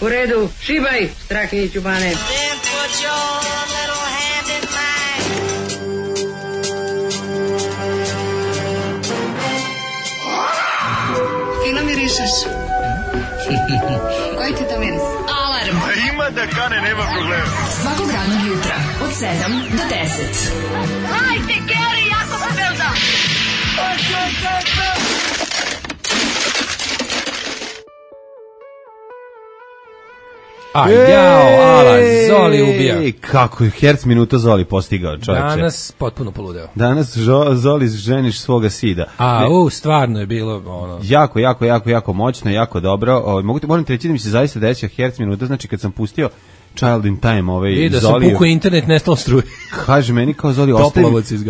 U redu, šibaj, Strahinjiću Bane. Fino mirišeš. Koji ti to miris? Alarm. A ima da kane, nema problema. Svakog radnog jutra od 7 do 10. Hajde, Geri, jako se velda. A jao, Alan, Zoli ubija. Kako je herc minuta Zoli postigao, čovječe. Danas potpuno poludeo. Danas Zoli ženiš svoga sida. Stvarno je bilo ono... Jako moćno, jako dobro. Moram ti reći da mi se zaista desio herc minuta, znači kad sam pustio Child in Time, I da Zoli... sam pukao internet, nestalo struje. Kaže meni kao Zoli,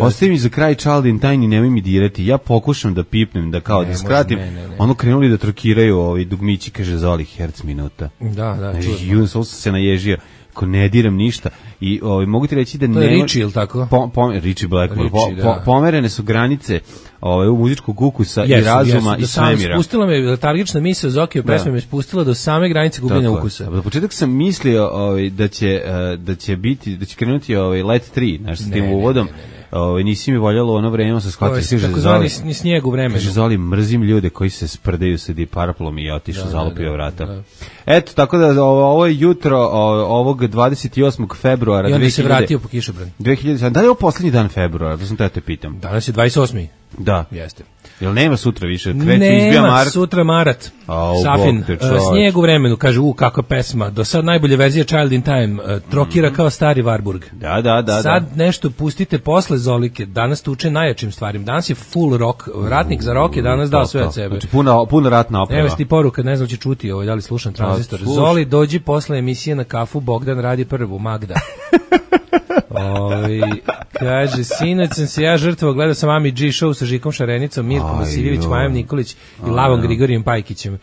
ostavi mi za kraj Child in Time i nemoj mi dirati. Ja pokušam da pipnem, da kao da skratim. Ne. Ono krenuli da trokiraju dugmići, kaže Zoli, herc minuta. Da, čudno. Jun, sam se naježio. Ko ne diram ništa i mogu ti reći da to je Richie, ili tako? Richie Blackmore. Pomerene su granice u muzičkog ukusa i razuma i svemira. Spustila me letargična misao Zokije pesme, me spustila do same granice gubljenja ukusa. Na početak sam mislio da će krenuti Let 3, znači s tim uvodom. Nisi mi voljelo ono vreme, sa shvatio se tako zvani ni snijeg u vremenu. Kaže Zoli, mrzim ljude koji se sprdaju sa Deep Purple-om i otišao, zalupio vrata. Da. Eto, tako da ovo je jutro ovog 28. februara. I onda se vratio po kišobran. 2000, da li je ovo poslednji dan februara? Da sam te pitam. Danas je 28. Da. Jeste. Jel nema sutra više? Nema sutra Marat. Safin. Snijeg u vremenu, kaže, kakva pesma. Do sad najbolja verzija Child in Time. Trokira kao stari Warburg. Da. Sad nešto pustite posle Zolike. Danas tuče najjačim stvarima. Danas je full rock. Ratnik za rock je danas dao sve od sebe. Znači puno ratna oprema. Evo ti poruka, ne znam će čuti da li slušam tranzistor. Zoli, dođi posle emisije na kafu, Bogdan radi prvu, Magda. Kaže, sinoć sam se ja žrtvovao, gledao sam Ami G show sa Žikom Šarenicom, Mirkom Vasiljević, Majom Nikolić i Lavom Grigorijem Pajkićem.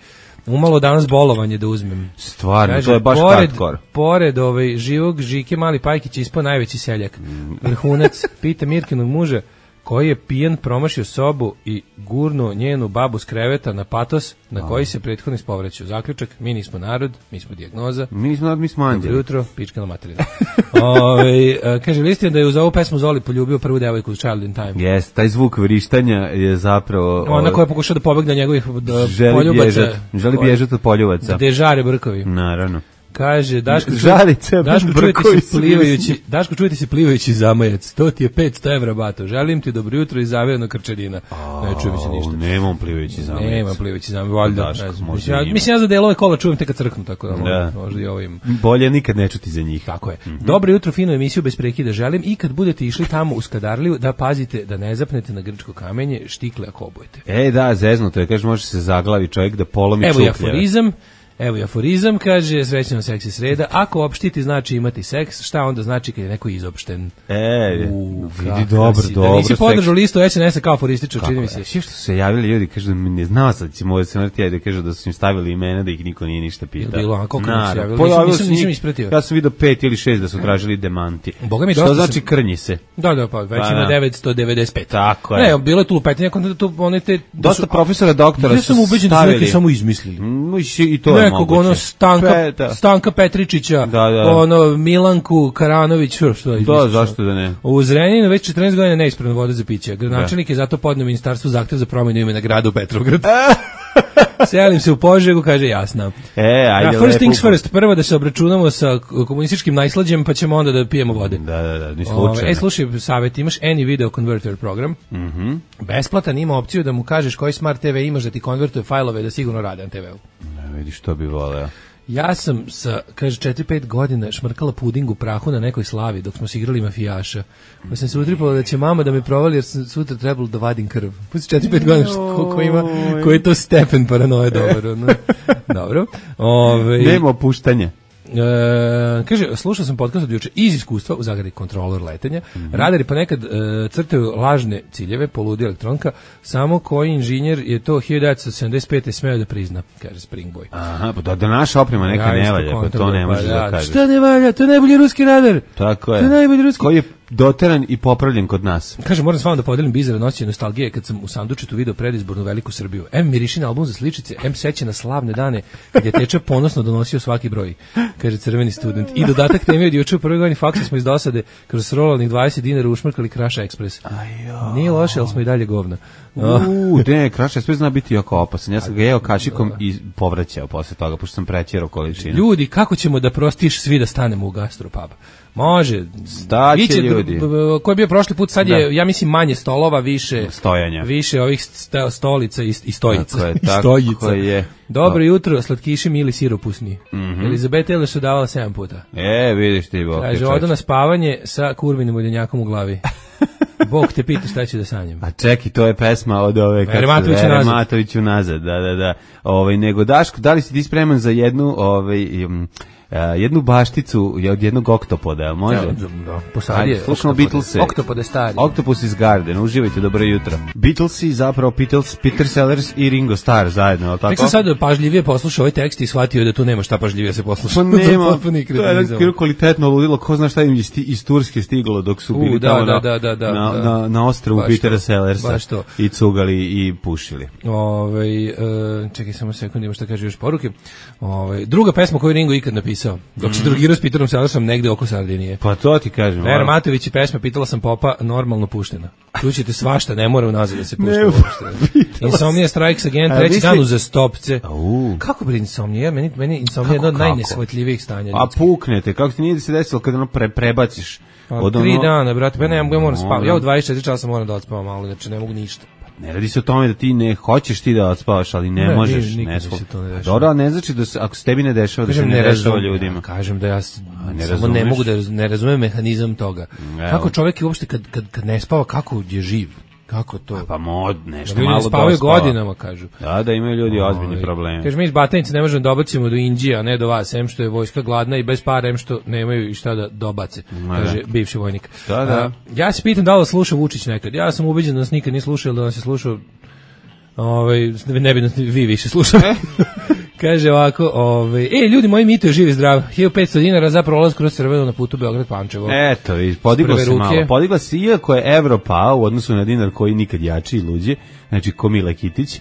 Umalo danas bolovanje da uzmem. Stvarno, kaže, to je baš hardcore. Pored živog Žike Mali Pajkić ispao najveći seljak. Vrhunac, pita Mirkinog muža, koji je pijan promašio sobu i gurnuo njenu babu s kreveta na patos na koji se prethodno ispovrećao. Zaključak, mi nismo narod, mi smo dijagnoza. Mi nismo narod, mi smo anđeli. Dobro jutro, pička na materinu. Kaže, listin da je uz ovu pesmu Zoli poljubio prvu devojku u Child in Time. Jes, taj zvuk vrištanja je zapravo... Ona koja je pokušao da pobegne njegovih poljubaca. Želi bježati od poljubaca. Gde žare brkovi. Naravno. Kaže, Daško, čujete se plivajući zamajac. To ti je 500 evra, bato. Želim ti dobro jutro i zavijeno krčedina. Ne čuje mi se ništa. Nemam plivajući zamajac. Nemam plivajući zamajac, valjda. Mislim, ja za delove kola čujem te kad crknu, tako da možda i ovim. Bolje nikad ne čuti za njih. Tako je. Dobro jutro, finu emisiju bez prekida želim i kad budete išli tamo u Skadarliju da pazite da ne zapnete na grčko kamenje, štikle ako obujete. Da, zeznuto je, kaže, može se zaglavi čovjek da polomi čuklje. Evo i aforizam, kaže, srećno seksi sreda. Ako opštiti znači imati seks, šta onda znači kad je neko izopšten? Vidi, dobro. Da nisi podržao listu SNS-a kao aforističar, čini mi se. Što su se javili ljudi, kažu da ne znao sad će moje smrti, da kažu da su im stavili imena, da ih niko nije ništa pitao. Bilo, a koliko mi se javili? Nisam ispratio. Ja sam vidio 5 ili 6 da su tražili demanti. Što znači krnji se? Da, pa već ima 995. Tako je. Ne, bilo je tu lupetanje, dosta profesora, doktora su stavili. Ja sam ubeđen da su neki samo izmislili. I to je nekog ono Stanka Petričića, ono Milanku Karanović, što je izmislio. Da, zašto da ne? U Zrenjaninu već 14 godina neispravna voda za piće. Gradonačelnik je zato podneo ministarstvu zahtev za promjenu imena grada u Petrovgrad. Selim se u Požegu, kaže jasno. First things first, prvo da se obračunamo sa komunističkim najslađem, pa ćemo onda da pijemo vode. Da, ni slučajno. Slušaj, savjet, imaš Any Video Converter program, besplatan, ima opciju da mu kažeš koji Smart TV imaš da ti konvertuje fajlove da sigurno rade na TV-u. Ne vidiš što bi voleo. Ja sam sa, kaže, 4-5 godina šmrkala puding u prahu na nekoj slavi dok smo se igrali mafijaša. Pa sam se utripala da će mama da me provali jer sam sutra trebalo da vadim krv. Pusti 4-5 godina koji je to stepen paranoje, dobro. Dobro. Nema opuštanja. Kaže, slušao sam podcast od juče iz iskustva u zagradi kontrolor letenja. Radari pa nekad crtaju lažne ciljeve, poludi elektronka, samo koji inženjer je to 1975. smeo da prizna, kaže Springboy. Aha, pa da naša oprema neka ne valja, pa to ne može da kaže. Šta ne valja? To je najbolji ruski radar. Tako je. To je najbolji ruski. Koji je doteran i popravljen kod nas. Kaže, moram s vama da podelim bizaran osjećaj nostalgije kad sam u sandučetu video predizbornu Veliku Srbiju. M miriši na album za sličice, M seća na slavne dane kad je Teča ponosno donosio svaki broj, kaže crveni student. I dodatak teme od juče u prvoj godini faksa smo iz dosade kroz rolalnih 20 dinara ušmrkali Kraša Ekspres. Nije loše, ali smo i dalje govna. Ne, Kraša Ekspres zna biti jako opasan. Ja sam ga jeo kašikom i povraćao posle toga, pošto sam prećerao količinu. Ljudi, kako ćemo da prostiš svi da stanemo u gastropub? Može. Staće ljudi. Ko je bio prošli put, sad je, ja mislim, manje stolova, više stojanja. Više ovih stolica i stojica. Tako je. Dobro jutro, slatkiši mili siropusni. Elizabeta Eleš davala 7 puta. Vidiš ti, Bog. Kaže, odo na spavanje sa kurvinim uljenjakom u glavi. Bog te pita šta ću da sanjam. A čeki, to je pesma od ove Vere Matoviću nazad. Da. Nego Daško, da li si ti spreman za jednu bašticu od jednog oktopoda, jel može? Da, posadije. Slušamo Beatlese. Oktopode stari. Octopus iz Garden, uživajte, dobro jutro. Beatlesi, zapravo Peter Sellers i Ringo Starr zajedno, jel tako? Nek sam sad pažljivije poslušao ovaj tekst i shvatio da tu nema šta pažljivije se posluša. Pa nema, to je jedan kvalitetno ludilo, ko zna šta im iz Turske stiglo dok su bili tamo na ostrovu Petera Sellersa i cugali i pušili. Čekaj samo sekund, ima šta kaže još poruke. Druga pesma koju Ringo ikad napisao, dok se drugirao s Peterom Sellersom negde oko Sardinije. Pa to ti kažem. Vera Matović i pesma Pitala sam popa, normalno puštena. Čućete svašta, ne mora unazad da se pušta. Insomnia Strikes Again, treći dan uzastopce. Kako bi Insomnia? Meni Insomnia je jedno od najnesvatljivijih stanja. A puknete, kako ti nije da se desilo kada ono prebaciš? 3 dana, brate, ja moram spavati. Ja u 24 časa moram da odspavam malo, znači ne mogu ništa. Ne radi se o tome da ti ne hoćeš ti da odspavaš, ali ne možeš. Dobro, ali ne znači da ako se tebi ne dešava, da se ne dešava ljudima. Kažem da ja samo ne mogu da ne razumem mehanizam toga. Kako čovjek uopšte kad ne spava, kako je živ? Kako to? Pa nešto malo da spavaju godinama, kažu. Da imaju ljudi ozbiljni problemi. Kaže, mi iz Batajnice ne možemo da dobacimo do Inđija, a ne do vas, em što je vojska gladna i bez para, em što nemaju i šta da dobace, kaže bivši vojnik. Ja se pitam da li sluša Vučić nekad. Ja sam ubeđen da nas nikad nije slušao, da nas je slušao, ne bi nas vi više slušali. Kaže ovako, ljudi moji, Mito je živ i zdrav, 1500 dinara za prolaz kroz crveno na putu Beograd-Pančevo. Eto, podigla se malo, podigla se, iako je evro pao u odnosu na dinar koji nikad jači i luđi, znači ko Mile Kitić,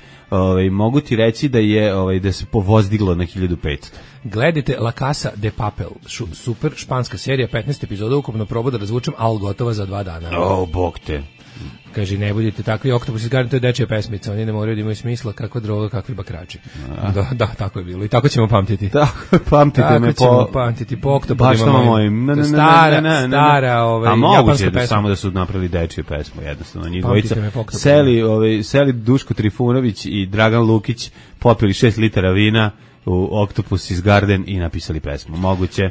mogu ti reći da je da se povozdiglo na 1500. Gledajte La Casa de Papel, super španska serija, 15 epizoda, ukupno probu da razvučem, al gotova za 2 dana. Bog te. Kaže, ne budite takvi, Oktopus iz Garden, to je dečija pesmica, oni ne moraju da imaju smisla, kakva droga, kakvi bakrači. Da, tako je bilo i tako ćemo pamtiti. Pamtite me po Oktopusima mojim. Stara a moguće da samo da su napravili dečiju pesmu, jednostavno. Njih dvojica seli Duško Trifunović i Dragan Lukić popili 6 litara vina u Octopus iz Garden i napisali pesmu. Moguće.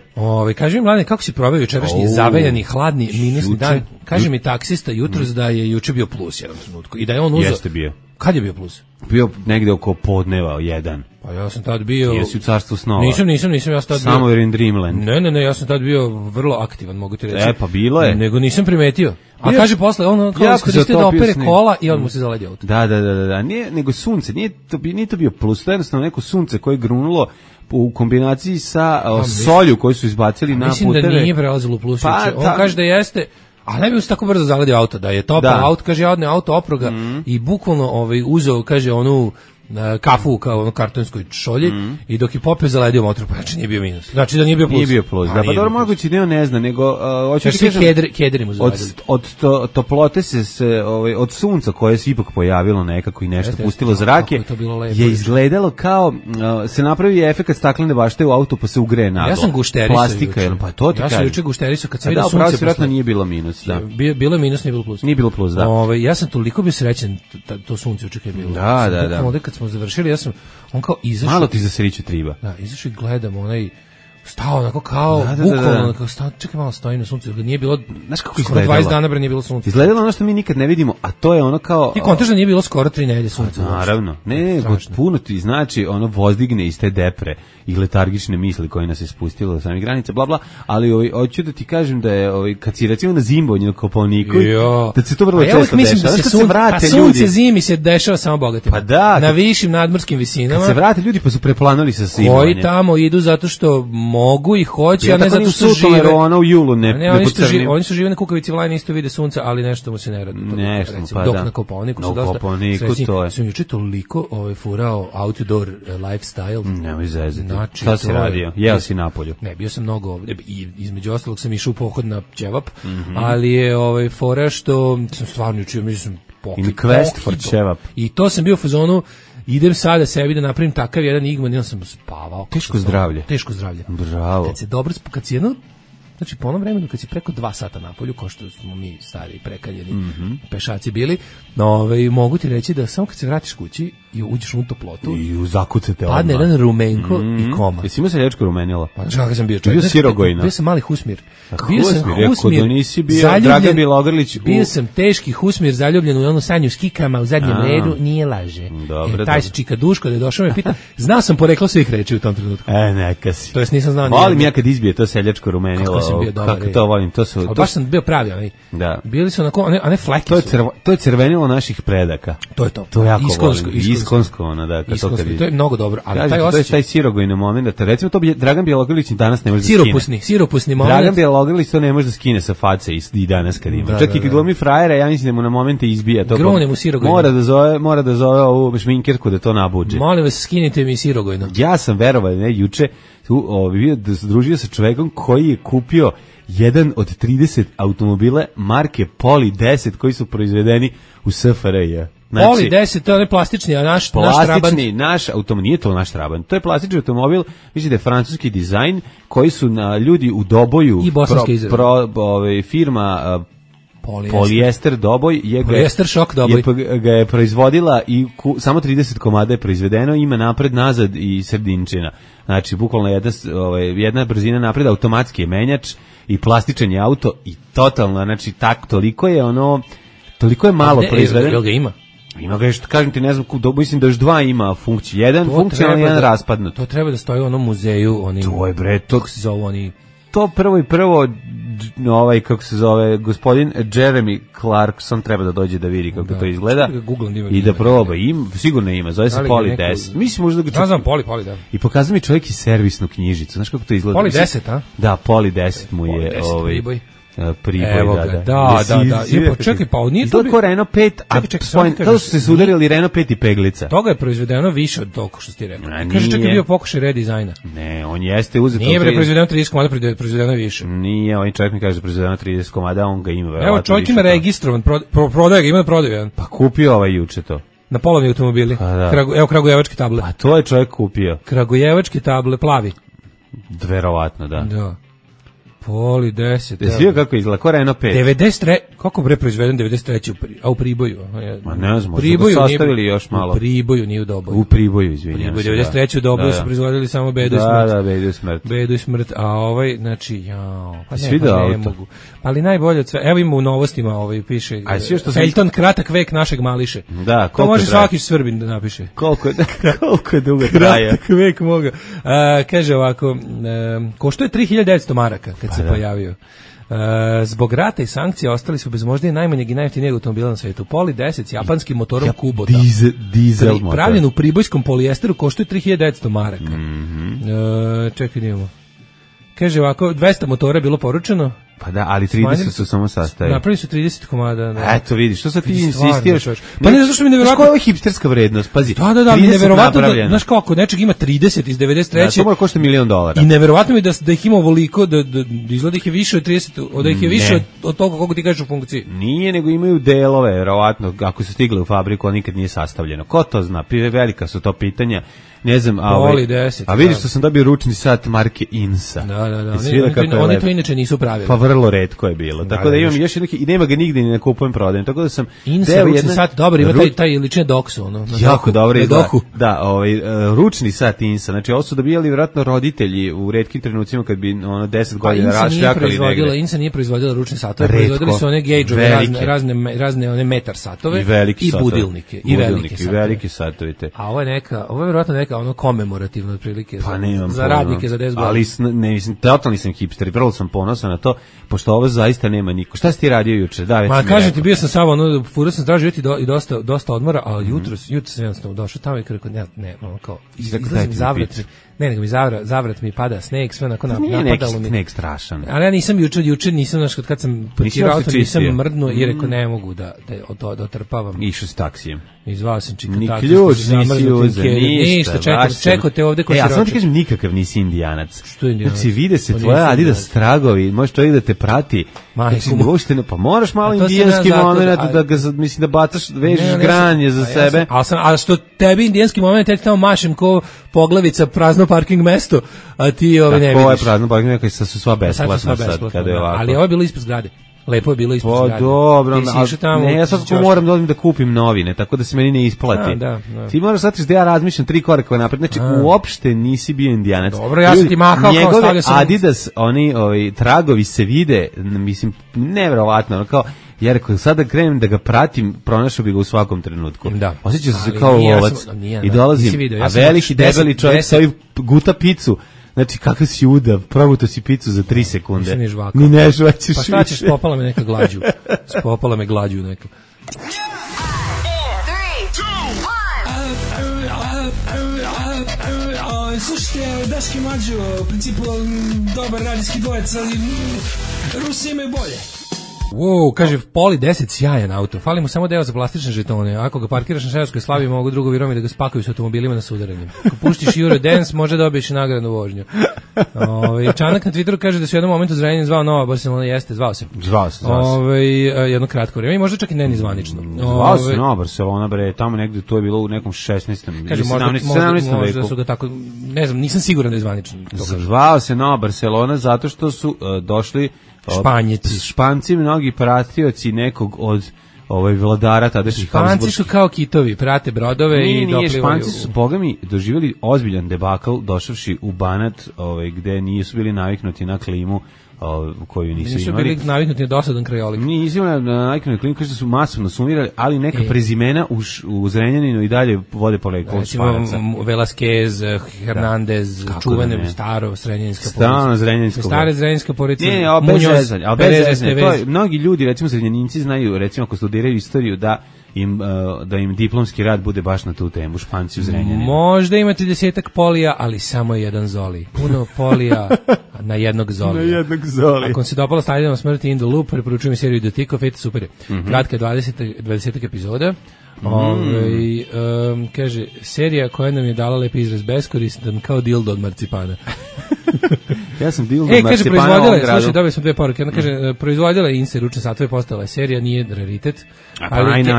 Kaži mi, mladine, kako si proveo jučerašnji zavejani, hladni, minusni dan? Kaže mi taksista jutros da je juče bio plus jedan trenutku i da je on uzeo... Jeste bio. Kad je bio plus? Bio negde oko podneva, 1. Pa ja sam tad bio... Jesi u carstvu snova? Nisam, ja sam tad bio... Somewhere in Dreamland. Ne, ja sam tad bio vrlo aktivan, mogu ti reći. Pa bilo je. Nego nisam primetio. A kaže posle, ono kao iskoristio da opere kola i on mu se zaledi auto. Da. Nije, nego sunce, nije to bio plus, to je jednostavno neko sunce koje je grunulo u kombinaciji sa solju koju su izbacili na puteve. Mislim da nije prelazilo u plus. On kaže da jeste... A ne bi se tako brzo zaledio auto, da je topao auto, kaže, ja odne auto oproga i bukvalno uzeo, kaže, onu kafu kao ono kartonskoj šolji i dok je popio zaledio motor, pa znači nije bio minus. Znači da nije bio plus. Nije bio plus, da, pa dobro moguće da on ne zna, nego hoćeš svi kederi mu zaledili. Od toplote se od sunca koje se ipak pojavilo nekako i nešto pustilo zrake, je izgledalo kao se napravi efekat staklene bašte u autu pa se ugreje naglo. Ja sam gušterisao. Plastika, pa to ti kažem. Ja sam juče gušterisao kad sam vidio sunce. Da, vjerojatno nije bilo minus, da. Bilo je minus, nije bilo plus. Nije bilo plus, da. Ja sam toliko bio srećan to sunce juče kad je bilo. Da. Kad smo završili, on kao izašao. Malo ti za sriću triba. Da, izašao i gledam onaj stao onako kao bukvalno kao stao, čekaj malo stoji na suncu, nije bilo, znaš kako skoro izgledalo? 20 dana bre nije bilo sunca. Izgledalo ono što mi nikad ne vidimo, a to je ono kao... Ti kontaš da nije bilo skoro 3 nedelje sunca. Naravno. Ne, puno ti znači ono vozdigne iz te depre i letargične misli koje nas je spustilo do samih granica, bla bla, ali hoću da ti kažem da je kad si recimo na zimbonju na Kopaoniku, da se to vrlo često dešava. Sunce zimi se dešava samo bogatima. Pa da, na višim nadmorskim visinama. Kad se vrate ljudi pa su preplanuli sa zimbonjem. Koji tamo idu zato što mogu i hoće, a ne zato što žive. Ona u julu ne oni su žive na Kukavici Vlajne, isto vide sunca, ali nešto mu se ne radi. Nešto, pa dok da. na Kopaoniku su dosta. To je. Sam juče toliko furao outdoor lifestyle. Nemoj zezati. Znači, šta si radio? Jeo si napolju? Ne, bio sam mnogo, i između ostalog sam išao u pohod na ćevap, ali je fora što sam stvarno učio, mislim, quest for ćevap. I to sam bio u fazonu, idem sada sebi da napravim takav jedan igman, ja sam spavao. Teško zdravlje. Bravo. Kad si jedno, znači po onom vremenu kad si preko 2 sata napolju, ko što smo mi stari prekaljeni pešaci bili, mogu ti reći da samo kad se vratiš kući i uđeš u toplotu i zakucate padne jedan rumenko i koma. Jesi imao seljačko rumenilo? Pa znaš kako sam bio čovjek? Bio sirogojno. Bio sam mali husmir. Bio sam husmir, nisi bio Dragan Bjelogrlić. Bio sam teški husmir, zaljubljen u onu sanju s kikama u zadnjem redu, nije laže. Taj se čika Duško da je došao me pita, znao sam poreklo svih reči u tom trenutku. Neka si. To jest nisam znao. Volim ja kad izbije to seljačko rumenilo. Kako sam bio dobar. Kako to volim, to su... Baš sam bio pravi, Da. Bili su onako, a ne fleki su. To je crvenilo naših predaka. To je to. To jako volim. Iskonsko, ono, da. To je mnogo dobro, ali kažete, taj osjećaj... To je taj sirogojni moment, recimo to Dragan Bjelogrlić danas ne može da skine. Siropusni moment. Dragan Bjelogrlić to ne može da skine sa face i danas kad ima. Čak i kad glumi frajera, ja mislim da mu na momente izbija to. Grune mu sirogojno. Mora da zove ovu šminkerku da to nabuđe. Molim vas, skinite mi sirogojno. Ja sam verovao, juče bio da se družio sa čovekom koji je kupio jedan od 30 automobila marke Poli 10 koji su proizvedeni u SFRJ. Znači, Poli 10, to je plastični, a naš plastični, naš automobil, nije to naš Trabant, to je plastični automobil, mislim da je francuski dizajn, koji su ljudi u Doboju, i bosanske izrade. Firma Polijester Doboj, ga je proizvodila i samo 30 komada je proizvedeno, ima napred, nazad i sredinčina. Znači, bukvalno jedna brzina napred, automatski je menjač i plastičan je auto i totalno, znači, toliko je malo proizvedeno. Jel ga ima? Ima ga još, kažem ti, ne znam, mislim da još 2 ima funkciju. Jedan funkcionalni, jedan raspadnut. To treba da stoji u onom muzeju, to je bre, kako se zove oni... To prvo, kako se zove, gospodin Jeremy Clarkson treba da dođe da vidi kako to izgleda i da proba. Sigurno ima, zove se Poli 10. Mislim možda ga... Ja znam Poli, da. I pokazao mi čovjek i servisnu knjižicu. Znaš kako to izgleda? Poli 10, a? Da, Poli 10 mu je... Priboj, da. Čekaj, pa nije to bio... Renault 5, kada su se sudarili Renault 5 i peglica. Toga je proizvedeno više od toliko što ti rekao. Kaže, čekaj, bio pokušaj redizajna. Ne, on jeste uzeti... Nije proizvedeno 30 komada, proizvedeno više. Nije, on čovjek mi kaže proizvedeno 30 komada, on ga ima. Evo, čovjek ima registrovan, prodaje ga, ima da prodaju. Pa kupio ovaj juče to. Na polovni automobili. Evo, kragujevačke table. A to je čovjek kupio. Kragujevačke table, plavi. Verovatno, da. Da. Poli 10. Jesi vidio kako izgleda? Ko Renault 5? 93. Kako bre proizveden 93. A u Priboju? Ma ne znam, možda ga sastavili još malo. U Priboju, nije u Doboju. U Priboju, izvinjam se. 93. u Doboju su proizvodili samo bedu i smrt. Da, bedu i smrt. Bedu i smrt, a znači, pa ne mogu. Ali najbolje od sve, evo ima u novostima, piše Felton, kratak vek našeg Mališe. Da, to može svaki Srbin da napiše. Koliko je dugo traja. Kratak vek moga. Kaže ovako, košto je 3900 maraka kad se pojavio. Zbog rata i sankcija ostali su bez možda i najmanjeg i najjeftinijeg automobila na svetu. Poli 10 s japanskim motorom Kubota. Dizel motor. Pravljen u pribojskom polijesteru, koštuje 3900 maraka. Čekaj, imamo. Kaže ovako, 200 motora je bilo poručeno. Pa da, ali 30 su samo sastavili. Napravili su 30 komada. Da. Eto vidiš, što sad ti insistiraš? Pa ne, zašto mi nevjerovatno... Koja je hipsterska vrednost, pazi. Da, nevjerovatno, znaš kako, nečeg ima 30 iz 93. Da, to mora košta $1 milion. I nevjerovatno mi da ih ima ovoliko, da izgleda ih je više od 30, da ih je više od toga koliko ti kažeš u funkciji. Nije, nego imaju delove, verovatno, ako su stigli u fabriku, a nikad nije sastavljeno. Ko to zna? Velika su to pitanja. Ne znam, a vidiš što sam dobio ručni sat marke Insa. Da. Oni to inače nisu pravili. Pa vrlo retko je bilo. Tako da imam još neki i nema ga nigde ni na kupujem prodajem. Tako da sam Insa ručni sat, dobro, ima taj lične doksu, ono. Jako dobro izgleda. Da, ručni sat Insa. Znači, ovo su dobijali vjerojatno roditelji u retkim trenucima kad bi 10 godina rašljakali negde. Insa nije proizvodila ručne satove, proizvodili su one gauge-ove, razne one metar satove i budilnike. I velike satove. A ovo je vjerojatno neka ono komemorativna otprilike za radnike za 10 godina. Ali totalni sam hipster, vrlo sam ponosan na to, pošto ovo zaista nema niko. Šta si ti radio juče? Da, ma kažem ti, bio sam samo furao sam tražio i dosta odmora, ali jutro sam jednostavno došao tamo i rekao ne, kao izlazim zavrat. Nego mi zavrat mi pada sneg, sve onako napadalo mi. Nije neki sneg strašan. Ali ja nisam juče nisam, znaš, kad sam parkirao auto, nisam mrdnuo i rekao ne mogu da otrpavam. Išao s taksijem. I zvao sam čika ni ključ, nisi uze, ništa. Čekao te ovde ko si ročak. Ja sam ti kažem, nikakav nisi Indijanac. Što je Indijanac? Znači, vide se tvoja Adidas tragovi, možeš čovjek da te prati. Pa moraš malo indijanski moment da ga, mislim, da bacaš, vežeš granje za sebe. A što tebi indijanski moment, ja ti tamo mašem ko poglavica prazno parking mesto, a ti ne vidiš. Tako je prazno parking mesto, su sva besplatna sad, kada je ovako. Ali ovo je bilo ispred zgrade. Lepo je bilo ispred zgrade. Dobro, ne, ja sad moram da odim da kupim novine, tako da se meni ne isplati. Ti moraš shvatiti da ja razmišljam 3 koraka napred, znači uopšte nisi bio Indijanac. Dobro, ja sam ti mahao kao stavljao sam. Adidas, oni tragovi se vide, mislim, neverovatno, kao ja rekao, sada krenem da ga pratim, pronašao bi ga u svakom trenutku. Da. Osjećao sam se kao lovac i dolazim, a veliki, debeli čovjek stoji guta picu. Znači, kakav si udav, probuto si picu za 3 sekunde. Ni ne žvaćeš. Pa šta ćeš, spopala me neka glađu. Spopala me glađu neka. Slušajte, Daški Mađo, u principu dobar radijski dvojec, ali Rusi imaju bolje. Wow, kaže Poli 10 sjajan auto. Fali mu samo deo za plastične žetone. Ako ga parkiraš na Šerskoj Slavi, mogu drugovi Romi da ga spakuju s automobilima na sudaranjem. Ako puštiš Eurodance, može dobiješ nagradnu vožnju. Čanak na Twitteru kaže da se u jednom momentu Zrenjanin zvao Nova Barcelona, jeste, zvao se. Jedno kratko vrijeme i možda čak i ne ni zvanično. Zvao se Nova Barcelona, bre, tamo negde to je bilo u nekom 16. Kaže, 17. veku. Su ga tako, ne znam, nisam siguran da je zvanično. Zvao se Nova Barcelona zato što su došli Španci, mnogi pratioci nekog od vladara tadašnjih Habsburgskih. Španci su kao kitovi, prate brodove i doplivaju. Španci su, bogami, doživjeli ozbiljan debakl došavši u Banat, gde nisu bili naviknuti na klimu koju nisu imali. Nisu bili naviknuti na dosadan krajolik. Nisu imali naviknuti na klimu, kaže da su masovno sumirali, ali neka prezimena u Zrenjaninu i dalje vode poreklo Španaca. Velasquez, Hernandez, čuvene staro zrenjaninska porodica. Staro zrenjaninska porodica. Stare zrenjaninska porodica. Ne, bez zezanja. Mnogi ljudi, recimo Zrenjaninci, znaju, recimo ako studiraju istoriju, da im diplomski rad bude baš na tu temu, Španci u Zrenjaninu. Možda ima 30 polija, ali samo jedan zoli. Puno polija na jednog zolija. Ako vam se dopala Stavljamo smrti in the Loop, preporučujem seriju The Tick of It, super je. Kratka 20 epizoda. Kaže, serija koja nam je dala lepi izraz beskoristan kao dildo od marcipana. Ja sam dildo od marcipana u ovom gradu. Slušaj, dobili smo 2 poruke. Ona kaže, proizvodila je Inse ručne satove, postala je serija, nije raritet,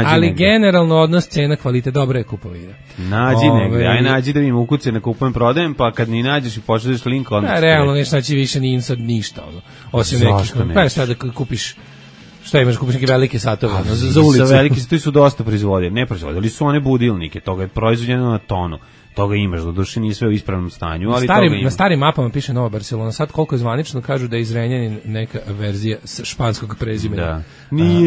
ali generalno odnos cena kvalitet, dobra je kupovina. Nađi negde, nađi da mi ukuce na kupujem prodajem, pa kad ni nađeš i počneš link, onda realno nešto naći više ni Insa ništa. Osim nekih, pa šta da kupiš. Šta imaš, kupiš neke velike satove za ulicu? Sa velike satove su dosta proizvodili. Ne proizvodili su one budilnike, toga je proizvodjeno na tonu. Toga imaš, do duše nije sve u ispravnom stanju, ali toga ima. Na starim mapama piše Nova Barcelona, sad koliko je zvanično kažu da je iz Zrenjanin neka verzija španskog prezimena. Da.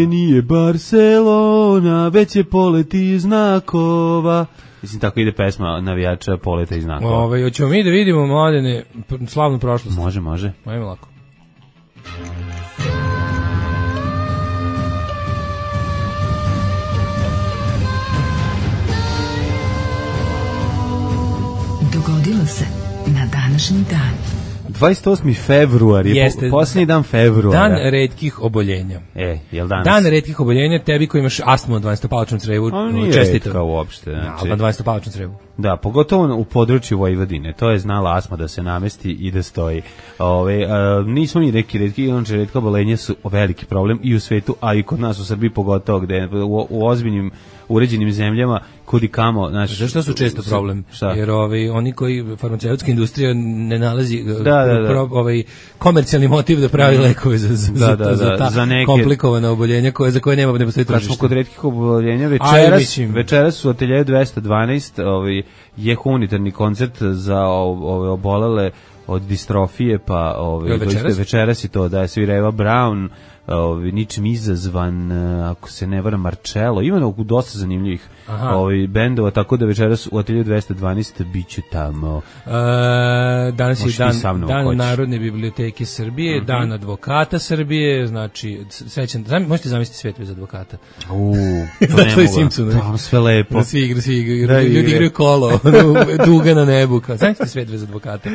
Nije Barcelona, već je poleti znakova. Mislim, tako ide pesma navijača poleta i znakova. Hoćemo mi da vidimo, Mladene, slavnu prošlost? Može. Ajme lako. Dogodilo se na današnji dan. 28. februar je posljednji dan februara. Dan retkih oboljenja. Jel danas? Dan retkih oboljenja, tebi koji imaš astmu na 12-palačnom crevu, čestito. Kao uopšte. Znači, na 12-palačnom crevu. Da, pogotovo u području Vojvodine. To je znala astma da se namesti i da stoji. Nismo ni retki, inače retka oboljenja su veliki problem i u svetu, a i kod nas u Srbiji pogotovo, gde u ozbiljnim uređenim zemljama kudi kamo, znaš. Zašto su često problem? Šta? Jer oni koji farmaceutska industrija ne nalazi Da. Komercijalni motiv da pravi lekove za ta za neke komplikovana oboljenja za koje ne postoji tržište. Kad smo kod retkih oboljenja, večeras u ateljeju 212 je humanitarni koncert za obolele od distrofije, pa večeras je to da svira Eva Braun, ničim izazvan, ako se ne varam, Marcello, ima dosta zanimljivih bendova, tako da večeras u ateljeju 212 biću tamo. Danas je dan Narodne biblioteke Srbije, dan advokata Srbije, znači srećan, možete zamisliti svet bez advokata. To ne mogu, tamo sve lepo. Svi ljudi igraju kolo, duga na nebu, zamislite svet bez advokata.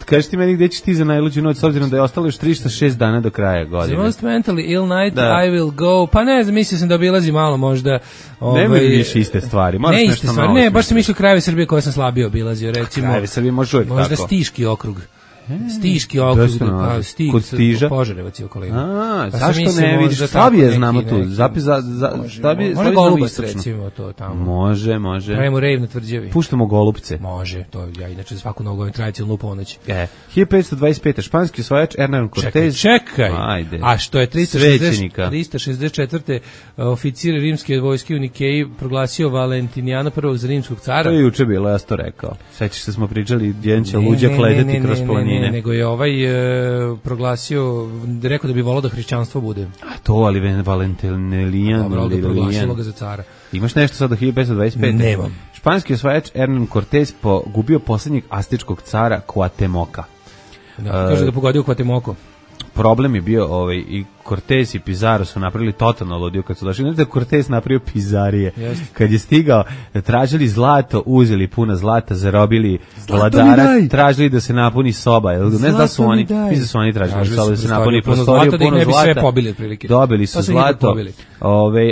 Kaži ti meni gde ćeš ti za najluđu noć, s obzirom da je ostalo još 306 dana do kraja godine. The most mentally ill night I will go. Pa ne znam, mislio sam da obilazim malo možda. Nemoj više iste stvari. Ne iste stvari, ne, baš sam mislio krajevi Srbije koje sam slabije obilazio, recimo. Krajevi Srbije može uvijek tako. Možda Stiški okrug. Stiški okrug, kod Stiža. Požarevac je okolina. Zašto ne vidiš? Slabije znamo tu. Može Golubac, recimo, to tamo. Može. Pravimo rejv na Tvrđavi. Puštamo Golupce. Može, to ja inače za svaku nogu tradicionalnu ponoć. 1525. Španski osvajač Hernán Cortés. Čekaj. A što je 364. oficir rimske vojske u Nikeji proglasio Valentinijana I za rimskog cara. To je juče bilo, ja sam to rekao. Sećaš se smo pričali, jedan će luđak ledeti kroz planine. Ne, nego je proglasio, rekao da bi volao da hrišćanstvo bude. A to, ali Valentinelijan. Dobro, da proglasilo ga za cara. Imaš nešto sad do 1525? Nemam. Španski osvajač Hernán Cortés pogubio posljednjeg aztečkog cara Cuauhtemoca. Kaže da pogodio Cuauhtemoco. Problem je bio i Cortés i Pizarro su napravili totalno ludio kad su došli. Znači da Cortés napravio pizarije. Kad je stigao, tražili zlato, uzeli puno zlata, zarobili vladara, tražili da se napuni soba. Ne znam da su oni, mislim da su oni tražili soba da se napuni prostoriju, puno zlata. Dobili su zlato,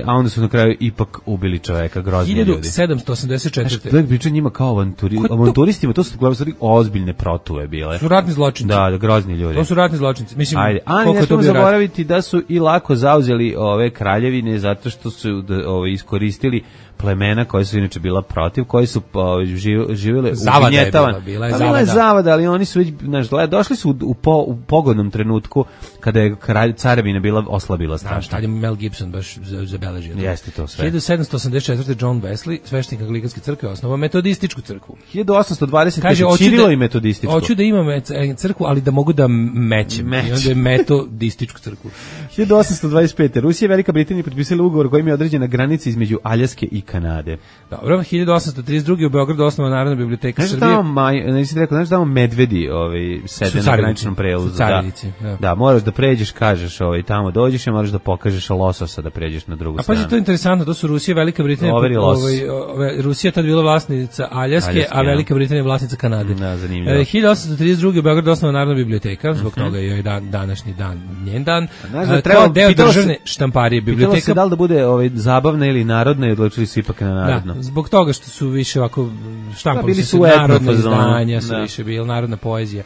a onda su na kraju ipak ubili čoveka, grozni ljudi. 1784. Znači, priča njima kao avanturistima, to su ozbiljne protuve bile. Su ratni zločinci. Da, grozni ljudi. To su ratni zločinci. Mislim, ne smemo zaboraviti da su i lako zauzeli ove kraljevine zato što su iskoristili plemena koja su inače bila protiv, koji su živjele u gnjetavan. Bila je zavada, ali oni su već, došli su u pogodnom trenutku kada je carevina bila oslabila strašno. Tad je Mel Gibson baš zabeležio. Jeste to sve. 1784. John Wesley, sveštenik Anglikanske crkve, osnovao metodističku crkvu. 1820. Cirilo i metodističku. Hoću da imam crkvu, ali da mogu da mećem. I onda je metodističku crkvu. 1825. Rusija i Velika Britanija potpisali ugovor kojim je određena granica između Aljaske i Kanade. Dobro, 1832. u Beogradu osnovana Narodna biblioteka Srbije. Znaš tamo medvedi sede na graničnom prelazu. Da, moraš da pređeš, kažeš tamo dođeš i moraš da pokažeš lososa da pređeš na drugu stranu. A pa to je interesantno, to su Rusija i Velika Britanija. Rusija tad bila vlasnica Aljaske, a Velika Britanija vlasnica Kanade. Da, zanimljivo. 1832. u Beogradu osnovana Narodna biblioteka, zbog toga je današnji dan njen dan. Kao deo državne štamparije biblioteka. Pitalo se da li da bude zabavna ili narodna i odlučili su ipak na narodno. Da, zbog toga što su više ovako štampali su narodne izdanja, su više bila narodna poezija.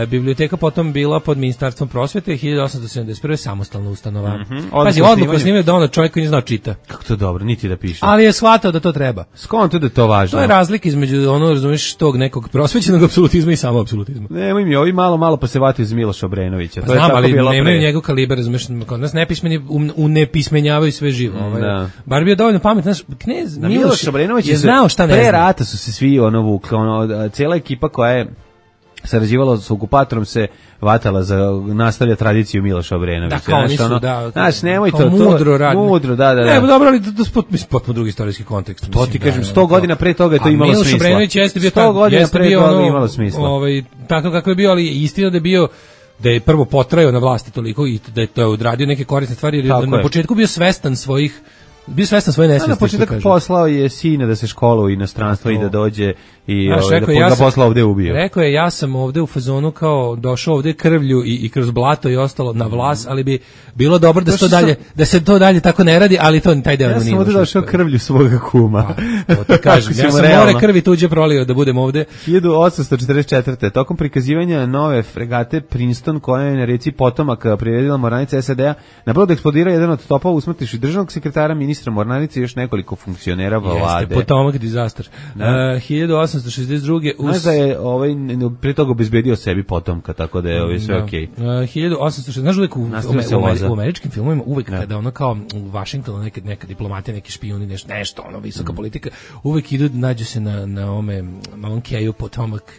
Biblioteka potom bila pod Ministarstvom prosvete, 1871. samostalna ustanova. Pazi, odluku snimio da onda čovjek koji ne znao čita. Kako to dobro, niti da piše. Ali je shvatao da to treba. Skonto da je to važno. To je razlika između razumiješ, tog nekog prosvećenog apsolutizma i samo apsolutizma. Nemoj mi, ovi malo pa se vate iz Miloša Obrenovića. To je tako bilo pre. Nemaju njegov kalibar, razumiješ, kod nas nepismeni unepismenjavaju sve živo. Bar bio dovoljno pametan, knez Miloš Obrenović je znao šta ne zna. Pre rata su se svi vukli, cijela ekipa koja je sarađivala s okupatorom se vatala za nastavlja tradiciju Miloša Obrenovića. Da, kao nisu, da. Znaš, nemoj to. Mudro radne. Mudro, da. Ne, dobro, ali to je potpuno drugi istorijski kontekst. To ti kažem, 100 godina pre toga je to imalo smisla. Miloš Obrenović jeste bio 100 godina pre toga imalo smisla. Tako kako je bio, ali istina da je bio da je prvo potrajao na vlasti toliko i da je to odradio neke korisne stvari, jer na početku bio svestan svoje nesvesti. Na početak poslao je sina da se školuje u inostranstvo i da dođe i Znaš, da ga posla ovde ubio. Rekao je, ja sam ovde u fazonu kao došao ovde krvlju i kroz blato i ostalo na vlas, ali bi bilo dobro da se to dalje tako ne radi, ali to taj deo ja nije. Ja sam ovde došao krvlju svoga kuma. To ti kažem, ja sam more krvi tuđe prolio da budem ovde. 1844. Tokom prikazivanja nove fregate Princeton, koja je na reci Potomak priredila mornarica SAD-a, na brodu eksplodira jedan od topova, usmrtivši državnog sekretara, ministra mornarice i još nekoliko funkcionera vlade. Jeste, Potomak disaster. 1862. Znaš da je prije toga obezbedio sebi potomka, tako da je sve okej. 1860. Znaš uvek u američkim filmovima, uvek kada ono kao u Vašingtonu neka diplomatija, neki špijuni, nešto, visoka politika, uvek idu, nađu se na ovom keju Potomak,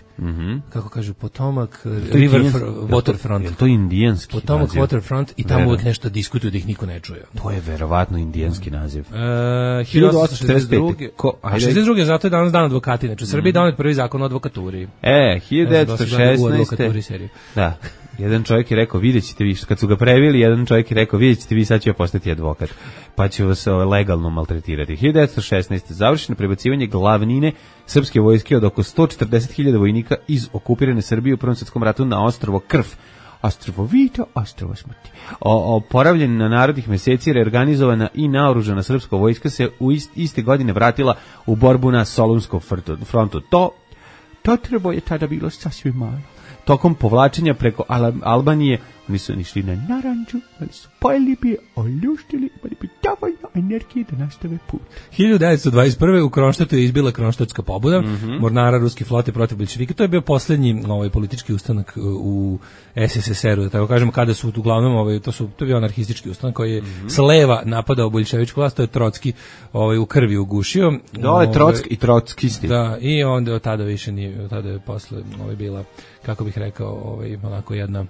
kako kažu, Potomak River Waterfront. Je to indijanski Potomak Waterfront i tamo uvek nešto diskutuju da ih niko ne čuje. To je verovatno indijanski naziv. 1862. A 62. zato je danas dan advokati. Znači, u Srbiji donet prvi zakon o advokaturi. 1916. Da. Jedan čovjek je rekao, vidjet ćete vi, kad su ga previli, jedan čovjek je rekao, vidjet ćete vi, sad će postati advokat, pa će vas legalno maltretirati. 1916. završeno prebacivanje glavnine srpske vojske od oko 140.000 vojnika iz okupirane Srbije u Prvom svjetskom ratu na ostrvo Krv. Ostrvo Vito, ostrvo smrti. Oporavljen na narodnih meseci, reorganizovana i naoružana srpska vojska se u iste godine vratila u borbu na Solunskom frontu. To treba je tada bilo sasvim malo. Tokom povlačenja preko Albanije, oni su išli na naranđu, ali su pojeli bi, oljuštili, imali bi dovoljno energije da nastave put. 1921. u Kronštatu je izbila Kronštatska pobuda, mornara ruske flote protiv boljševika. To je bio poslednji politički ustanak u SSSR-u, da tako kažemo, kada su uglavnom, to je bio anarhistički ustanak koji je s leva napadao boljševičku vlast, to je Trotski u krvi ugušio. Dole Trotski i Trotskisti. Da, i onda od tada više nije, tada je posle bila, kako bih rekao, onako jedno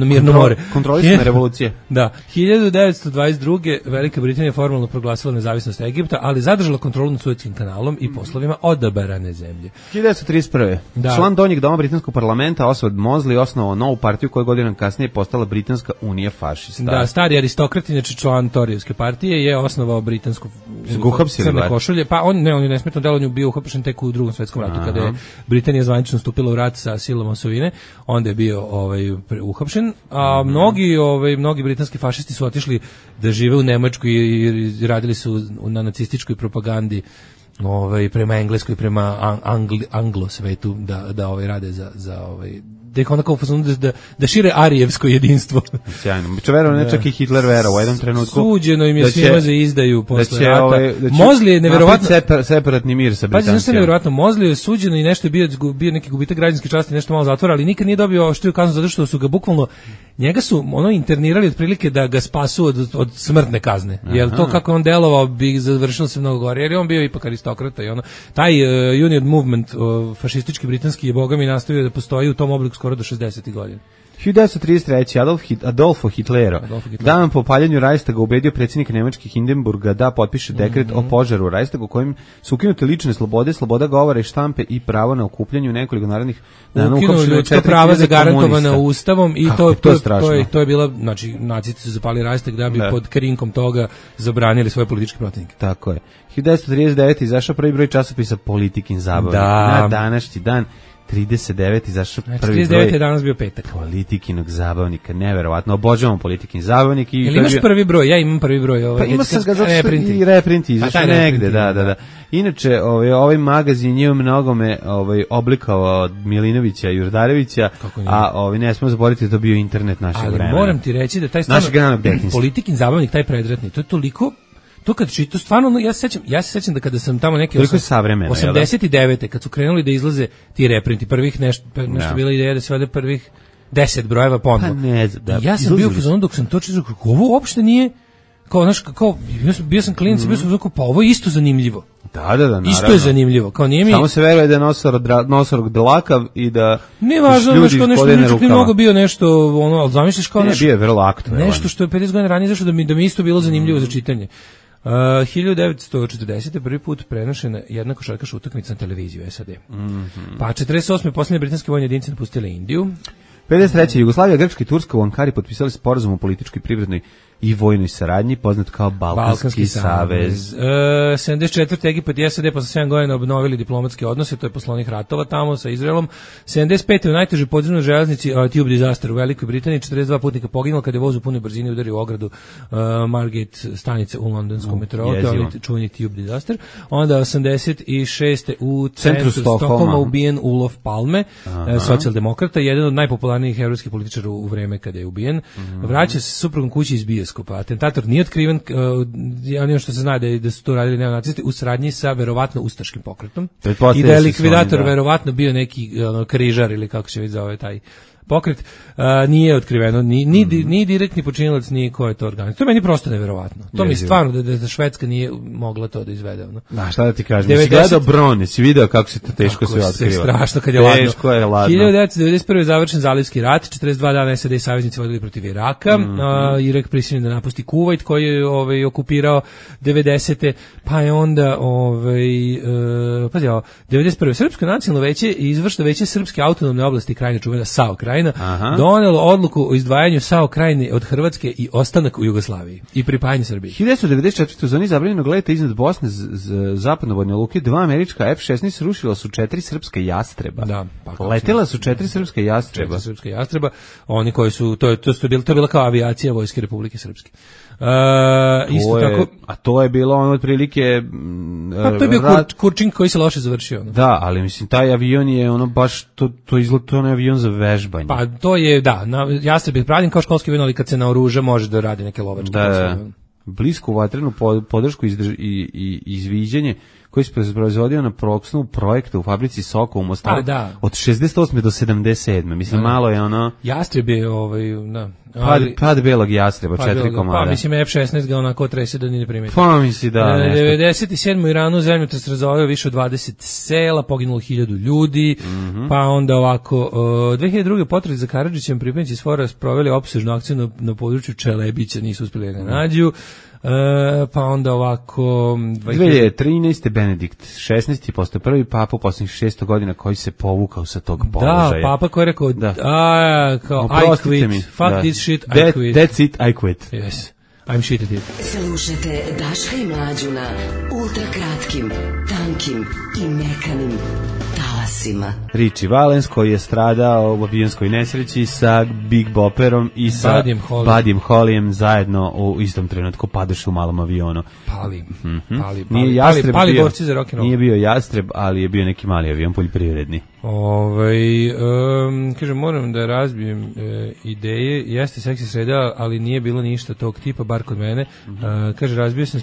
mirno more. Kontrolisana revolucija. Da. 1922. Velika Britanija formalno proglasila nezavisnost Egipta, ali zadržala kontrolu nad Suetskim kanalom i poslovima odaberane zemlje. 1931. Član donjeg doma britanskog parlamenta Oswald Mosley osnovao novu partiju koja godina kasnije postala Britanska unija fašista. Da, stari aristokrat, inače član Torijevske partije, je osnovao britansku crne košulje. Pa on je nesmetno delovanje bio uhapšen tek u Drugom svetskom ratu, kada je Britanija zvanično stupila u rat sa silom osovine, onda je bio uhapšen, a mnogi britanski fašisti su otišli da žive u Nemačkoj i radili su na nacističkoj propagandi prema engleskoj, prema anglo svetu da rade za da ih onako da šire arijevsko jedinstvo. Sjajno. Biće verovno, ne čak i Hitler vera u jednom trenutku. Suđeno im je svima za izdaju posle rata. Mosley je neverovatno separatni mir sa Britancima. Pa znaš, neverovatno, Mosley je suđeno i nešto je bio neki gubitak građanske časti, nešto malo zatvora, ali nikad nije dobio oštriju kaznu zato što su ga bukvalno njega su internirali otprilike da ga spasu od smrtne kazne. Jer to kako on delovao bi završilo se mnogo gore, jer je on bio ipak aristokrata i taj Union Movement fašistički britanski je bogami nastavio da postoji u tom obliku skoro do 60. godina. 1933. Adolfo Hitlero, dan po paljenju Reichstaga ubedio predsjednika Nemačke Hindenburga da potpiše dekret o požaru u Reichstagu kojim su ukinute lične slobode, sloboda govora i štampe i pravo na okupljanje u nekoliko narednih dana. Ukinuo ljudska prava zagarantovana ustavom i to je bila, znači nacisti su zapali Reichstag da bi pod krinkom toga zabranili svoje političke protivnike. Tako je. 1939. izašao prvi broj časopisa Politikin zabavnik. Na današnji dan 39 izašao prvi broj. 39 je danas bio petak. Politikinog zabavnika, neverovatno. Obožavam Politikin zabavnik. Jel imaš prvi broj? Ja imam prvi broj. Pa ima sam ga i reprinti, izašao negde, da. Inače, ovaj magazin je u mnogome oblikao od Milinovića i Jurdarevića, a ne smemo zaboraviti da to bio internet našeg vremena. Ali moram ti reći da taj Politikin zabavnik, taj predratni, to je toliko. To kad čito stvarno, ja se sećam da kada sam tamo neki 89. kad su krenuli da izlaze ti reprinti, prvih nešto bila ideja da se vede prvih 10 brojeva ponovo. Ja sam bio u fazonu dok sam to čitao, kako ovo uopšte nije, kao znaš, kao bio sam klinac, bio sam pa ovo je isto zanimljivo. Da, naravno. Isto je zanimljivo, kao nije mi. Samo se veruje da je nosorog dlakav i da ne važno da što nešto nije mnogo bio nešto ali zamisliš kao nešto. Bio je vrlo aktuelan. Nešto što je 50 godina ranije zašto da mi isto bilo zanimljivo za čitanje. 1940. prvi put prenošena jedna košarkaška utakmica na televiziju SAD. Pa 48. posljednje britanske vojne jedinice napustile Indiju. 53. Jugoslavija, Grčka i Turska u Ankari potpisali sporazum o političkoj i privrednoj i vojnoj saradnji, poznat kao Balkanski savez. 74. Egipat i SAD posle 7 godina obnovili diplomatske odnose, to je posle onih ratova tamo sa Izraelom. 75. u najtežoj podzemnoj železnici Tube disaster u Velikoj Britaniji, 42 putnika poginulo kada je voz u punoj brzini udario u ogradu Margate stanice u londonskom metrou, to je čuveni Tube disaster. Onda 86. u centru Stokholma ubijen Olof Palme, socijaldemokrata, jedan od najpopularnijih evropskih političara u vreme kada je ubijen. Vraća se suprugom kući iz bioskopa. Atentator nije otkriven, ono što se zna da su to radili neonacisti u saradnji sa verovatno ustaškim pokretom. I da je likvidator verovatno bio neki križar ili kako se već zove taj pokret, nije otkriveno ni direktni počinilac, ni ko je to organizovao. To je meni prosto neverovatno. To mi stvarno da Švedska nije mogla to da izvede. Šta da ti kažem? Si gledao Brone, si video kako se to teško sve otkriva. Strašno kad je ladno. Teško je ladno. 1991. je završen Zalivski rat, 42 dana SAD i saveznici vodili protiv Iraka, Irak prisiljen da napusti Kuvajt koji je okupirao 90. Pa je onda 91. Srpsko nacionalno veće i izvršno veće Srpske autonomne oblasti Krajine, čuvena SAO Krajina, donelo odluku o izdvajanju SAO Krajine od Hrvatske i ostanak u Jugoslaviji i pripajanje Srbiji. 1994. u zoni zabranjenog leta iznad Bosne zapadnovodne luke 2 američka F-16 srušila su 4 srpska jastreba. Da, letela su 4 srpska jastreba. 4 srpska jastreba, oni koji su to je bila kao avijacija Vojske Republike Srpske. Isto tako, a to je bilo ono otprilike to je bio Kurčin koji se loše završio. Da, ali mislim taj avion je ono baš to izgleda to je avion za vežbanje. Pa to je Jastreb je pravljen kao školski avion, ali kad se naoruža može da radi neke lovačke. Blisku vatrenu podršku i izviđanje koji se proizvodio na proksnu projekta u fabrici Soka u Mostaru od 68. do 77. Mislim, malo je ono... Jastreb je Pad belog jastreba, 4 komada. Pa mislim F-16 ga onako trese da ni ne primeti. Pa misli da... 97. u Iranu zemljotres razorao više od 20 sela, poginulo 1000 ljudi, pa onda ovako... 2002. potres za Karadžićem pripadnici SFOR-a sproveli opsežnu akciju na području Čelebića, nisu uspjeli da ga nađu. Pa onda ovako 2013. Benedikt 16. postao prvi papa u posljednjih 600 godina koji se povukao sa tog položaja. Da, papa koji je rekao kao I quit, fuck this shit, I quit. That's it, I quit. Yes, I'm shit at it. Slušajte Daška i Mlađu na ultrakratkim, tankim i mekanim talasima. Richie Valens koji je stradao u avionskoj nesreći sa Big Bopperom i sa Buddyem Hollyem zajedno u istom trenutku padoše u malom avionu. Pali borci za rock'n'roll. Nije bio jastreb, ali je bio neki mali avion poljoprivredni. Kažem, moram da razbijem ideje, jeste seksi sreda, ali nije bilo ništa tog tipa, bar kod mene. Kaže, razvio sam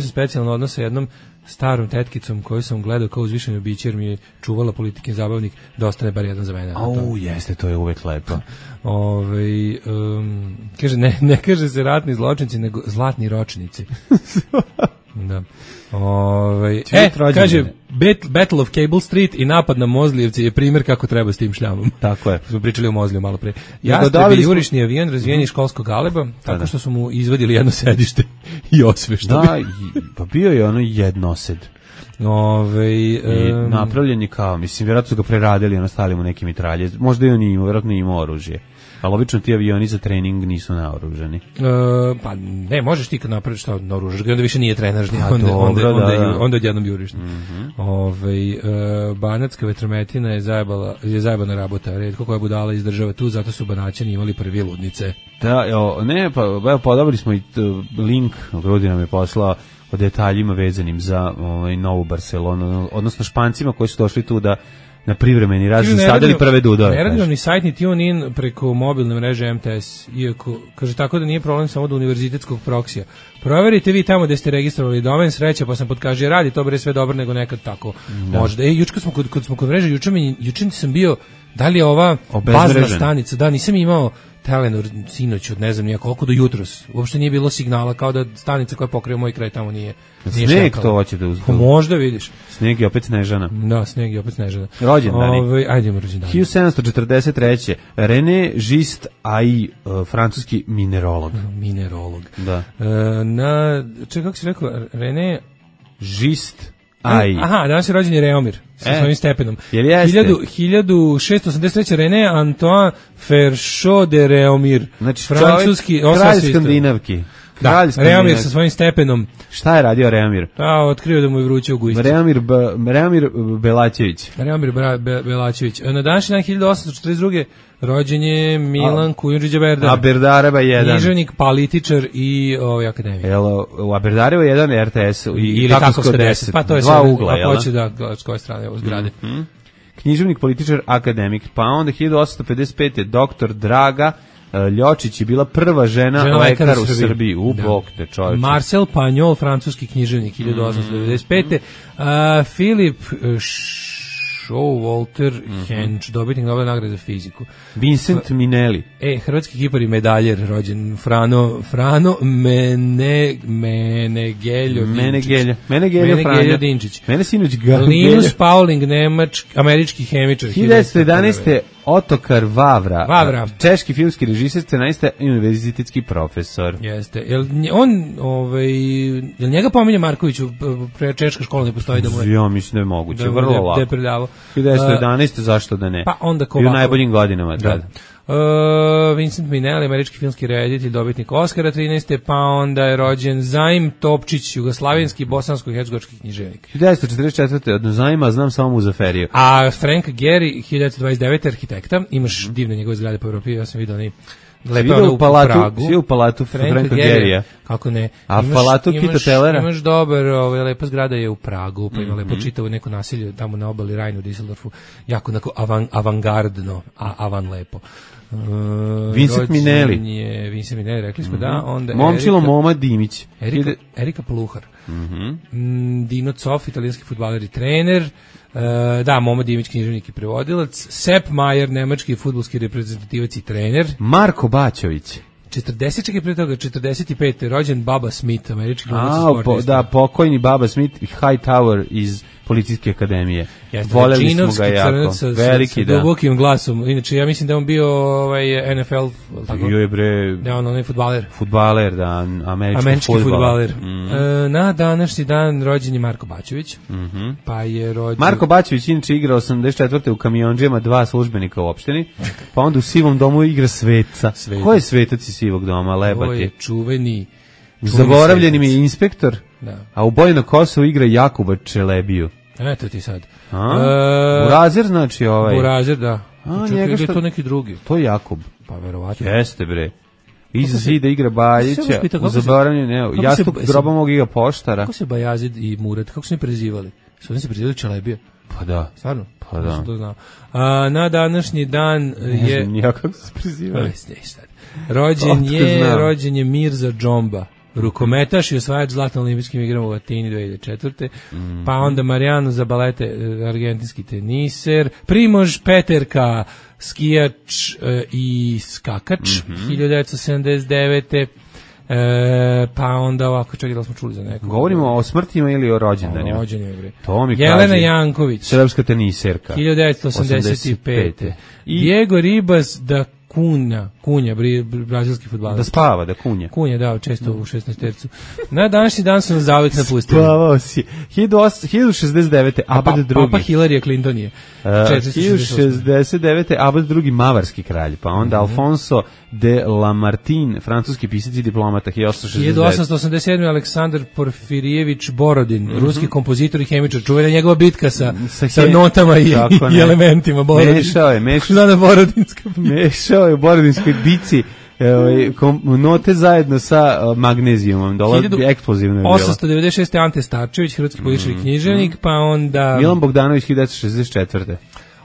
specijalno odnos sa jednom starom tetkicom koju sam gledao kao uzvišeni biće, jer mi je čuvala politikin zabavnik da ostane bar jedan za mene. Jeste, to je uvek lepo. Kaže, ne kaže se ratni zločinci, nego zlatni ročnici. Da. Kaže, Battle of Cable Street i napad na Mozlijevce je primjer kako treba s tim šljamom. Tako je. Smo pričali o Mozliju malo pre. Jastreb je jurišni avion razvijen školskog galeba, tako što su mu izvadili jedno sedište i osveštali. Da, pa bio je ono jednosed. I napravljen je kao, mislim, vjerojatno su ga preradili, ono stavili mu neki mitralje. Možda i on imao, vjerojatno nije imao oružje. Ali obično ti avioni za trening nisu naoružani. Pa ne, možeš ti kad napraviš što naoružaš ga, onda više nije trenažni, onda odjednom juriš. Banatska vetrometina je zajebana rabota, retko koja budala izdržava tu, zato su Banaćani imali prvi ludnice. Da, podobali smo i link, Grudi nam je poslao o detaljima vezanim za novu Barcelonu, odnosno Špancima koji su došli tu da na privremeni razred stavljali prve dudove. Ne radi vam ni sajt, ni TuneIn preko mobilne mreže MTS, iako, kaže, tako da nije problem samo do univerzitetskog proksija. Proverite vi tamo gde ste registrovali domen, sreća, pa sam potkaže, radi to bre sve dobro, nego nekad tako možda. Juče smo kod mreže, juče sam bio, da li je ova bazna stanica, da, nisam imao Telenor sinoć od ne znam nija koliko do jutros. Uopšte nije bilo signala, kao da stanica koja pokriva moj kraj tamo nije sneg to hoće da uzdu. Možda vidiš. Sneg je opet Snežana. Da, sneg je opet Snežana. Rođendani. Ajdemo rođendani. 1743. René Gist Ai, francuski minerolog. Minerolog. Da. Kako si rekao? René Gist Aha, danas je rođen je Reomir sa svojim stepenom. 1683. René Antoine Ferchot de Reomir. Znači, francuski kralj Skandinavki. Da, Reomir sa svojim stepenom. Šta je radio Reomir? Otkrio da mu je vruće u gujici. Reomir Belačević. Reomir Belačević. Na današnji dan 1842. rođen je Milan Kujundžić Berdar. A Berdareva 1. Književnik, političar i akademik. U Berdareva 1 RTS ili Takovska 10. Pa to je dva ugla, jel? Ako hoće da s koje strane ovo zgrade. Književnik, političar, akademik. Pa onda 1855. doktor Draga Ljočić je bila prva žena lekar u Srbiji. Bog te čovječe. Marcel Pagnol, francuski književnik, 1895. Filip Showalter Hench, dobitnik Nobelove nagrade za fiziku. Vincent Minelli. Hrvatski kipar i medaljer, rođen Frano Menegeljo Dinčić. Mene sinoć Linus Pauling, američki hemičar. 1911. Otokar Vavra. Češki filmski režiser, scenarista i univerzitetski profesor. Jeste. Jel njega pominje Marković češka škola ne postoji da mu je? Ja mislim da je moguće, vrlo lako. 1911. Zašto da ne? Pa onda u najboljim godinama tada. Vincent Minelli, američki filmski reditelj, dobitnik Oscara 13. Pa onda je rođen Zaim Topčić, jugoslavenski, bosansko-hercegovački književnik. 1944. od Zaima znam samo Muzaferiju. A Frank Gehry, 1929. arhitekta, imaš divne njegove zgrade po Evropi, ja sam vidio oni lepe u Pragu. Svi u palatu Franka Gehrya. Kako ne? A palatu Kita Tellera? Imaš dobar, lepa zgrada je u Pragu, pa ima lepo čitavo neko naselje tamo na obali Rajnu u Düsseldorfu, jako avangardno, avan lepo. Vincent Minelli, rekli smo da. Onda Momčilo Moma Dimić. Erika Poluhar. Dino Cof, italijanski fudbaler i trener. Da, Moma Dimić, književnik i prevodilac. Sepp Maier, nemački fudbalski reprezentativac i trener. Marko Bačović. 45. rođen Baba Smith, američki glumac i sportista. Da, pokojni Baba Smith i Hightower iz Policijske akademije. Voleli smo ga jako. Veliki, da. Dubokim glasom. Inače, ja mislim da on bio NFL. Bio je bre... Da, on je fudbaler. Fudbaler, da, američki fudbaler. Na današnji dan rođen je Marko Bačević. Pa je rođen... Marko Bačević inače igra 84. u Kamionđema, 2 službenika u opštini. Pa onda u Sivom domu igra Sveca. Ko je Svetac iz Sivog doma? Lepa ti. Ovo je čuveni zaboravljeni mi je inspektor, a u Boji na Kosovu igra Jakuba Čelebiju. Eto ti sad. Burazer znači ovaj. Burazer, da. Čekaj, je to neki drugi. To je Jakub. Pa verovatno. Jeste bre. Iza zida igra Bajića, u zaboravljeni, Jastuk groba mog igra Poštara. Kako se Bajazid i Murat, kako su oni prezivali? Su oni se prezivali Čelebija? Pa da. Stvarno? Pa da. Na današnji dan je... Ne kako se prezivali. Rođen je Mirza Džomba, rukometaš i osvajač zlata na olimpijskim igrama u Atini 2004. Pa onda Marijano Zabalete, argentinski teniser, Primož Peterka, skijač i skakač, 1979. Pa onda ovako, čekaj, da smo čuli za nekog. Govorimo o smrtima ili o rođendanima? Rođendanima. To mi Jelena kaže, Janković, srpska teniserka, 1985. Diego Ribas da Kunja, brazilski fudbaler. Da spava, da kunja. Kunja, da, često u 16 tercu. Na današnji dan su nas zauvijek napustili. Spavao si. 1069. Abad II. Papa Hillary Clinton je. 1069. Abad II. Mavarski kralj. Pa onda Alfonso de Lamartine, francuski pisac i diplomata, 1887. Aleksandar Porfirijević Borodin, ruski kompozitor i hemičar. Čuvena njegova bitka sa notama i elementima. Mešao je. Mešao je u Borodinskoj bici note zajedno sa magnezijumom. Eksplozivno je bilo. 896. Ante Starčević, hrvatski političar i književnik, pa onda... Milan Bogdanović, 1964.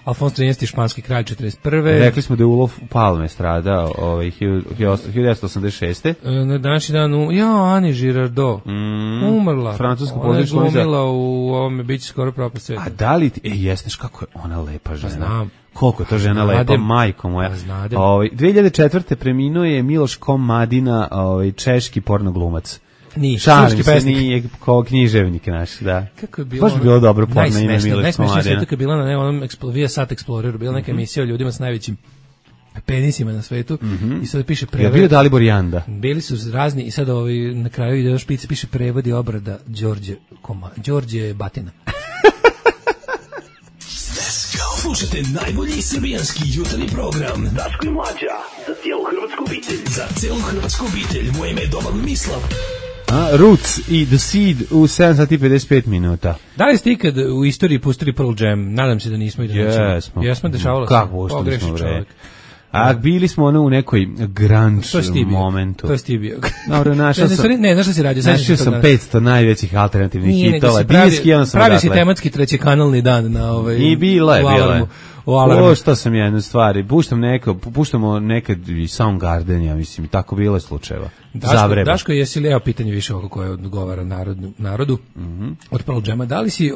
Alfons XIII, španski kralj, 41. Rekli smo da je Ulof Palme stradao 1986. Na današnji dan Ani Girardot umrla. Francuska politička glumila u ovome biće skoro propast sveta. A da li ti, jesneš kako je ona lepa žena? Znam. Koliko je to žena lepa, majko moja. 2004. preminuo je Miloš Komadina, češki pornoglumac. Šalim se, nije kao književnik naš, da. Kako je bilo? Baš bi bilo dobro porno ime Miloš Komadina. Najsmešnije sve je bila na onom Viasat Exploreru, bila neka emisija o ljudima s najvećim penisima na svetu i sad piše prevod. Je bio Dalibor Janda. Bili su razni i sad na kraju ide špice, piše prevod i obrada Đorđe Batina. Slušajte najbolji srbijanski jutarnji program Daško i Mlađa, za cijelu hrvatsku obitelj. Za cijelu hrvatsku obitelj, moje ime je Domagoj Mislav. Roots i The Seed u 7 sati 55 minuta. Da li ste ikad u istoriji pustili Pearl Jam? Nadam se da nismo i da nećemo. Jesmo, dešavalo se. Kako pustili smo, bre? A bili smo u nekoj grunge momentu. To je Stevie. Dobro, našao sam. Ne, znaš šta si radio? Našao sam 500 najvećih alternativnih hitova. Pravi si tematski trećekanalni dan na ovaj. I bilo je. Što sam jednu stvari. Puštamo nekad i Soundgarden, ja mislim, tako bilo je slučajeva. Daško, jesi li, evo pitanje više oko koje odgovara narodu od Pearl Jama. Da li si,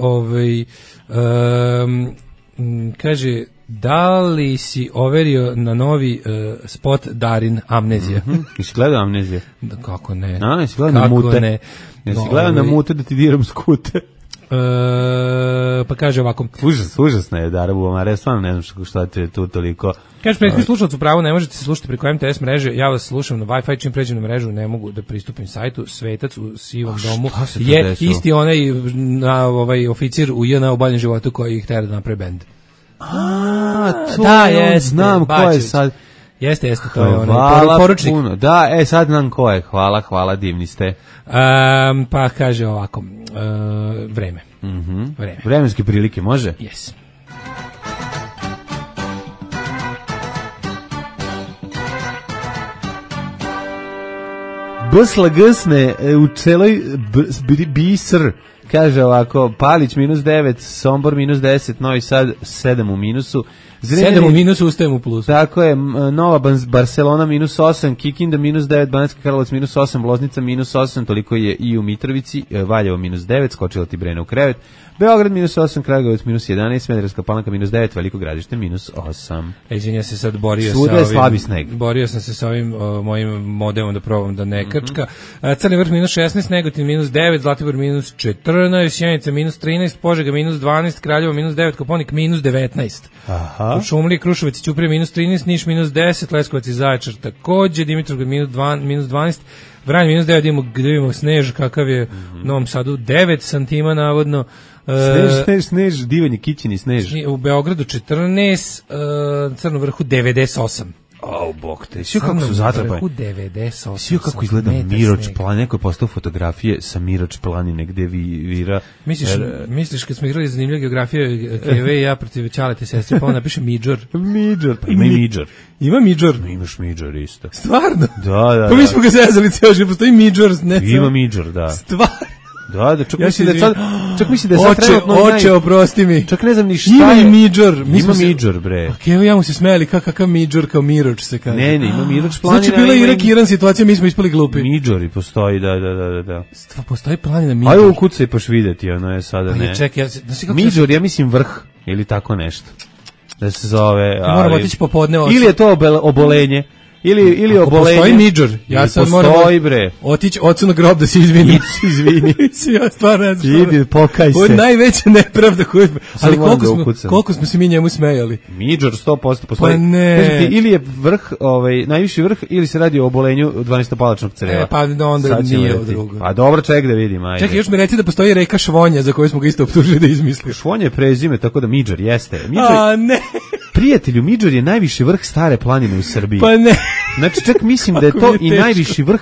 kaže, da li si overio na novi spot Darin Amnezija? Jesi gledao Amnezija? Kako ne? Jesi gledao na mute? Jesi gledao na mute da ti diram skute? Pa kaže ovako. Užasna je Dara Bubamara, stvarno ne znam šta te tu toliko. Kaže, prethodni slušalac u pravu, ne možete se slušati preko MTS mreže, ja vas slušam na Wi-Fi, čim pređem na mrežu ne mogu da pristupim sajtu. Svetac u sivom domu je isti onaj oficir u JNA u boljem životu koji ih tera da napravi bend. To da, znam ko je sad. Jeste, to je onaj poručnik. Puno. Da, sad znam ko je. Hvala, divni ste. Pa kaže ovako, vreme. Vremenske prilike, može? Yes. Bsla gsne u celoj bisr. Kaže ovako, Palić -9, Sombor -10, Novi Sad 7 u minusu. 7 u minusu, ustajem u plusu. Tako je, Nova Barcelona -8, Kikinda -9, Banatski Karlovac -8, Loznica -8, toliko je i u Mitrovici, Valjevo -9, skočila ti Brena u krevet, Beograd -8, Kragujevac -11, Smederevska Palanka -9, Veliko Gradište -8. Izvinja se, sad borio sam se sa ovim mojim modelom da probam da ne krčka. Crni Vrh -16, Negotin -9, Zlatibor -14, Sjenica -13, Požega -12, Kraljevo -9, Koponik -19. Aha. Šumlije, Kruševac i Ćuprije -13, Niš -10, Leskovac i Zaječar takođe, Dimitrovgrad -12, Vranje -9, vidimo Snež kakav je u Novom Sadu 9 santima navodno. Snež, divanje Kićini Snež. U Beogradu 14, Crnom Vrhu 98. Bog te, svi kako su zatrpani. Svi kako izgleda Miroč plan, neko je postao fotografije sa Miroč planine gde vira. Misliš kad smo igrali zanimljivu geografiju Keve i ja protiv Ćalete sestre, pa on napiše Midžor. Pa ima i Midžor. Ima Midžor? Imaš Midžor isto. Stvarno? Da. Pa mi smo ga zezali cijelo život, postoji Midžor. Ima Midžor, da. Stvarno? Da, čak misli da je sad trenutno oče, oprosti mi. Čak ne znam ni šta je. Ima Midžor. Ima Midžor, bre. Pa Kevo ja mu se smeli kakav Midžor, kao Miroč se kaže. Ne, ima Miroč planina. Znači bila Irak Iran situacija, mi smo ispali glupi. Midžori postoji, da. Postoji planina Midžor. Ajde ukucaj paš videti, ono je sada ne. Čekaj, Midžor, ja mislim vrh, ili tako nešto. Da se zove. Moramo otići popodne. Ili je to obolenje. Ili obolenje. Postoji Midžor. Ja sad moram otići ocu na grob da se izvini. Ja stvarno ne znam. Idi, pokaj se. Ovo je najveća nepravda koju... Ali koliko smo se mi njemu smejali. Midžor 100% postoji. Pa ne. Kažete, ili je vrh, najviši vrh, ili se radi o obolenju 12-palačnog creva. Pa onda nije o drugo. Pa dobro, ček da vidim, ajde. Čekaj, još mi reci da postoji reka Švonja, za koju smo ga isto optužili da izmislio. Švonja je prezime, tako da Midžor jeste. A ne. Prijatelju, Midžor je najviši vrh stare planine u Srbiji. Pa ne. Znači, čak mislim da je to i najviši vrh,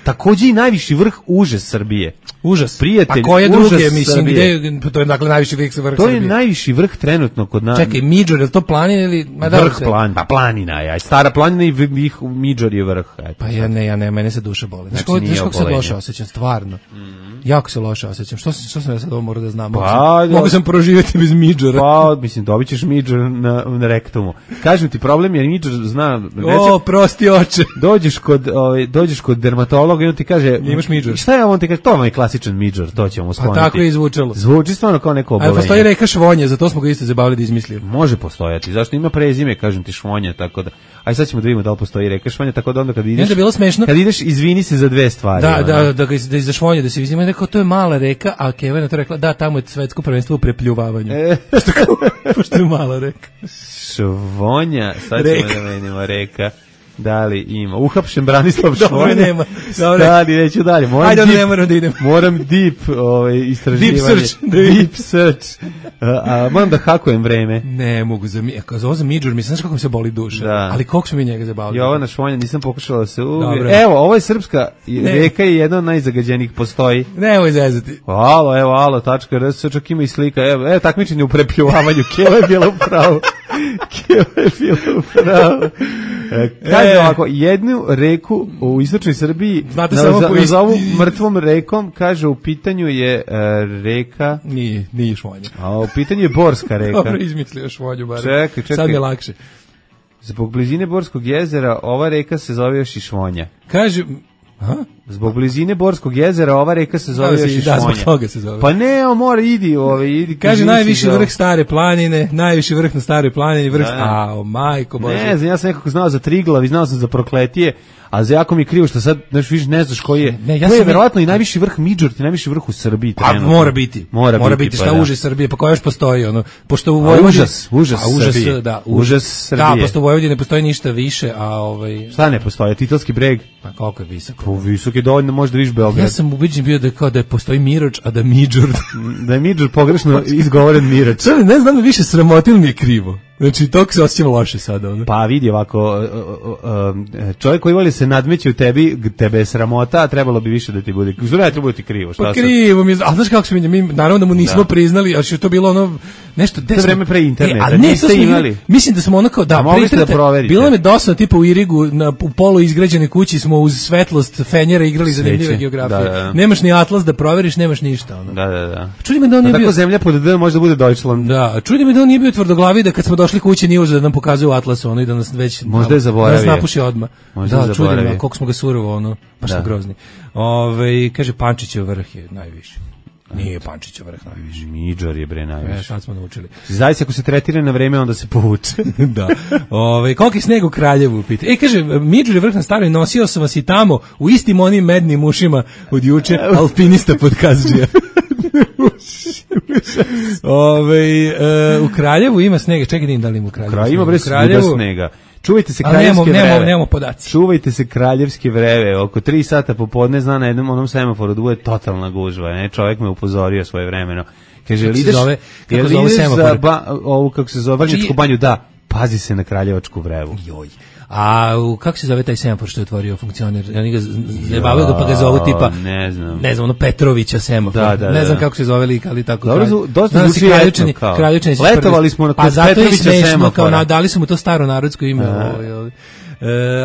takođe i najviši vrh užas Srbije. Užas. Prijatelj, a koje užas druge, mislim, Srbije. Gde, to je dakle najviši vrh Srbije. To je najviši vrh trenutno kod nas. Čekaj, Midžor, je to planina ili... Vrh planina, pa planina je, stara planina i Midžor je vrh. Pa ja ne, mene se duša boli. Znači, kako se loše osjećam, stvarno. Jako se loše osjećam. Što sam ja sad ovo morao da znam? Mogu sam proživjeti bez Midžora. Pa, mislim, dobit ćeš Midžor na rektumu. Kažem ti, problem je Midžor zna... prosti oče. Dođeš kod dermatologa i on ti kaže... Imaš Midžor. Šta je on ti kaže? To vam je klasičan Midžor, to ćemo skloniti. Pa tako je izvučalo. Zvuči stvarno kao neko obolenje. Ali postoji reka Švonja, zato smo ga isto zabavili da izmislio. Može postojati, zašto ima prezime, kažem ti Švonja, tako da... Aj sad ćemo da vidimo da li postoji reka Švonja, tako da onda kad ideš... Bilo smešno. Kad ideš, izvini se za dve stvari. Da iz Švonje da se izvini, rekao to je mala reka, a Keva je to rekla, da, tamo je svetsko prvenstvo u prepljuvavanju. Pošto je mala reka. Švonja, sad ćemo da menimo reka. Da li ima? Uhapšen Branislav Dobro, Švonja. nema. Dobro. Stani, neću dalje. Ajde, onda ne moram da idem. Moram deep istraživanje. Deep search. Moram da hakujem vreme. Ne mogu za Midžur, mislim, znaš kako mi se boli duša. Da. Ali koliko smo mi njega zabavili. Jovana Švonja, nisam pokušala da se Dobro. Evo, ovo je srpska reka i jedna od najzagađenijih postoji. Nemoj zezati. Alo.rs, čak ima i slika. Evo takmičenje u prepljuvavanju. Keva je bila u pravu. Kaže ovako, jednu reku u istočnoj Srbiji nazovu mrtvom rekom, kaže u pitanju je reka... Nije Švonja. A u pitanju je Borska reka. Dobro, izmislio Švonju, bar. Čekaj. Sad mi je lakše. Zbog blizine Borskog jezera ova reka se zove još i Švonja. Kaže... Zbog blizine Borskog jezera ova reka se zove još i Švonja. Da, zbog toga se zove. Pa ne, mora, idi. Kaže najviši vrh Stare planine, najviši vrh na Staroj planini, vrh... majko Bože. Ne znam, ja sam nekako znao za Triglav i znao sam za Prokletije, a za jako mi je krivo što sad više ne znaš koji je. To je verovatno i najviši vrh Midžur, najviši vrh u Srbiji. Pa mora biti. Mora biti šta uže Srbije, pa koja još postoji ono. Pošto u Vojvodini užas Srbije. Da, pošto u Vojvodini ne postoji ništa više, a šta ne postoji? Titelski breg. Pa koliko je visoko? Pa visok je dovoljno, možda vidiš Beograd. Ja sam ubeđen bio da postoji Miroč, a da Midžur. Da je Midžur pogrešno izgovoren Miroč. Ne znam da više sramotil mi je krivo. Znači, toliko se osjećam loše sada. Ono. Pa vidi ovako, čovjek koji voli se nadmeći u tebi, tebe je sramota, a trebalo bi više da ti bude. Zora, treba ti krivo. Pa krivo mi je, a znaš kako se mi naravno da mu nismo priznali, ali što je to bilo ono, nešto... To je vreme pre interneta, niste imali. Mislim da smo ono kao, pre interneta, bilo nam je dosadno, tipa u Irigu, u polu izgrađene kući smo uz svetlost fenjera igrali zanimljive geografije. Da. Nemaš ni atlas da proveriš, nemaš ništa. Ono. Da. Čudi me da on nije bio... Tako zemlja pod D možda bude Deutschland. Da, čudi me da on nije bio tvrdoglavi da kad smo došli kući nije uzeo da nam pokazuje u atlasu ono i da nas već možda je zaboravio. Da nas napuši odmah. Da, čudi me koliko smo ga surovo ono, baš smo grozni. Kaže Pančićev vrh je najviši. Nije Pančićev vrh najviši. Midžor je bre najviši. Sad smo naučili. Zaista ako se tretira na vreme onda se povuče. Da. Koliko je sneg u Kraljevu pita. kaže Midžor je vrh na Staroj, nosio sam vas i tamo u istim onim mednim ušima od juče, alpinista podkazđija. U Kraljevu ima snega. Čekaj da im dalim u Kraljevu. Ima bre snega. Čuvajte se kraljevske vreve. Nemamo podaci. Čuvajte se kraljevske vreve. Oko 3 sata popodne zna na jednom onom semaforu da bude totalna gužva. Ne? Čovjek me upozorio svoje vremeno. Kaže, ideš za ovu, kako se zove, Vrnjačku banju, da, pazi se na kraljevačku vrevu. Joj. A kako se zove taj semafor što je otvorio funkcioner? Oni ga zabavaju ga pa ga zovu tipa, ne znam, ono Petrovića semafor. Ne znam kako se zove lik, ali tako. Dobro, dosta zvuči etno kao. Letovali smo na Petrovića semafora. Dali su mu to staro narodsko ime.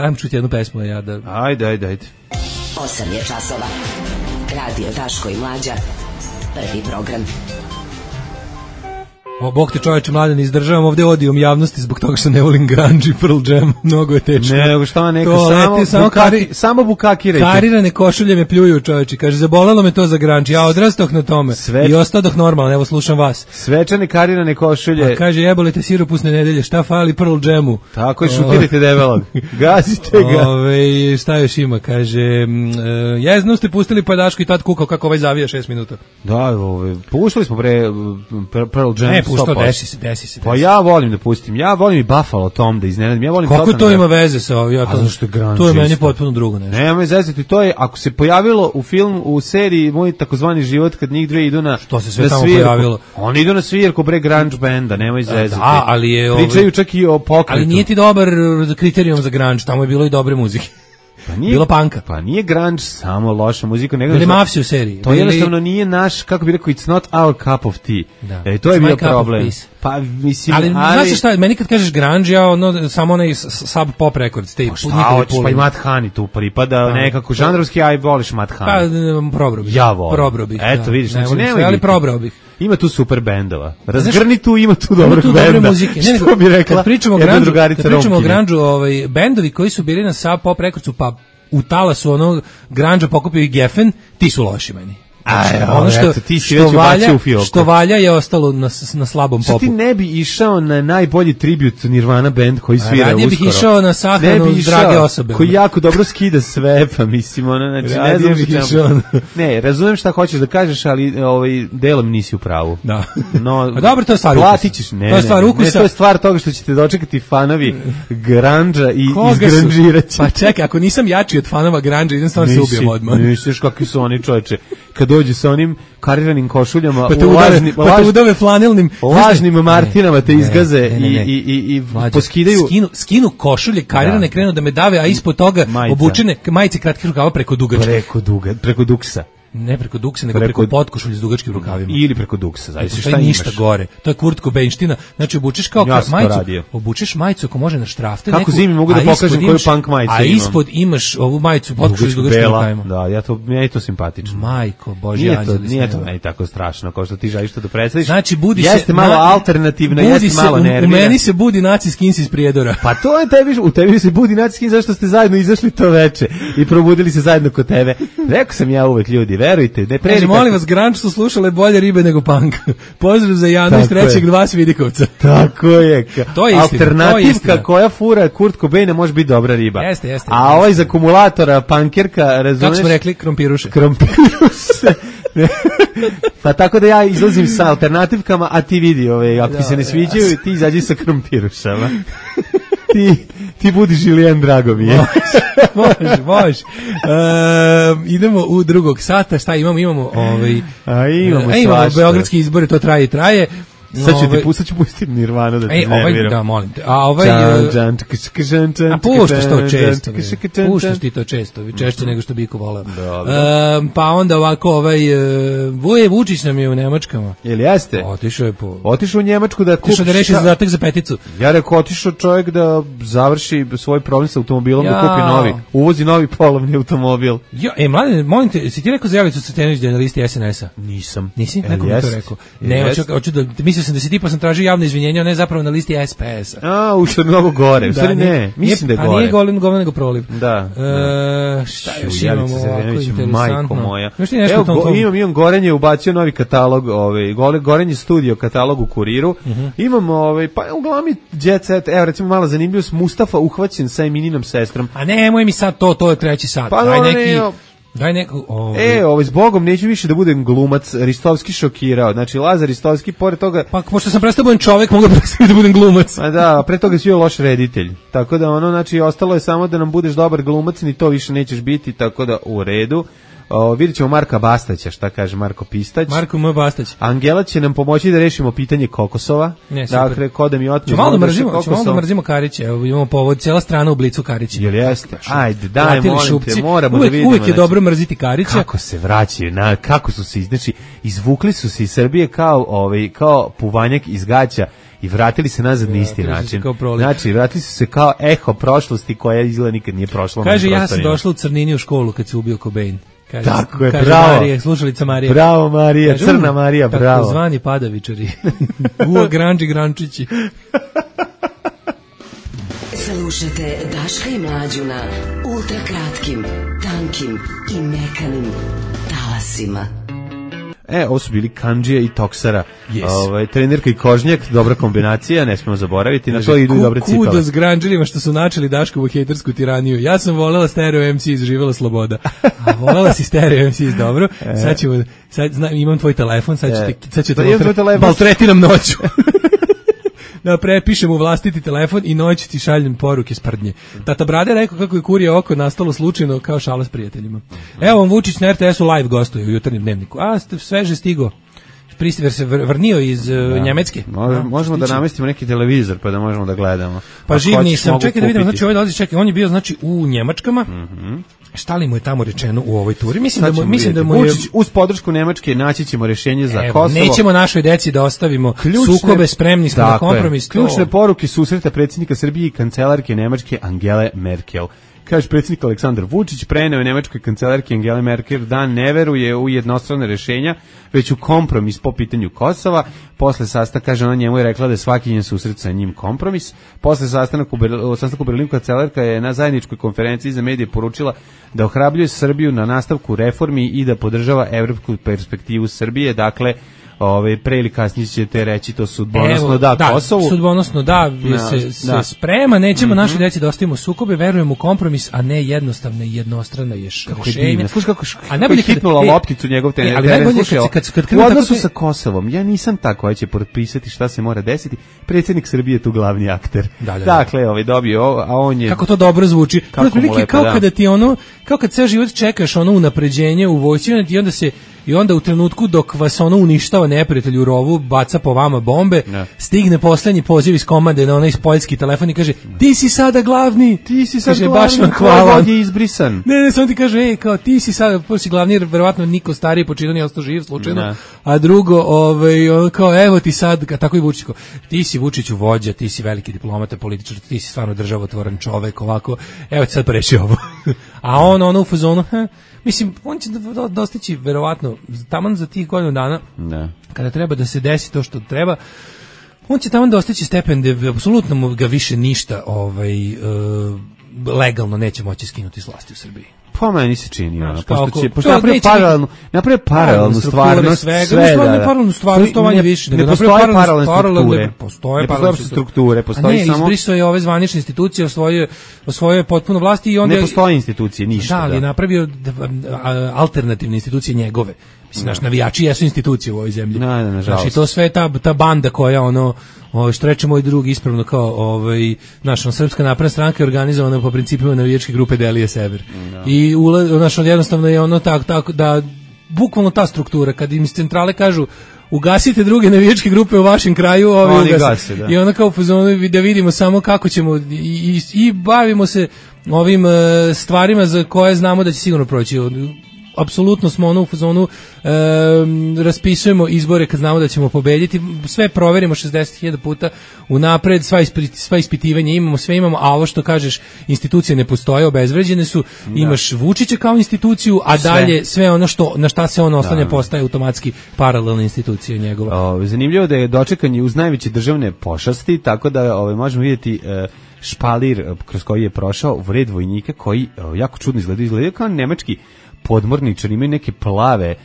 Ajmo čuti jednu pesmu. Ajde. 8 je časova. Radio Daško i Mlađa. Prvi program. Bog te čoveče mladen, izdržavam ovde odijom javnosti zbog toga što ne volim grunge i Pearl Jam, mnogo je teško. Nego šta neka, samo bukakirajte. Karirane košulje me pljuju čoveče, kaže zabolelo me to za grunge, ja odrastoh na tome i ostadoh normalno, evo slušam vas. Svečane karirane košulje. Pa kaže jebolite siropusne nedelje, šta fali Pearl Jamu? Tako je, šutirajte debelog, gazite ga. Šta još ima, kaže, jezno ste pustili pa Daško i tad kukao kako ovaj zavija 6 minuta. Da, puštali smo Pearl Jam. Desi se. Pa ja volim da pustim. Ja volim i Buffalo Tom da iznenadim. Ja volim kako to ima veze sa ovim? To je meni potpuno drugo nešto. Nema zezati, to je ako se pojavilo u filmu, u seriji Moj takozvani život kad njih dve idu na što se sve tamo pojavilo. Oni idu na svirku bre grunge benda, nemoj zezati. Da, ali je pričaju čak i o pokretu. Ali nije ti dobar kriterijum za grunge, tamo je bilo i dobre muzike. Bilo panka. Pa nije grunge samo loša muzika, nego bili mafsi u seriji. To jednostavno nije naš, kako bi rekao, it's not our cup of tea. To je bio problem. Pa mislim, ali znaš šta, meni kad kažeš grunge, ja samo onaj Sub Pop Records, te pa i Matt Honey tu pripada, nekako žanrovski, aj voliš Matt Honey. Pa probrao bih. Ja volim. Eto vidiš, znači nemoj. Ali probrao bih. Ima tu super bendova. Razgrni tu, ima tu dobrih benda. Muzike. Što bi rekla? Kad pričamo o grunge, bendovi koji su bili na Sub Pop Recordsu, pa u talasu onog grunge pokupio i Geffen, ti su loši meni. Ono što valja je ostalo na slabom popu. Što ti ne bi išao na najbolji tribut Nirvana band koji svira uskoro? Radije bih išao na sahranu drage osobe. Koji jako dobro skida sve, pa mislim, znači ne znam što. Ne, razumem šta hoćeš da kažeš, ali delom nisi u pravu. Da. No, a dobro, to je stvar ukusa. Platit ćeš, to je stvar ukusa. Ne, to je stvar toga što ćete dočekati fanovi grandža i izgranžirati. Pa čekaj, ako nisam jači od fanova grandža, idem stvarno se ubijem odmah. Misliš kakvi su oni, čoveče, kad dođu sa onim kariranim košuljama, pa te udave flanelnim lažnim Martinama te izgaze i poskidaju. Skinu košulje karirane, krenu da me dave, a ispod toga obučene majice kratkih rukava preko dugačke. Preko duksa. Ne preko duksa, nego preko potkošulje s dugačkim rukavima. Ili preko duksa, zavisi šta imaš. Ništa gore. To je Kurt Cobainština. Znači obučeš kao majicu, obučeš majicu ako može na štrafte. Kako zimi mogu da pokažem koju punk majicu imam. A ispod imaš ovu majicu potkošulje s dugačkim rukavima. Da, meni je to simpatično. Majko, Božji anđeli. Nije to meni tako strašno kao što ti želiš to da predstaviš. Znači budi se jeste malo alternativno, jeste malo nervira. U meni se budi naci skins iz Prijedora. Pa to je u tebi se budi naci skins zašto ste zajedno izašli to veče i probudili se zajedno kod tebe. Rekao sam ja uvek ljudi, verujte, ne molim vas, grunge su slušale bolje ribe nego punk. Pozdrav za Janu iz 3.2 Svidikovca. Tako je. To je istina. Alternativka koja fura Kurt Cobaina može biti dobra riba. Jeste. A ovaj iz akumulatora, punkerka, razumeš? Kako smo rekli, krompiruše. Pa tako da ja izlazim sa alternativkama, a ti vidi, ako ti se ne sviđaju, ti izađi sa krompirušama. Ti budi Žilijan, drago mi je. Može. Idemo u drugog sata, šta imamo? Imamo beogradski izbori, to traje. Sad ću pustiti Nirvanu da ti nerviram. Da, molim te. A puštaš to često. Puštaš ti to često, češće nego što Biko voleo. Pa onda ovako, Vuje Vučić nam je u Nemačkama. Jel jeste? Otišao u Njemačku da kupi. Otišao da reši zadatak za peticu. Ja rekao, otišao čovjek da završi svoj problem sa automobilom, da kupi novi. Uvozi novi polovni automobil. Mladen, molim te, si ti rekao za Javicu Sretenović da je na listi SNS-a? Nisam. Nisi? Neko mi to rekao. Ne, hoću da mislio sam da si tipa sam tražio javno izvinjenje, ne zapravo na listi SPS-a. Što je mnogo gore. U stvari ne, mislim da je gore. Pa nije govno nego proliv. Da. Šta još imamo ovako interesantno? Moja. Imam Gorenje ubacio novi katalog, Gorenje studio katalog u Kuriru. Imamo, pa uglavnom Jet Set, evo recimo mala zanimljivost, Mustafa uhvaćen sa Emininom sestrom. A nemoj mi sad to je treći sat. Pa daj neku... zbogom, neću više da budem glumac, Ristovski šokirao. Znači, Lazar Ristovski, pored toga... Pa, pošto sam prestao budem čovek, mogu da budem glumac. A da, pre toga si joj loš reditelj. Tako da, znači, ostalo je samo da nam budeš dobar glumac, ni to više nećeš biti, tako da, u redu. Vidjet ćemo Marka Bastaća, šta kaže Marko Pistać. Marko M. Bastać. Angela će nam pomoći da rešimo pitanje kokosova. Dakle, ko da mi otme... Ćemo malo da mrzimo Karića. Evo, imamo povod, cijela strana u Blicu Karića. Jel jeste? Ajde, daj, molim te, moramo da vidimo. Uvijek je dobro mrziti Karića. Kako se vraćaju, kako su se, znači, izvukli su se iz Srbije kao puvanjak iz gaća i vratili se nazad na isti način. Znači, vratili su se kao eho prošlosti koja izgleda nikad nije prošla. Kaže, ja sam došla u Crnini u školu kad se ubio Cobain. Tako je, bravo. Marija, slušalica Marija. Bravo Marija, Crna Marija, bravo. Tako zvani padavičari. Grančići. Slušajte Daška i Mlađu na ultrakratkim, tankim i mekanim talasima. Ovo su bili Kandžija i Toksara. Trenerka i Kožnjak, dobra kombinacija, ne smemo zaboraviti, na to idu i dobre cipele. Kudo s granđelima što su načeli Daškovu hejtersku tiraniju. Ja sam volela Stereo MC, živjela sloboda. A volela si Stereo MC, dobro. Imam tvoj telefon, sad ću te maltretiram noću. Da prepišem u vlastiti telefon i noć ti šaljem poruke sprdnje. Tata Brade rekao kako je kurje oko nastalo slučajno kao šala s prijateljima. Evo vam Vučić na RTS-u live gostuje u jutarnjem dnevniku. Sveže stigo. Pristiver se vrnio iz Njemecke. Možemo da namestimo neki televizor pa da možemo da gledamo. Pa živ nisam. Čekaj da vidimo, znači ovaj dolazi, on je bio znači u Njemačkama. Šta li mu je tamo rečeno u ovoj turi? Mislim da mu je Vučić uz podršku Nemačke naći ćemo rješenje za Kosovo. Nećemo našoj deci da ostavimo sukobe, spremni smo na kompromis. Ključne poruke susreta predsjednika Srbije i kancelarke Nemačke Angele Merkel. Kaže predsjednik Aleksandar Vučić, preneo je nemačkoj kancelarki Angeli Merkel da ne veruje u jednostrane rešenja, već u kompromis po pitanju Kosova. Posle sastanka, kaže, ona njemu je rekla da je svaki njen susret sa njim kompromis. Posle sastanka u Berlinu kancelarka je na zajedničkoj konferenciji za medije poručila da ohrabljuje Srbiju na nastavku reformi i da podržava evropsku perspektivu Srbije. Dakle, pre ili kasnije ćete reći to sudbonosno da Kosovu. Sudbonosno da, se sprema, nećemo naši deci da ostavimo sukobe, verujemo u kompromis, a ne jednostavno i jednostrano rešenje. Slušaj kako je hitnula lopticu njegov trener. Ali najbolje u odnosu sa Kosovom, ja nisam tako koja će potpisati šta se mora desiti, predsjednik Srbije je tu glavni akter. Dakle, dobio, a on je... Kako to dobro zvuči. Kao kada ti kao kad ceo život čekaš unapređenje u vojsci i onda u trenutku dok vas uništava neprijatelj u rovu, baca po vama bombe, stigne poslednji poziv iz komande na onaj poljski telefon i kaže, ti si sada glavni, baš vam hvala. On je izbrisan. Ne, samo ti kaže, kao ti si sada, prvo si glavni, jer verovatno niko stariji počinio nije ostao živ slučajno, a drugo, kao evo ti sad, tako i Vučić, ti si Vučiću vođa, ti si veliki diplomata, političar, ti si stvarno državotvoran čovek, ovako, evo ti sad preši ovo. A on u fazonu, mislim, on će dostići verovatno taman za tih godinu dana, kada treba da se desi to što treba, on će taman dostići stepen da apsolutno ga više ništa legalno neće moći skinuti s vlasti u Srbiji. Pa meni se čini, pošto napravi paralelnu stvarnost, paralelnu stvarnost, to manje više. Ne postoje paralelne strukture. Postoji samo... izbrisao je ove zvanične institucije, osvojio potpuno vlasti i onda... Ne postoje institucije, ništa. Da, ali je napravio alternativne institucije njegove. Mislim, naš navijači jesu institucije u ovoj zemlji. Nažalost. Znači, to sve ta banda koja, što reče moj drug ispravno, kao, srpska napredna stranka je organizovana po principima navijačke grupe Delije Sever. I jednostavno je tako da, bukvalno ta struktura, kad im iz centrale kažu, ugasite druge navijačke grupe u vašem kraju, ugase, da. I onda kao da vidimo samo kako ćemo i bavimo se ovim stvarima za koje znamo da će sigurno proći. Apsolutno smo u fazonu, raspisujemo izbore kad znamo da ćemo pobediti, sve proverimo 60.000 puta unapred, sva ispitivanja imamo, sve imamo, a ovo što kažeš, institucije ne postoje, obezvređene su, imaš Vučića kao instituciju, a dalje sve ono na šta se on oslanja postaje automatski paralelna institucija njegova. Zanimljivo da je dočekanje uz najveće državne pošasti, tako da možemo vidjeti špalir kroz koji je prošao vred vojnika koji jako čudno izgledaju kao nemački podmorničari, imaju neke plave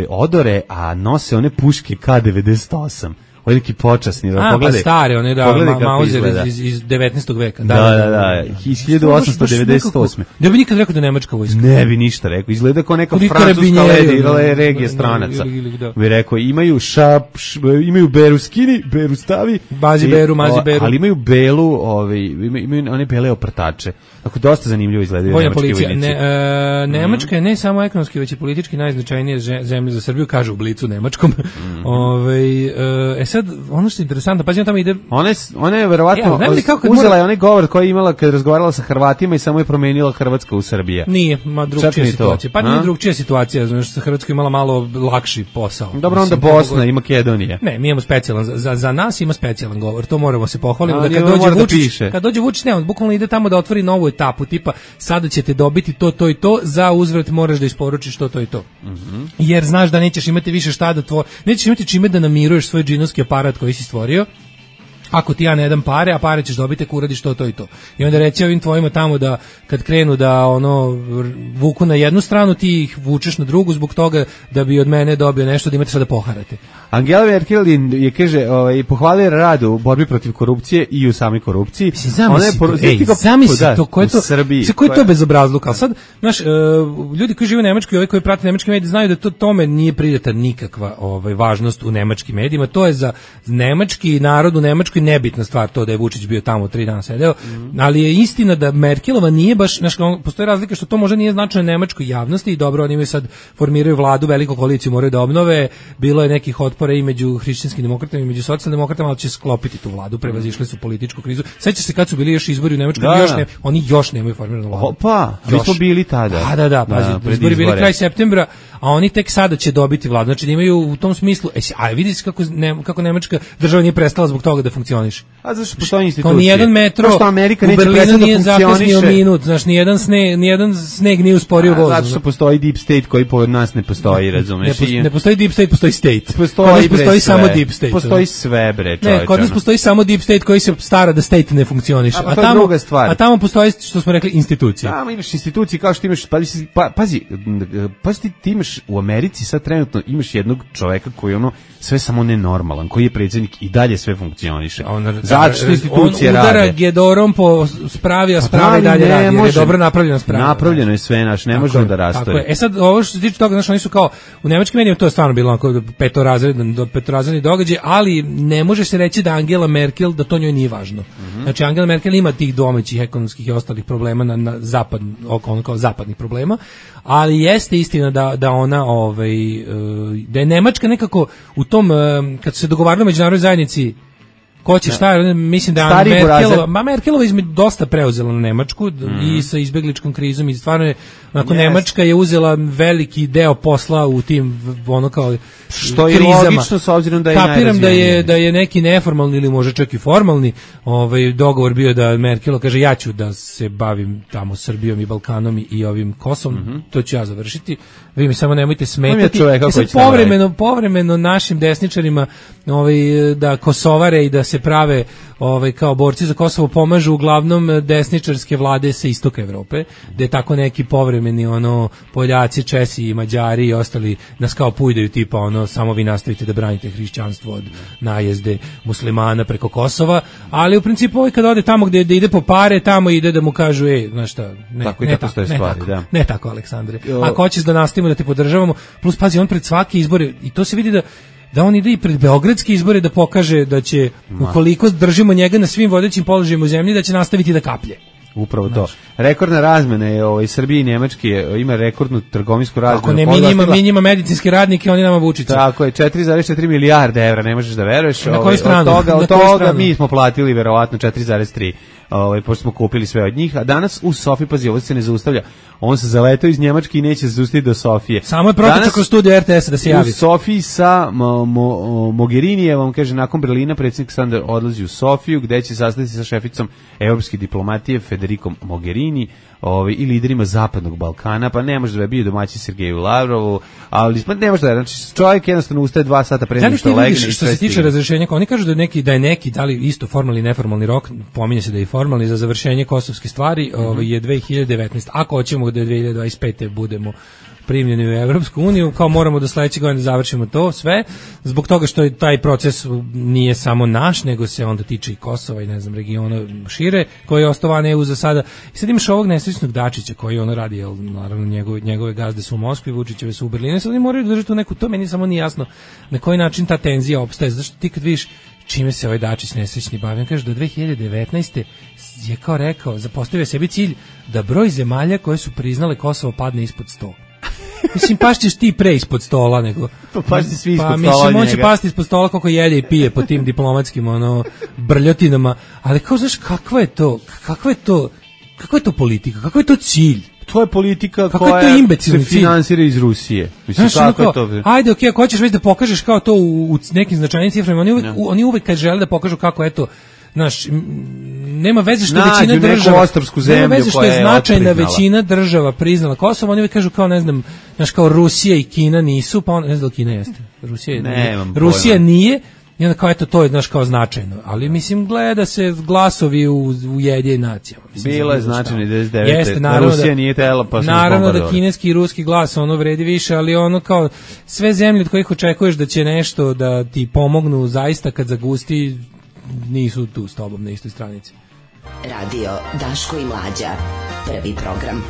odore, a nose one puške K98. Ovo je neki počasni. Pa stare, one Mauser iz 19. veka. Da, iz 1898. Ne bi nikad rekao da je nemačka vojska. Ne bi ništa rekao. Izgleda kao neka francuska regija stranaca. Bi rekao, imaju beru skini, beru stavi. Mazi beru. Ali imaju belu, imaju one bele oprtače. Tako dosta zanimljivo izgledaju nemački vojnici. Nemačka je ne samo ekonomski, već i politički najznačajnija zemlja za Srbiju, kaže u Blicu nemačkom. Sad, ono što je interesantno, pazi, on tamo ide... Ona je verovatno uzela je onaj govor koji je imala kad je razgovarala sa Hrvatima i samo je promenila Hrvatska u Srbije. Nije, drugčija situacija. Pa nije drugčija situacija, znači sa Hrvatskom imala malo lakši posao. Dobro, onda Bosna i Makedonija. Ne, mi imamo specijalan, za nas ima specijalan govor, to moramo se pohvaliti. Da kad dođe Vučić, ne, on bukvalno ide tamo da otvori novu etapu, tipa, sada ćete dobiti to i to, za uzvrat moraš da isporučiš to i to. Jer znaš da nećeš imati više šta da nećeš imati čime da namiruješ svoj džinovski aparat koji si stvorio, ako ti ja ne dam pare, a pare ćeš dobiti ako uradiš to i to. I onda reći ovim tvojima tamo da kad krenu da vuku na jednu stranu, ti ih vučeš na drugu zbog toga da bi od mene dobio nešto da imate šta da poharate. Angela Merkel je, kaže, pohvalio rad u borbi protiv korupcije i u samoj korupciji. Zamisli to, ko je to bezobrazluk, ali sad, znaš, ljudi koji žive u Nemačkoj i ovi koji prate nemačke medije znaju da to tome nije pridata nikakva važnost u nemačkim medijima, to je za nemački narod u Nemačkoj nebitna stvar to da je Vučić bio tamo 3 dana sedeo, ali je istina da Merkelova nije baš, znaš, postoji razlika što to možda nije značajno nemačkoj javnosti i dobro, oni sad formiraju vladu, veliku koaliciju moraju da obnove, bilo je nekih otpora i među hrišćanskim demokratama i među socijaldemokratama, ali će sklopiti tu vladu, prevazišli su političku krizu. Sećaš se kad su bili još izbori u Nemačkoj, oni još nemaju formiranu vladu. Opa, mi smo bili tada. Da, pazi, izbori bili kraj septembra, a oni tek sada će dobiti vladu. Znači imaju u tom smislu, a vidiš kako Nemačka država nije prestala zbog toga da funkcioniše. funkcioniše. A zašto postoji institucija? Kao nijedan metro u Berlinu nije zakasnio minut, znaš, nijedan sneg nije usporio voz. Zato što postoji deep state koji po nas ne postoji, razumeš? Ne postoji deep state, postoji state. Postoji samo deep state. Postoji sve, bre, čovječe. Ne, kod nas postoji samo deep state koji se stara da state ne funkcioniše. A to je druga stvar. A tamo postoji, što smo rekli, institucija. Tamo imaš institucije kao što imaš, pazi, ti imaš u Americi sad trenutno imaš jednog čoveka koji sve samo nenormalan, koji je predsjednik i dalje sve funkcioniše. Zato što institucije rade. On udara gedorom po spravi, a sprava i dalje radi, jer je dobro napravljena sprava. Napravljeno je sve, ne može onda rastoje. Sad, ovo što se tiče toga, znaš, oni su kao, u nemačkim medijima to je stvarno bilo onako petorazredni događaj, ali ne može se reći da Angela Merkel, da to njoj nije važno. Znači, Angela Merkel ima tih domaćih ekonomskih i ostalih problema na zapadnih problema, ali jeste istina da ona, da je Nemačka nekako u tom, kad su se dogovarali u međunarodnoj zajednici ko će šta, mislim da je Merkelova dosta preuzela na Nemačku i sa izbegličkom krizom i stvarno je, onako, Nemačka je uzela veliki deo posla u tim, kao što je krizama. Logično, s obzirom da je kapiram da je neki neformalni ili možda čak i formalni dogovor bio da Merkel kaže ja ću da se bavim tamo Srbijom i Balkanom i ovim Kosovom, to ću ja završiti, vi mi samo nemojte smetati. Povremeno našim desničarima da kosovare i da se prave kao borci za Kosovo pomažu uglavnom desničarske vlade sa istoka Evrope, gde tako neki povremeni Poljaci, Česi i Mađari i ostali nas kao pujdaju tipa samo vi nastavite da branite hrišćanstvo od najezde muslimana preko Kosova, ali u principu kad ode tamo gde ide po pare, tamo ide da mu kažu znaš šta, ne tako Aleksandre, ako hoćeš da nastavimo da te podržavamo, plus pazi on pred svake izbore, i to se vidi da on ide i pred beogradske izbore da pokaže da će, ukoliko držimo njega na svim vodećim položajima u zemlji, da će nastaviti da kaplje. Upravo to. Rekordna razmena je Srbije i Nemačke, ima rekordnu trgovinsku razmenu. Ako ne, mi njima medicinski radnike, oni nama Vučića. Tako je, 4,4 milijarde evra, ne možeš da veruješ. Na koju stranu? Od toga mi smo platili verovatno 4,3. Pošto smo kupili sve od njih, a danas u Sofiji, pazi, ovo se ne zaustavlja, on se zaletao iz Njemačke i neće se zaustaviti do Sofije. Samo je protičak kroz studio RTS-a da se javi. U Sofiji sa Mogherinijevom, kaže, nakon Berlina predsjednik Sandar odlazi u Sofiju, gde će sastati sa šeficom evropske diplomatije Federikom Mogherini i liderima Zapadnog Balkana, pa ne može da je bio domaći Sergeju Lavrovu, ali ne može da je, znači čovjek jednostavno ustaje 2 sata pre nego što legne. Što se tiče razrešenja, oni kažu da je neki, da li isto formalni i neformalni rok, pominje se da je formalni za završenje kosovske stvari, je 2019. Ako hoćemo da 2025. budemo primljeni u Evropsku uniju, kao moramo do sledeće godine završimo to sve, zbog toga što je taj proces nije samo naš, nego se onda tiče i Kosova i regiona šire, koji je ostovan EU za sada. I sad imaš ovog nesrećnog Dačića koji radi, naravno njegove gazde su u Moskvi, Vučićeve su u Berlinu, sad oni moraju držati tu neku, to meni samo nije jasno na koji način ta tenzija opstaje, zašto ti kad vidiš čime se ovaj Dačić nesrećni bavi, on kaže do 2019. je kao rekao, postavio sebi cilj da broj zemalja koje su priznale Kosovo padne ispod 100. Mislim, pašćeš ti pre ispod stola nego... Pašći svi ispod stola njega. Mislim, on će pasti ispod stola koliko jede i pije po tim diplomatskim brljotinama, ali kao, znaš, kakva je to politika, kakva je to cilj? To je politika koja se finansira iz Rusije. Mislim, znaš, kako je to? Ajde, okej, ako hoćeš već da pokažeš kao to u nekim značajnim ciframa, oni uvek kad žele da pokažu kako, eto, znaš, nema veze što većina država, nema veze što je značajna većina država priznala Kosovo, oni uvijek kažu kao, ne znam, znaš, kao Rusija i Kina nisu, pa ne znam da li Kina jeste. Rusija nije, i onda kao, eto, to je, znaš, kao značajno, ali mislim, gleda se glasovi u Ujedinjenim nacijama. Bilo je značajno 99. Rusija nije tela, pa smo naravno da kineski i ruski glas vredi više, ali kao sve zemlje od kojih očekuješ da će nešto da ti pomognu zaista kad zagusti, nisu tu s tobom na istoj stranici. Radio Daško i Mlađa, prvi program.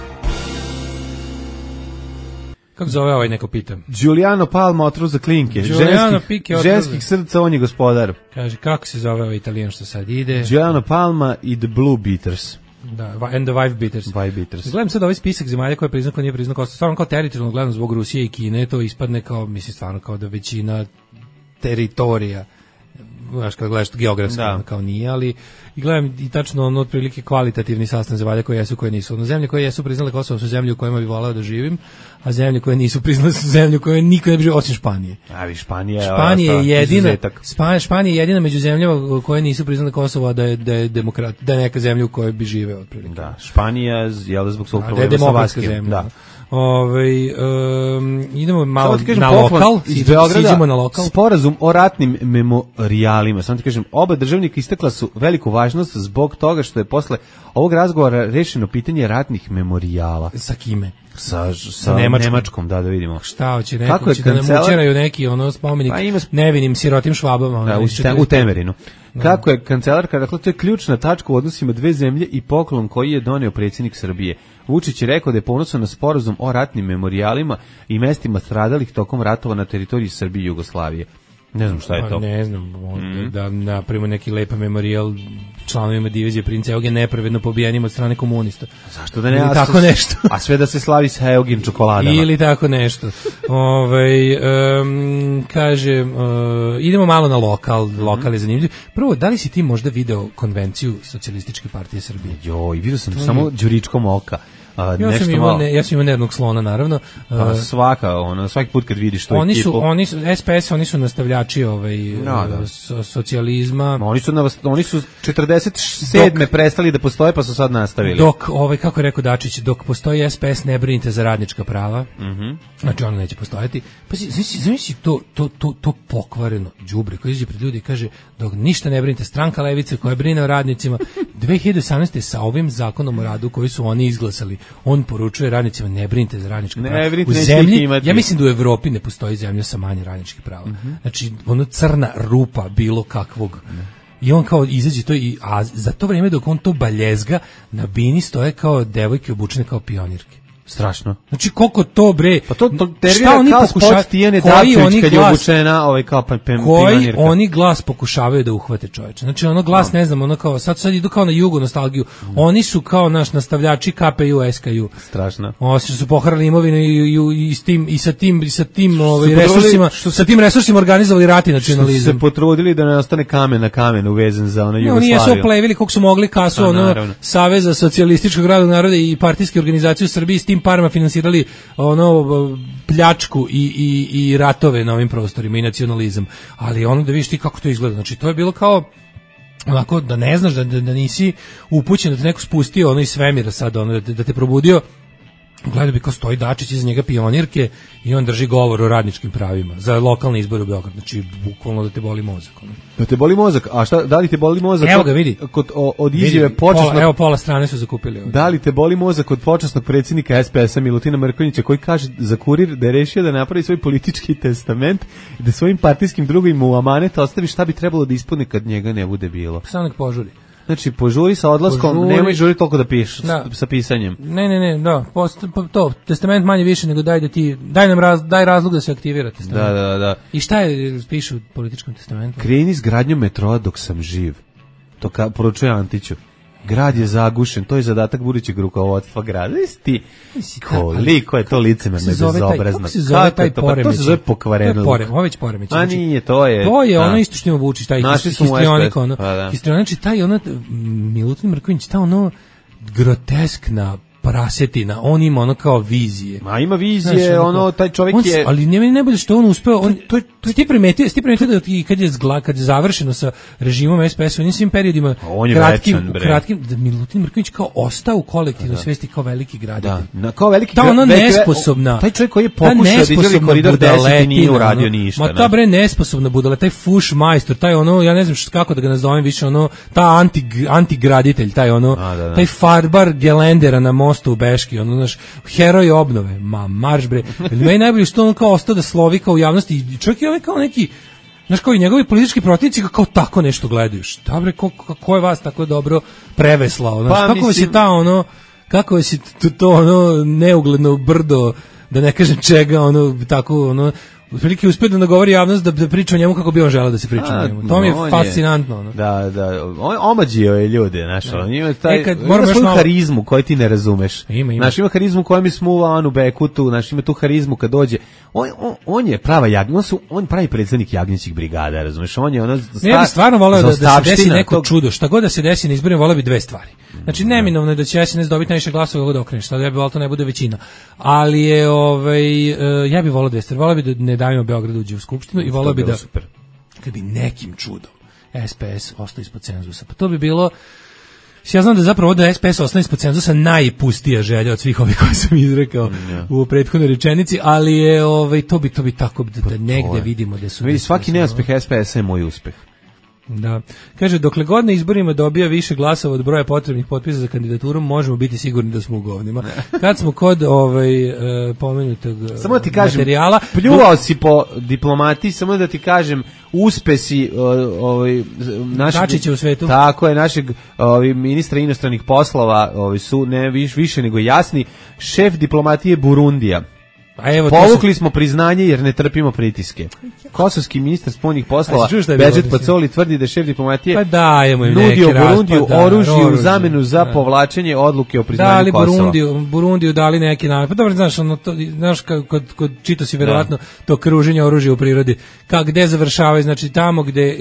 Kako zove ovaj, neko pita? Giuliano Palma otrov za klinke. Ženskih srca, on je gospodar. Kaže, kako se zove ovaj Italijan što sad ide? Giuliano Palma i The Blue Beaters. Da, and the Wife Beaters. Gledam sad ovaj spisak zemalja koje je priznao, ko nije priznao Kosovo. Stvarno kao teritorijalno gledam zbog Rusije i Kine, to ispadne kao, mislim, stvarno kao da većina teritorija znaš, kad gledaš geografski, kao nije, ali i gledam i tačno ono otprilike kvalitativni sastav zemalja koje jesu, koje nisu. Ono, zemlje koje jesu priznale Kosovo su zemlje u kojima bi voleo da živim, a zemlje koje nisu priznale su zemlje u kojima niko ne bi živio, osim Španije. Španija je jedina među zemljama koje nisu priznale Kosovo, da je demokrat, da je neka zemlja u kojoj bi živeo otprilike. Da, Španija je zbog svog problema sa Vaskim. Da. Idemo malo na lokal, siđemo na lokal. Sporazum o ratnim memorialima. Samo ti kažem, oba državnika istakla su veliku važnost zbog toga što je posle ovog razgovora rešeno pitanje ratnih memorijala. Sa kime? Sa Nemačkom, da vidimo. Šta hoće, neko će da nam učeraju neki spomenik nevinim sirotim Švabama. U Temerinu. Kako je kancelarka, dakle, to je ključna tačka u odnosima dve zemlje i poklon koji je doneo predsjednik Srbije. Vučić je rekao da je ponosan na sporazum o ratnim memorijalima i mestima stradalih tokom ratova na teritoriji Srbije i Jugoslavije. Ne znam šta je to. Ne znam, da napravimo neki lepa memorijal članovima divizije Princa Eugen nepravedno pobijenim od strane komunista. Zašto da ne? Ili tako nešto. A sve da se slavi sa Eugen čokoladama. Ili tako nešto. Kaže, idemo malo na lokal je zanimljiv. Prvo, da li si ti možda video konvenciju Socijalističke partije Srbije? Joj, vidio sam samo Đuričkom oka. Ja sam imao nervnog slona, naravno. Svaki put kad vidiš to ekipu. SPS, oni su nastavljači socijalizma. Oni su 47. prestali da postoje, pa su sad nastavili. Dok, kako je rekao Dačić, dok postoji SPS, ne brinite za radnička prava. Znači, ono neće postojati. Pa zamisli to pokvareno đubre koji izađe pred ljudi i kaže, dok ništa ne brinite, stranka levice koja brine o radnicima, 2018. sa ovim zakonom o radu koji su oni izglasali, on poručuje radnicima, ne brinite za radnička prava. U zemlji, ja mislim da u Evropi ne postoji zemlja sa manje radničkih prava. Znači, ono crna rupa bilo kakvog. I on kao izađe to, a za to vrijeme dok on to baljezga, na bini stoje kao devojke obučene kao pionirke. Strašno. Znači koliko to bre. Pa to tervira kao spot Tijene Davčević kad je obučena kao pionirka. Oni glas pokušavaju da uhvate čoveče. Znači ono glas, ne znam, ono kao sad idu kao na jugo nostalgiju. Oni su kao naš nastavljači KPU, SKU. Strašno. Oni su poharali imovinu i sa tim resursima, sa tim resursima organizovali rat i nacionalizam. Se potrudili da ne ostane kamen na kamenu uvezen za ono Jugoslaviju. Oni jesu oplevili koliko su mogli kasu Saveza socijalističkog radnog naroda i partijske organizacije u Srbiji s tim parama finansirali pljačku i ratove na ovim prostorima i nacionalizam. Ali ono da vidiš ti kako to izgleda. Znači to je bilo kao onako da ne znaš da nisi upućen, da te neko spustio iz svemira sad, da te probudio. Gledao bi kao stoji Dačić iza njega pionirke i on drži govor o radničkim pravima za lokalne izbore u Beogradu. Znači, bukvalno da te boli mozak. Da te boli mozak? A šta, da li te boli mozak? Evo ga, vidi. Od izjave počasnog... Evo, pola strane su zakupili. Ovdje. Da li te boli mozak od počasnog predsjednika SPS-a Milutina Mrkonjića koji kaže za Kurir da je rešio da napravi svoj politički testament i da svojim partijskim drugovima u amanet ostavi šta bi trebalo da ispuni kad njega ne bude bilo? Samo nek požuri. Znači, požuri sa odlaskom, nemoj žuri toliko da pišeš sa pisanjem. Ne, to, testament manje više nego daj razlog da se aktivira testament. Da. I šta je piše u političkom testamentu? Kreni s gradnjom metroa dok sam živ. To poručuje Antiću. Grad je zagušen, to je zadatak budućeg rukovodstva grada. Koliko je to licemerno i bezobrazno. Kako se zove taj Poremeć? To se zove pokvareno. Ovo je već Poremeć. A nije, to je... To je ono isto što ima Vučić, taj histrionik. Znači, taj Milutin Mrkonjić, ta groteskna prasetina, on ima kao vizije. Ma ima vizije, taj čovjek je... Ali ne bude što on uspeo, ti primetio da kad je završeno sa režimom SPS u njim periodima kratkim, da Milutin Mrkonjić kao ostao u kolektivnoj svesti kao veliki graditelj. Da, kao veliki nesposobna. Taj čovjek koji je pokušao da izgradi koridor 10 i nije uradio ništa. Ma ta bre nesposobna budala, taj fuš majstor, taj ja ne znam kako da ga nazovem više, ta antigraditelj, taj farbar gelendera na mostu u Beški, heroj obnove, marš bre. Meni najbolje što on kao ostao da slovi kao u javnosti i čovjek je kao neki, znaš, kao i njegovi politički protivnici kao tako nešto gledaju. Šta bre, ko je vas tako dobro preveslao? Kako si kako si to neugledno brdo, da ne kažem čega, tako otprilike uspio da nagovori javnost da priča o njemu kako bi on želeo da se priča o njemu. To mi je fascinantno. Ono. Da. On omađio je ljude, znaš, on ima ima svoju harizmu koju ti ne razumeš. Ima. Znaš, ima harizmu koja mi smuva Anu Bekutu, znaš, ima tu harizmu kad dođe. On je prava on pravi predsednik jagnjećih brigada, razumeš? On je ono ja bih stvarno voleo da se desi neko čudo. Šta god da se desi na izborima, voleo bi dve stvari. Znači, neminovno je da će SNS dobiti najviše glasova kako da okreneš. Sad ja bih voleo to ne bude većina. Ali je, ja bih voleo dve stvari. Voleo bi da ne davimo Beograd uđe u skupštinu i voleo bi da, kad bi nekim čudom SPS ostao ispod cenzusa. Pa to bi bilo, ja znam da zapravo da SPS ostane ispod cenzusa najpustija želja od svih ovih koje sam izrekao u prethodnoj rečenici, ali je, to bi tako da negde vidimo da su... Vidi, svaki neuspeh SPS je moj uspeh. Da. Kaže, dokle god na izborima dobija više glasova od broja potrebnih potpisa za kandidaturu, možemo biti sigurni da smo u govnima. Kad smo kod pomenutog samo da ti kažem, materijala... Pljuvao si po diplomatiji, samo da ti kažem, uspesi Dačića u svetu. Tako je, našeg ministra inostranih poslova su ne više nego jasni. Šef diplomatije Burundija. Povukli smo priznanje jer ne trpimo pritiske. Kosovski ministar spoljnih poslova Bedžet Pacoli tvrdi da šef diplomatije nudio Burundiju oružje u zamenu za povlačenje odluke o priznanju Kosova. Burundiju dali neki namet. Pa dobro, znaš kod čito si verovatno to kruženje oružja u prirodi. Gde završavaju, znači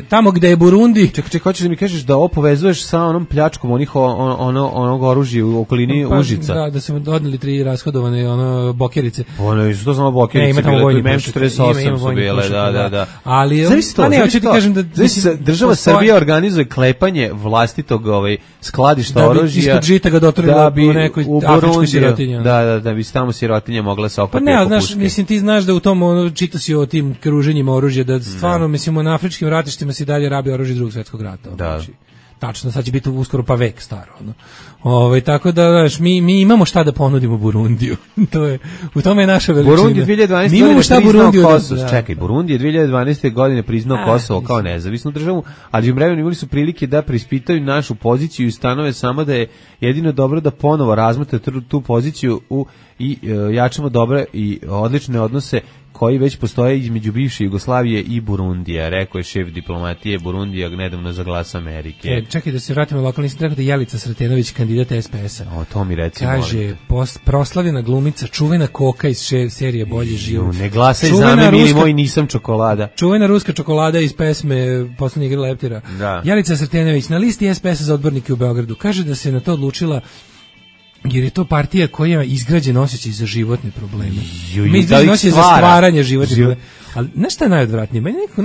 tamo gde je Burundi. Čekaj, hoćeš da mi kažeš da ovo povezuješ sa onom pljačkom onog oružja u okolini Užica? Da su odneli 3 rashodovane bokerice. Što znamo bokerice bile, M48 su bile, da. Ali, zavisi država Srbija organizuje klepanje vlastitog skladišta oružja. Ispod žita ga doturila u nekoj afričkoj sirotinji. Da bi tamo sirotinja mogla se okupiti. Pa ne, znaš, mislim, ti znaš da u tom, čita si o tim kruženjima oružja, da stvarno, mislim, na afričkim ratištima se dalje rabi oružje Drugog svjetskog rata. Da. Tačno, sad će biti uskoro pa vek staro. Tako da, znaš, mi imamo šta da ponudimo Burundiju. U tome je naša veličina. Burundi 2012. godine priznao Kosovo. Čekaj, Burundi je 2012. godine priznao Kosovo kao nezavisnu državu, ali u vremenu imali su prilike da preispitaju našu poziciju i ustanove samo da je jedino dobro da ponovo razmotre tu poziciju i jačamo dobre i odlične odnose koji već postoje između bivše Jugoslavije i Burundija, rekao je šef diplomatije Burundija nedavno za Glas Amerike. Čekaj da se vratimo lokalno, nisam rekao da Jelica Sretenović, kandidat SPS-a. To mi reci, kaže, proslavljena glumica, čuvena koka iz serije Bolji život. Ne glasaj za me, mili moj, nisam čokolada. Čuvena ruska čokolada iz pesme Poslednji igra leptira. Jelica Sretenović na listi SPS-a za odbornike u Beogradu. Kaže da se na to odlučila jer je to partija koja je izgrađen osjećaj za životne probleme. Mi izgrađen osjećaj za stvaranje životnih problema. Ali znaš šta je najodvratnije? Meni nekako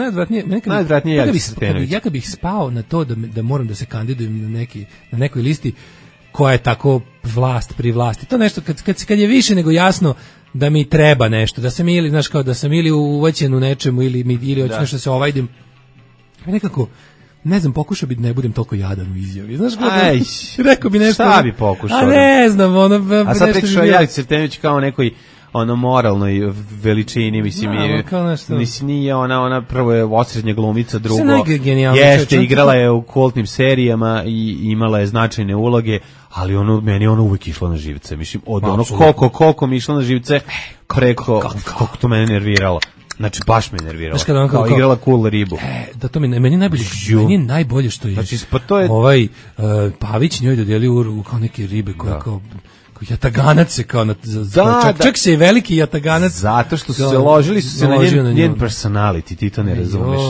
najodvratnije je Jelica Sretenović. Ja kad bih spao na to da moram da se kandidujem na nekoj listi koja je tako vlast pri vlasti. To nešto kad je više nego jasno da mi treba nešto, da sam ili, znaš, kao da sam ili uvaćen u nečemu ili hoću nešto da se ovajdim. Nekako ne znam, pokušao bi da ne budem toliko jadan u izjavi. Znaš kako? Rekao bi nešto. Šta bi pokušao? A ne znam, a sad pričao Jelica Sretenović kao nekoj moralnoj veličini, mislim, nije ona prvo je osrednja glumica, drugo jeste, igrala je u kultnim serijama i imala je značajne uloge, ali meni je uvijek išla na živce, mislim, od koliko mi išla na živce, preko, koliko to mene nerviralo. Znači, baš me nervirala. Kao igrala cool ribu. Da, to meni je najbolje što je. Znači, pa to je... Pavić njoj dodelio kao neke ribe koja kao jataganac se kao čak se je veliki jataganac. Zato što su se ložili na njen personality, ti to ne razumeš.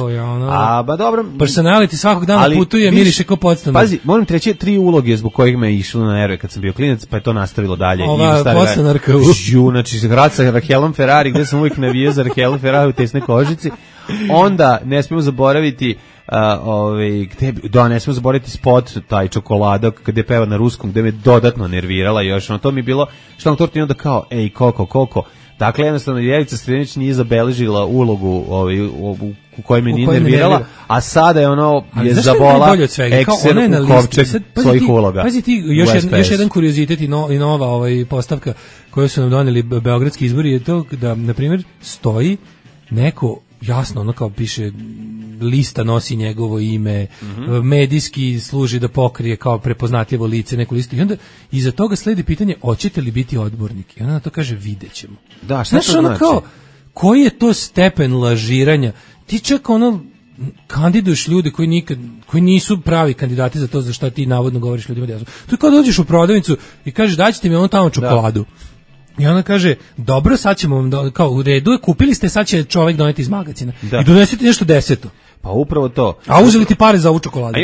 Ba dobro. Personality svakog dana putuje, miriše kao podstanar. Pazi, moram treći 3 uloge zbog kojih me je išlo na nerve kad sam bio klinac, pa je to nastavilo dalje. Ova podstanarka. Znači, grad sa Rahelom Ferrari, gde sam uvijek navijao za Rahelu Ferrari u tesnoj kožici. Onda ne smijemo zaboraviti ne smemo zaboraviti spot taj čokolada gde peva na ruskom, gde me dodatno nervirala još, to mi je bilo što nam torti onda kao, ej, koliko. Dakle, jednostavno, Jelica Sretenović nije zabeležila ulogu u kojoj me nije nervirala, a sada je je zabola ekser u kovčeg svojih uloga. Pazi ti, još jedan kuriozitet i nova postavka koju su nam doneli beogradski izbori je to da, na primjer, stoji neko jasno, kao piše, lista nosi njegovo ime, medijski služi da pokrije kao prepoznatljivo lice neku listu i onda iza toga sledi pitanje hoćete li biti odbornik i ona na to kaže videćemo. Da, šta to znači? koji je to stepen lažiranja? Ti čak ono kandiduješ ljude koji nisu pravi kandidati za to za šta ti navodno govoriš ljudima da jesu. To je kao dođeš u prodavnicu i kažeš daćete mi ono tamo čokoladu. I ona kaže, dobro, sad ćemo vam, kao u redu, kupili ste, sad će čovjek doneti iz magacina. I donesu ti nešto 10. Pa upravo to. A uzeli ti pare za ovu čokoladu.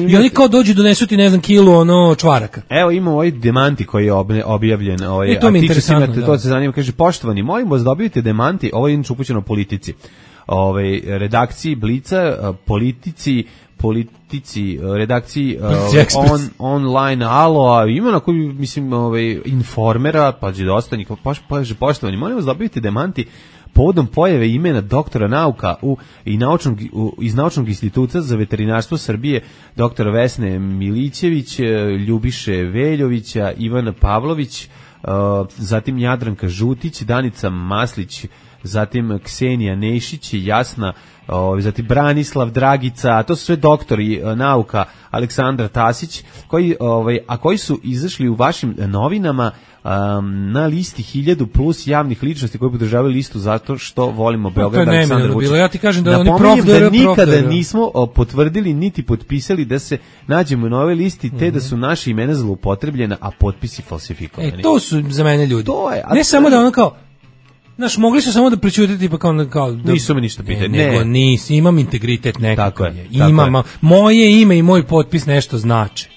I oni kao dođu donesu ti, ne znam, kilu čvaraka. Evo imamo ovaj demanti koji je objavljen. To mi je interesantno. To se zanima, kaže, poštovani, molim vas da dobijete demanti, ovo je inače upućeno politici. Redakciji Blica, politici, redakciji online Alo, ima na koju, mislim, Informera, pa je dosta njih, poštovani, molim vas da dobijete demanti povodom pojave imena doktora nauka iz Naučnog instituta za veterinarstvo Srbije, doktora Vesne Milićević, Ljubiše Veljovića, Ivana Pavlović, zatim Jadranka Žutić, Danica Maslić, zatim Ksenija Nešić, Jasna, zatim Branislav Dragica, a to su sve doktori nauka, Aleksandra Tasić, koji su izašli u vašim novinama na listi 1000 plus javnih ličnosti koji podržavaju listu zato što volimo Beograd, Aleksandra Vučića. Ja ti kažem da oni nikada nismo potvrdili niti potpisali da se nađemo na ovoj listi, te da su naše imena zloupotrebljena, a potpisi falsifikovani. To su za mene ljudi. Ne samo da ono kao mogli su samo da prećutiti pa kao da, nisu me ništa pitali. Nego nisi, imam integritet nekakav je. Imam, moje ime i moj potpis nešto znači.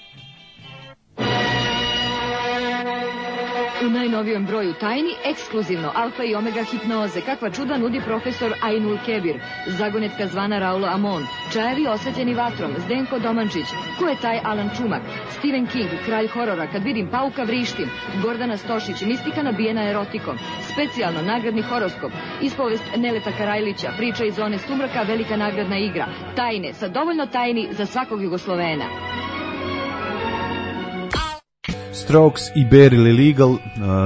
U najnovijem broju Tajni, ekskluzivno Alfa i Omega hipnoze, kakva čuda nudi profesor Ainul Kebir, zagonetka zvana Raulo Amon, čajevi osvetljeni vatrom, Zdenko Domančić, ko je taj Alan Čumak, Stephen King, kralj horora, kad vidim pauka vrištim, Gordana Stošić, mistika nabijena erotikom, specijalno nagradni horoskop, ispovest Neleta Karajlića, priča iz zone sumraka, velika nagradna igra, Tajne, sa dovoljno tajni za svakog Jugoslovena. Strokes i Barely Legal,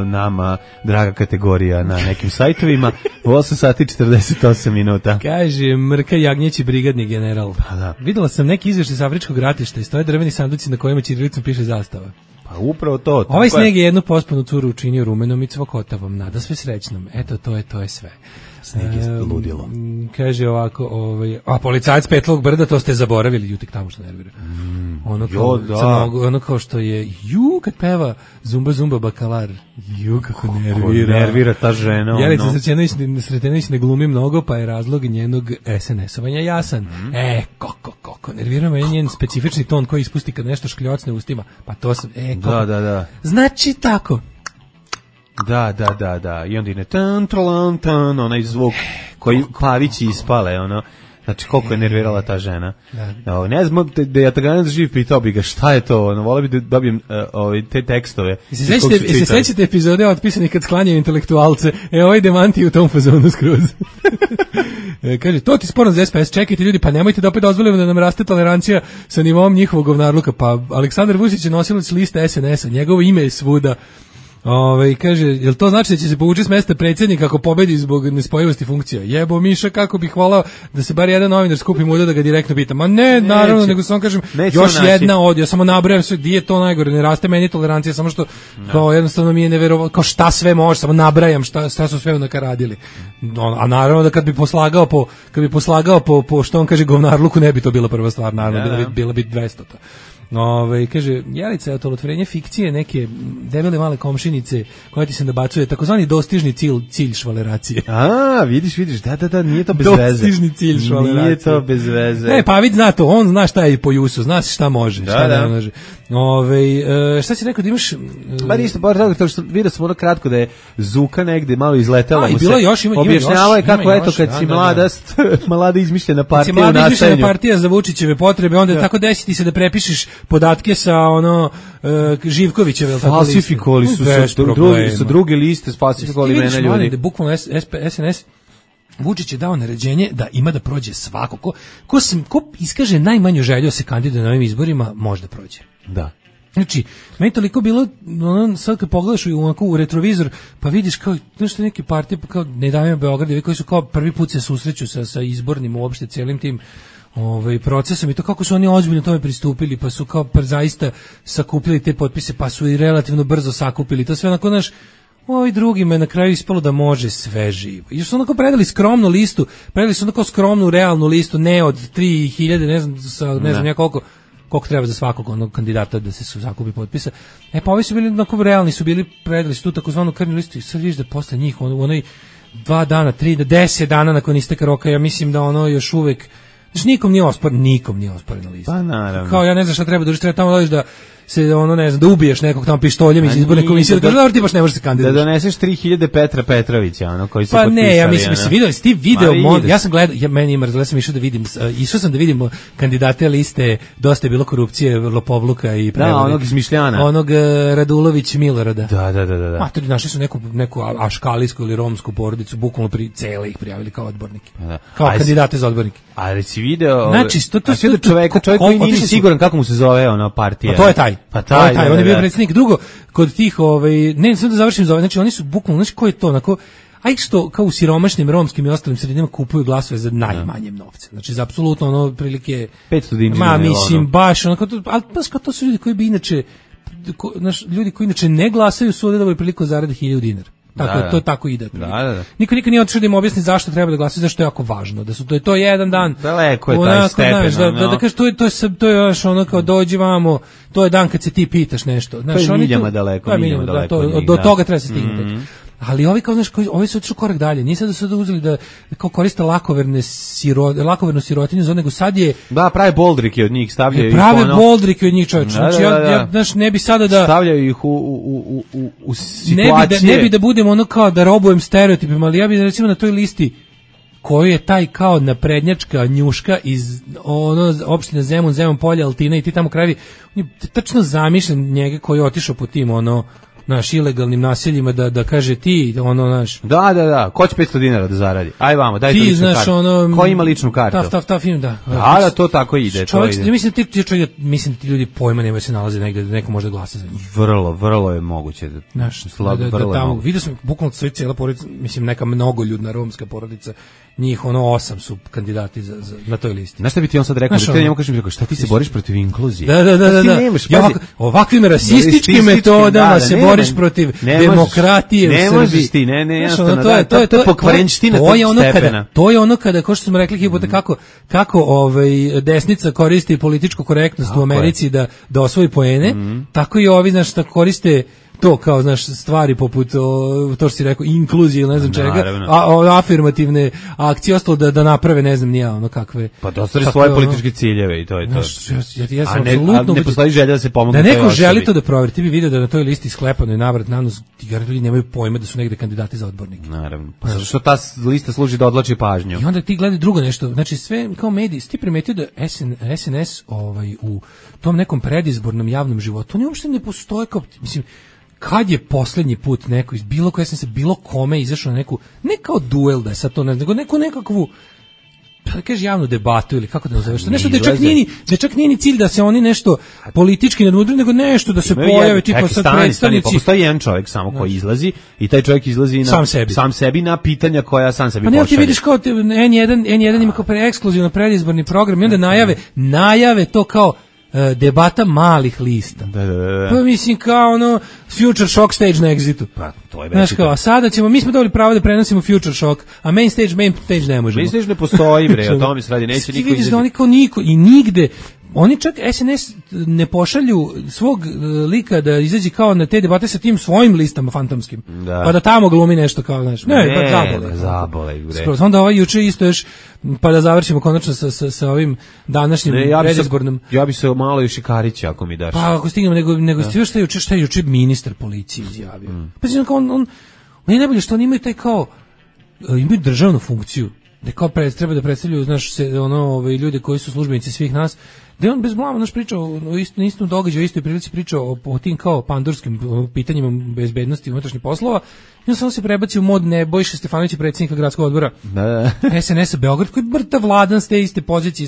nama draga kategorija na nekim sajtovima, u 8 sati 48 minuta. Kaže Mrka Jagnjeći, brigadni general. Videla sam neki izvještaj sa afričkog ratišta i stoje drveni sanduci na kojima ćirilicom piše zastava. Pa upravo to. Ovaj sneg je jednu pospanu curu učinio rumenom i cvokotavom, nada sve srećnom. Eto, to je sve. Sneg je ludilo. Kaže ovako, a policajac Petlovog brda, to ste zaboravili, jutik tamo što nervira. Ono kao što je, kad peva Zumba Zumba Bakalar, kako nervira. Nervira ta žena. Jelica Sretenović ne glumi mnogo, pa je razlog njenog SNS-ovanja jasan. Kako nervira me njen specifični ton koji ispusti kad nešto škljocne ustima. Pa to sam, Da. Znači tako. Da. I onda ide tan, onaj zvuk koji pavići ispale, ono. Znači, koliko je nervirala ta žena. Da. Ne znam, da ja Taganac živ pitao bi ga šta je to, volao bi da dobijem te tekstove. I se sećate epizode otpisanih kad sklanjaju intelektualce, ovaj demanti u tom fazonu skroz. Kaže, to ti sporno za SPS, čekajte ljudi, pa nemojte da opet dozvolimo da nam raste tolerancija sa nivom njihovog govnarluka. Pa Aleksandar Vučić je nosilac liste SNS-a, njegovo ime je svuda. Kaže, jel to znači da će se povući s mesta predsjednika ako pobedi zbog nespojivosti funkcija? Jebo Miša, kako bih volao da se bar jedan novinar skupi muda da ga direktno pita. Ma ne, naravno, nego samo kažem, još jedna od, ja samo nabrajam sve, gdje je to najgore, ne raste meni tolerancija, samo što kao jednostavno mi je neverovatno, kao šta sve može, samo nabrajam šta su sve nakaradili. A naravno da kad bi poslagao po što on kaže govnarluku, ne bi to bila prva stvar, naravno, bila bi 200 to. Kaže, Jelica je otolotvorenje fikcije neke debele male komšinice koja ti se nabacuje, takozvani dostižni cilj švaleracije. Vidiš, da, nije to bez veze. Dostižni cilj švaleracije. Nije to bez veze. Ne, pa vidi, zna to, on zna šta je po Jusu, zna se šta može, šta ne može. Šta si rekao da imaš... Ba ništa, to što vidio sam ono kratko da je Zuka negde malo izletela mu se. Objašnjava je kako, eto, kad si mlada izmišljena partija u nastajanju. Mlada izmišljena partija za Vučićeve potrebe, onda tako desiti se da prepišeš podatke sa Živkovićeve. Falsifikovali su druge liste, falsifikovali imena ljudi. Da bukvalno SNS Vučić je dao naređenje da ima da prođe svako. Ko iskaže najmanju želju se kandiduje na ovim izborima, može da prođe. Da. Znači, meni toliko bilo, sad kad pogledaš u retrovizor, pa vidiš kao, nešto neke partije, kao Ne davimo Beograd, koji su kao prvi put se susreću sa izbornim uopšte cijelim tim procesom i to kako su oni ozbiljno tome pristupili, pa su kao zaista sakupili te potpise, pa su i relativno brzo sakupili. To sve onako, Ovi drugima je na kraju ispalo da može sve živo. I još su onako predali skromnu listu, predali su onako skromnu realnu listu, ne od 3000, ne znam ja koliko treba za svakog onog kandidata da se sakupi potpisa. Pa ovi su bili onako realni, su bili, predali su tu takozvanu krvnu listu i sad vidiš da posle njih u onoj 2 dana, 3 do 10 dana nakon isteka roka, ja mislim da ono još uvek, znači nikom nije osporena lista. Pa naravno. Kao ja ne znam šta treba, treba tamo dođeš da se ne znam, da ubiješ nekog tamo pištoljem iz izborne komisije, da kaže ti baš ne možeš se kandidovati. Da doneseš 3000 Petra Petrovića, koji su potpisali. Pa ne, ja mislim ti video ja sam gledao, meni ima razgleda, sam išao sam da vidim kandidate liste, dosta je bilo korupcije, lopovluka i prevare. Da, onog izmišljana. Onog Radulović Milorada. Da. Matori, našli su neku aškalijsku ili romsku porodicu, bukvalno cele ih prijavili kao odbornike. Kao kandidate za odbornike. Ali si video, znači, čovjek koji nije siguran kako mu se zove ona partija. Pa to je taj. On je bio predsjednik. Drugo, kod tih, ne, sad da završim za znači oni su bukvalno, znači ko je to, onako, a ih što kao u siromašnim romskim i ostalim sredinama kupuju glasove za najmanjem novce. Znači za apsolutno ono prilike 500 dinara. Mislim baš onako, ali baš kao to su ljudi koji bi inače, ljudi koji inače ne glasaju su ovdje dobili priliku zarade 1000 dinara. Tako to tako ide. Da. Niko nije otišao da im objasni zašto treba da glasaju, zašto je jako važno, da su to je jedan dan. Daleko je taj stepen. Da kažeš to je još ono kao dođi vamo, to je dan kad se ti pitaš nešto. Znaš, to je miljama daleko. Do toga treba se stignuti. Ali ovi kao znaš, ovi su otišli korak dalje. Nije sad da su uzeli da kao koriste lakovernu sirotinju, nego sad je prave boldrike od njih stavljaju. Prave boldrike od njih, čovječe. Znači ja znaš, ne bi sada da stavljaju ih u situacije. Ne bi da budemo ono kao da robujem stereotipima, ali ja bih recimo na toj listi koju je taj kao naprednjačka njuška iz opštine Zemun Polje, Altina i ti tamo krajevi, tačno zamišljam njega koji je otišao po tim naš ilegalnim naseljima da kaže ti naš. Da, ko će 500 dinara da zaradi? Aj vamo, daj ti ličnu kartu. Ko ima ličnu kartu? Ta film, da. Da, to tako ide. Mislim ti ljudi pojma nemaju, se nalaze negde da neko može glasa za njih. Vrlo je moguće. Da tamo, vidio sam bukvalno sve cijela porodica, mislim neka mnogoljudna romska porodica, njih 8 su kandidati na toj listi. Znaš šta bi ti on sad rekao? Da ti njemu kažem, šta ti se boriš protiv inkluzije? Da. Ovakvim rasističkim metodama se boriš protiv demokratije u Srbiji. Ne možeš ti, jednostavno, to je pokvarenština tog stepena. To je ono kada, kao što smo rekli hipote, kako desnica koristi političku korektnost u Americi da osvoji poene, tako i ovi, znaš, da koriste to kao, znaš, stvari poput to što si rekao, inkluzije ili ne znam čega, afirmativne akcije, ostalo da naprave, ne znam nija, kakve. Pa da ostvari svoje političke ciljeve i to je to. Ja sam apsolutno... Ne postoji želja da se pomogne. Da neko želi to da proveri, ti bi vidio da na toj listi sklepano je navrat na nos, ti ljudi nemaju pojma da su negde kandidati za odbornike. Naravno. Pa zašto ta lista služi da odlači pažnju? I onda ti gledaj drugo nešto, znači sve kao mediji, ti primetio da SNS u tom nekom predizbornom javnom životu, oni uopšte ne postoje kao, mislim, kad je posljednji put neko iz bilo koje sam se bilo kome izašao na neku, ne kao duel da je sad to, nego nekakvu, da kaže javnu debatu ili kako da nazoveš, nešto da čak nije ni cilj da se oni nešto politički nadmudru, nego nešto da se pojave tipa sad predstavnici. Pa postoji jedan čovjek samo koji izlazi i taj čovjek izlazi sam sebi na pitanja koja sam sebi pošalje. Pa ne, ti vidiš kao N1 ima kao ekskluzivno predizborni program i onda najave to kao debata malih lista. Da. Pa mislim kao Future Shock stage na Exitu. Pa to je već. A sada mi smo dobili pravo da prenosimo Future Shock, a main stage ne možemo. Main stage ne postoji, bre, o tome se radi, neće niko izaći. Da oni kao niko i nigde, oni čak SNS ne pošalju svog lika da izađe kao na te debate sa tim svojim listama fantomskim. Da. Pa da tamo glumi nešto kao, znaš. Zabole, bre. Skroz, onda juče isto još, pa da završimo konačno sa ovim današnjim predizbornim. Ja bi se malo još i Karića ako mi daš. Pa ako stignemo, nego šta je juče ministar policije izjavio. Pa znači on je najbolje što oni imaju taj kao, imaju državnu funkciju. Da kao treba da predstavljaju, znaš, ljude koji su službenici svih nas, da je on bez blama naš pričao o istom događaju, o istoj prilici pričao o tim kao pandurskim pitanjima bezbednosti i unutrašnjih poslova, i on samo se prebacio u mod Nebojša Stefanovića, predsjednika gradskog odbora SNS-a Beograd, koji brta vladan s te iste pozicije,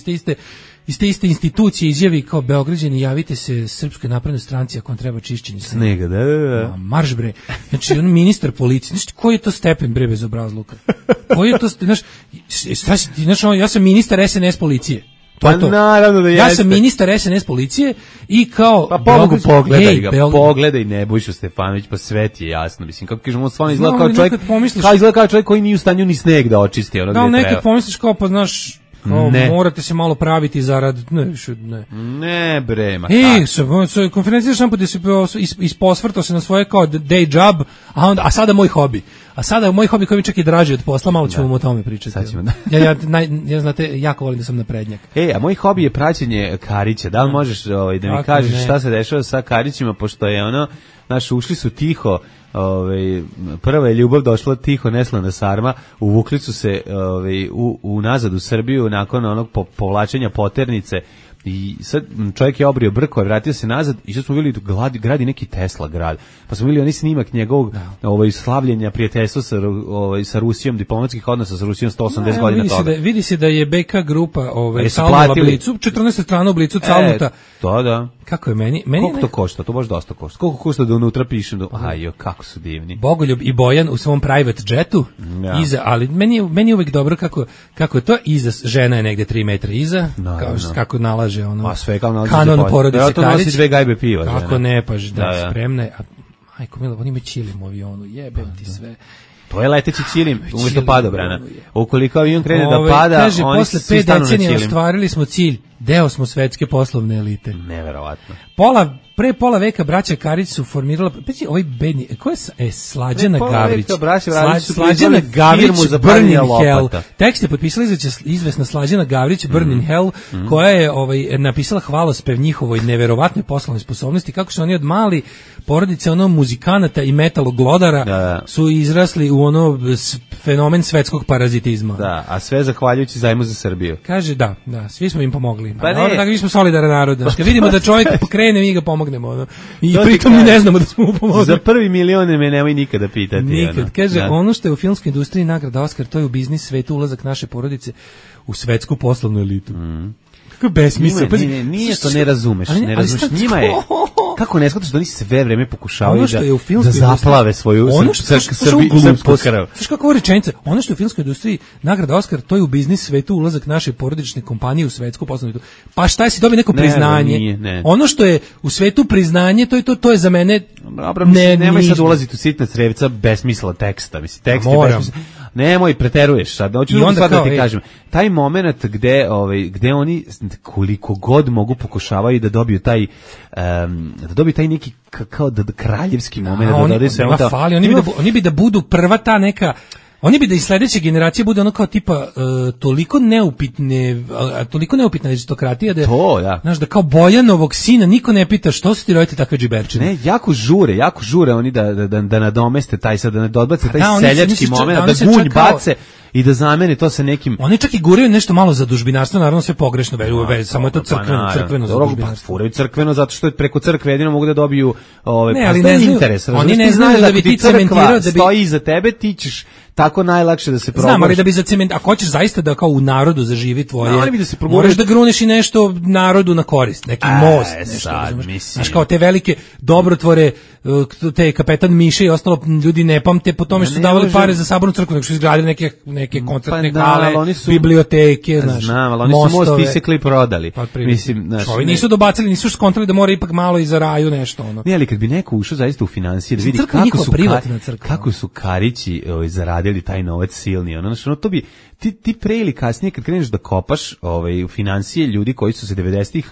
iz te iste institucije izjavi kao Beograđani, javite se Srpskoj naprednoj stranci ako vam treba čišćenje snega. Da. Marš bre. Znači on ministar policije, znači koji je to stepen bre bezobrazluka? Koji je to, znaš, ja sam ministar SNS policije. To je to. Naravno da ja sam ministar SNS policije i kao... Pa pogledaj Nebojšu Stefanović, pa sve ti je jasno. Mislim, kako kažemo, on stvarno izgleda kao čovjek, kao čovjek koji nije u stanju ni sneg da očisti. Ono da, nekad pomisliš kao, pa znaš, morate se malo praviti zarad... Ne bre, ma tako. Konferencija šampu gde se isposvrtao se na svoje kao day job, a sada moj hobi. A sada moj hobi koji mi čak i draži od posla, malo ćemo o tome pričati. Sad ćemo, da. Ja znate, jako volim da sam naprednjak. A moj hobi je praćenje Karića. Da li možeš da mi kažeš šta se dešava sa Karićima, pošto je ono, znaš, ušli su tiho, prva je ljubav došla tiho, neslana sarma, uvukli su se nazad u Srbiju nakon onog povlačenja poternice. I sad čovjek je obrio brko, vratio se nazad i što smo vidjeli gradi neki Tesla grad. Pa smo vidjeli oni snimak njegovog slavljenja prijateljstva sa Rusijom, diplomatskih odnosa sa Rusijom 180 godina toga. Vidi se da je BK grupa calnula Blicu, 14 strana u Blicu calnuta. To da. Kako je meni? Koliko to košta? To baš dosta košta. Koliko košta da unutra pišem? Kako su divni. Bogoljub i Bojan u svom private jetu, iza, ali meni je uvek dobro kako je to iza, žena je negde 3 metra iza, kako nalaže ono. Sve kao nalazi kanon porodice Karić. Nosi 2 gajbe piva. Kako ne, pa spremna je. Majko mila, oni me čilim u avionu, jebem ti sve. To je leteći čilim, umjesto padobrana. Ukoliko avion krene da pada, kaže, oni svi stanu na čilim. Posle 5 decenija ostvarili smo cilj, deo smo svetske poslovne elite. Neverovatno. Pre pola veka braća Karić su formirala, ovaj bedni, ko je Slađana Gavrić? Slađana Gavrić, Burn in Hell. Tekst je potpisala izvesna Slađana Gavrić, Burn in Hell, koja je napisala hvalospev njihovoj neverovatnoj poslovnoj sposobnosti, kako su oni od mali porodice muzikanata i metaloglodara su izrasli u fenomen svetskog parazitizma. Da, a sve zahvaljujući zajmu za Srbiju. Kaže, da, svi smo im pomogli. Tako mi smo solidaran narod. Kad vidimo da čovjek pokrene, mi ga pomognemo. I pritom mi ne znamo da smo mu pomogli. Za prvi milion me nemoj nikada pitati. Nikad. Kaže, ono što je u filmskoj industriji nagrada Oskar, to je u biznis svetu ulazak naše porodice u svetsku poslovnu elitu. Kako besmisao. Nije to, ne razumeš. Njima je... Kako ne shvataš da oni sve vreme pokušavaju da zaplave svoju srpsku krv. Znaš kakva rečenica? Ono što je u filmskoj industriji nagrada Oskar, to je u biznis svetu ulazak naše porodične kompanije u svetsku poslovnu elitu. Pa šta je si dobio neko priznanje? Ono što je u svetu priznanje, to je za mene... Nemoj sad ulaziti u sitna crevca besmisla teksta. Tekst je besmisla. Nemoj, preteruješ sad. Hoću da ti kažem. Taj moment gde oni koliko god mogu pokušavaju da dobiju taj neki kao kraljevski moment. Oni bi da budu prva ta neka... Oni bi da i sledeće generacije bude ono kao tipa toliko neupitna aristokratija da znaš, da kao Bojanovog sina niko ne pita što su ti rodite takve džiberčine. Ne, jako žure oni da nadomeste taj sad, da nadodbace taj seljački moment, da gunj bace i da zamene to sa nekim... Oni čak i guraju nešto malo za dužbinarstvo, naravno sve pogrešno, samo je to crkveno za dužbinarstvo. Furaju crkveno zato što preko crkve jedino mogu da dobiju interes. Oni ne znaju da bi ti cementirao, da bi stoji iza tebe, ti ćeš tako najlakše da se probaš. Znam, ali da bi ako hoćeš zaista da kao u narodu zaživi tvoje, moraš da gruneš i nešto narodu na korist, neki most, nešto. Znaš, kao te velike dobrotvore, te kapetan Miše i ostalo ljudi ne pamte po tome što su davali pare za sabornu crkvu, nego su izgradili neke koncertne hale, biblioteke, znaš, znam, ali oni su most isekli i prodali. Ovi nisu dobacili, nisu skontrali da mora ipak malo i za raju nešto. Ne, ali kad bi neko ušao zaista u financije, da vidi kako su Karići zaradili taj novac silni, to bi ti pre ili kasnije kad kreneš da kopaš u financije ljudi koji su se 90-ih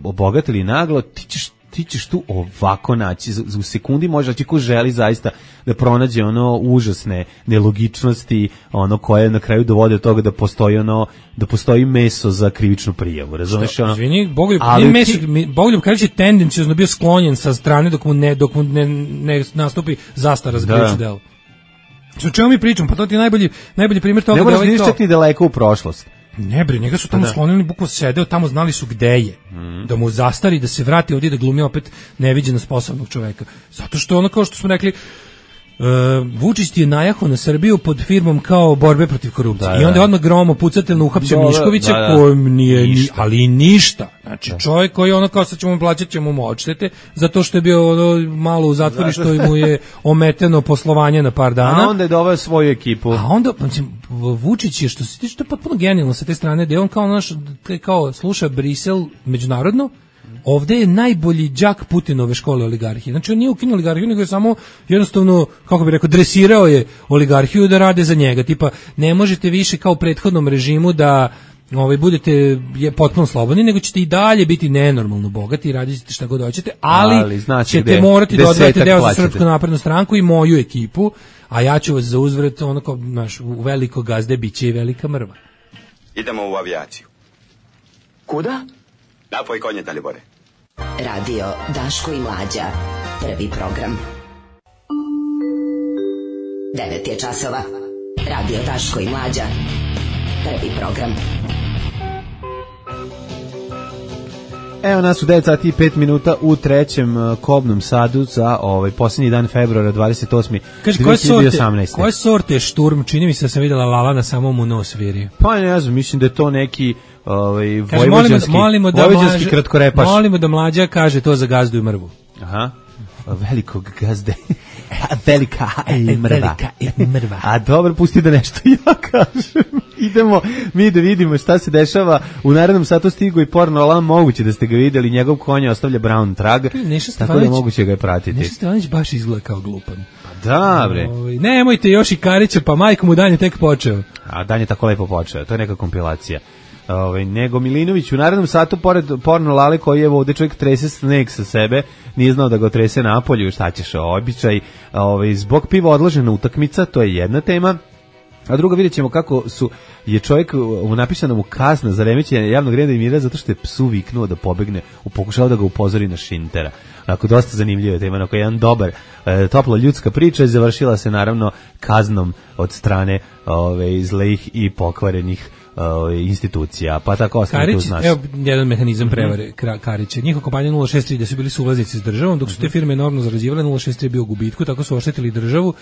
obogatili naglo, ti ćeš tu ovako naći, u sekundi može naći ko želi zaista da pronađe užasne nelogičnosti, koje na kraju dovode do toga da postoji meso za krivičnu prijavu, razumeš? Izvini, Bogoljub Karić je tendencijozno bio sklonjen sa strane dok mu ne nastupi zastara za krivično delo. O čemu mi pričamo? Pa to ti je najbolji primjer toga. Ne moraš vidiš čak ni daleko u prošlost. Ne bre, njega su tamo sklonili, bukvalno sedeo tamo, znali su gde je. Da mu zastari, da se vrati ovdje da glumi opet neviđeno sposobnog čoveka. Zato što kao što smo rekli, Vučić je najahao na Srbiju pod firmom kao borbe protiv korupcije. I onda je odmah gromo pucateljno uhapsio Miškovića, kojem nije ali ništa. Znači čovjek koji ono kao sad ćemo mu plaćati, ćemo mu odštete zato što je bio malo u zatvoru, što mu je ometeno poslovanje na par dana. A onda je doveo svoju ekipu. A onda Vučić je, što se tiče, to je potpuno genijalno sa te strane, da je on kao sluša Brisel međunarodno. Ovde je najbolji đak Putinove škole oligarhije. Znači on nije ukinuo oligarhiju, nego je samo jednostavno, kako bih rekao, dresirao je oligarhiju da rade za njega. Tipa, ne možete više kao u prethodnom režimu da budete potpuno slobodni, nego ćete i dalje biti nenormalno bogati i radite šta god hoćete, ali ćete morati da odvajate deo za Srpsku naprednu stranku i moju ekipu, a ja ću vas za uzvrat u veliko gazde biće i velika mrva. Idemo u avijaciju. Kuda? Napoj konje, Dalibore. Radio Daško i Mlađa. Prvi program. 9 je časova. Radio Daško i Mlađa. Prvi program. Evo nas u 9 sati i 5 minuta u trećem kobnom sadu za posljednji dan februara 28. Kaže, 2018. Koje sorte šturm? Čini mi se da sam vidjela Lala na samom u nos virio. Pa ne znam, mislim da je to neki vojvođanski kratkorepaš. Molimo da Mlađa kaže to za gazdu i mrvu. Aha, velikog gazde. Velika mrva. A dobro, pusti da nešto ja kažem. Idemo mi da vidimo šta se dešava. U narednom satu stigu i porno alarm, moguće da ste ga vidjeli, njegov konja ostavlja brown trag, tako da moguće ga je pratiti. Neša Stevanović baš izgleda kao glupan. Pa da, bre. Nemojte još i Karića, pa majko mu dan je tek počeo. A dan je tako lepo počeo, to je neka kompilacija. Nego Milinović u narednom satu, pored porno Lale koji je ovde čovjek trese sneg sa sebe, nije znao da ga trese napolju, šta ćeš, običaj, zbog piva odložena utakmica, to je jedna tema. A druga, vidjet ćemo kako je čovjek napisana mu kazna za remećenje javnog reda i mira zato što je psu viknuo da pobegne, pokušao da ga upozori na Šintera. Onako, dosta zanimljiva tema, onako jedan dobar, topla ljudska priča i završila se naravno kaznom od strane zlejih i pokvarenih institucija, pa tako ostane tu znaš. Evo jedan mehanizam prevare Karića. Njihova kompanija 063 da su bili suvlasnici s državom, dok su te firme enormno zarađivale, 063 je bio u gubitku, tako su oštetili državu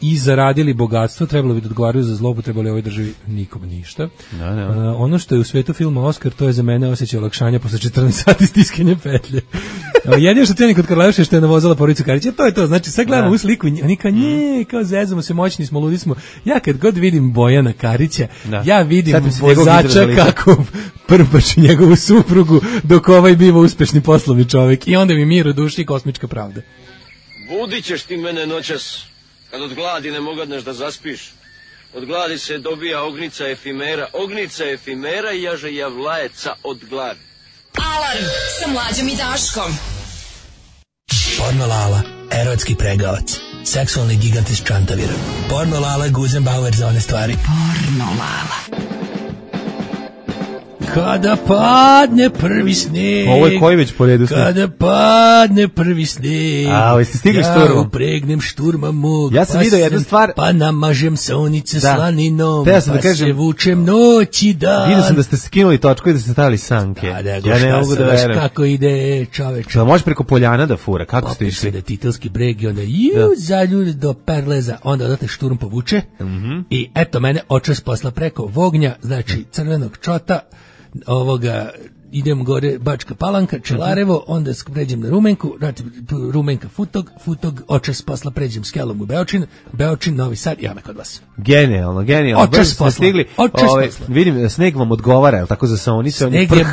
i zaradili bogatstvo, trebalo bi da odgovaraju za zloupotrebu, ali ovoj državi nikom ništa. Ono što je u svetu filma Oskar, to je za mene osjećaj olakšanja posle 14 sati stiskanja petlje. Jedino što cenim kod Karleuše što je navozala porodicu Karića, to je to. Znači, sad gledamo u sliku, oni kao zezamo se, moćni smo, ludi smo. Ja kad god vidim Bojana Karića, ja vidim vozača kako prpači njegovu suprugu dok ovaj biva uspešni poslovni čovjek i onda mi mir u duši i kosmička pravda. Budit ćeš ti mene noćas, kad od gladi ne mogadneš da zaspiš. Od gladi se dobija ognica efimera i jaže javlajeca od gladi. Alarm sa Mlađom i Daškom. Porno Lala, erotski pregavac, seksualni gigant iz Čantavira. Porno Lala, Guzenbauer za one stvari. Porno Lala. Kada padne prvi sneg. Ovo je koji već po redu sneg? Kada padne prvi sneg. Jeste stigli šturmu? Ja upregnem šturma mog. Ja sam vidio jednu stvar. Pa namažem saonice slaninom. Pa se vučem noći dan. Vidio sam da ste skinuli točku i da ste stavili sanke. Ja ne mogu da verujem. Kako ide čoveče. Da može preko Poljana da fura. Kako ste išli? Da titelski breg i onda zaljulj do Perleza. Onda odate šturm povuče. I eto mene očas posla preko Vognja, znači crvenog čota, ovoga, idem gore Bačka Palanka, Čelarevo, onda pređem na Rumenku, znači Rumenka Futog, očas posla pređem s Kelom u Beočin, Novi Sad, ja me kod vas. Genijalno. Očas posla. Vidim, sneg vam odgovara, je li tako za saonice? Sneg je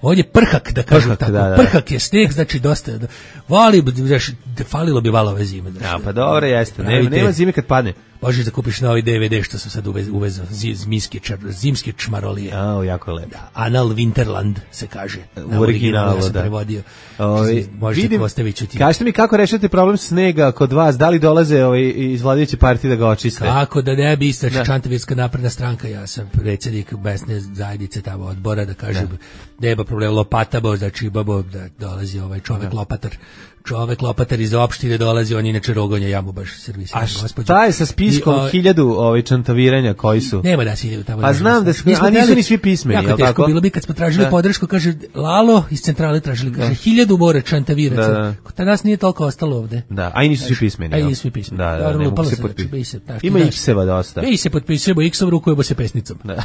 ovdje prhak, da kažem tako. Prhak je sneg, znači dosta. Falilo bi valove zime. Ja, pa dobro, jeste. Nema zime kad padne. Možeš da kupiš novi DVD što sam sad uvezao, zimske čmarolije. Jako lepo. Anal Winterland se kaže. U originalu, ja sam prevodio. Možete postaviti ću ti. Kažete mi kako rešate problem snega kod vas, da li dolaze iz vladajuće partije da ga očiste? Kako da ne bi, Čantavirska napredna stranka, ja sam predsjednik mesne zajednice tamo odbora, da kažem, nema problem lopata, znači babo da dolazi ovaj čovjek lopatar, čovek Lopatar iz opštine dolazi, on inače rogonja, ja mu baš servisiram gospođu. A šta je sa spiskom 1000 čantaviranja koji su? Nema da se ide tamo. Pa znam da su, a nisu ni svi pismeni, je li tako? Bilo bi kad smo tražili podršku, kaže Lalo iz centrale tražili, kaže 1000 mora čantaviraca. Kod nas nije toliko ostalo ovde. Da, a i nisu svi pismeni. A i nisu svi pismeni. Da, ne mogu se potpisati. Ima X-eva dosta. Mi se potpisujemo X-om, rukujemo se pesnicom. Da.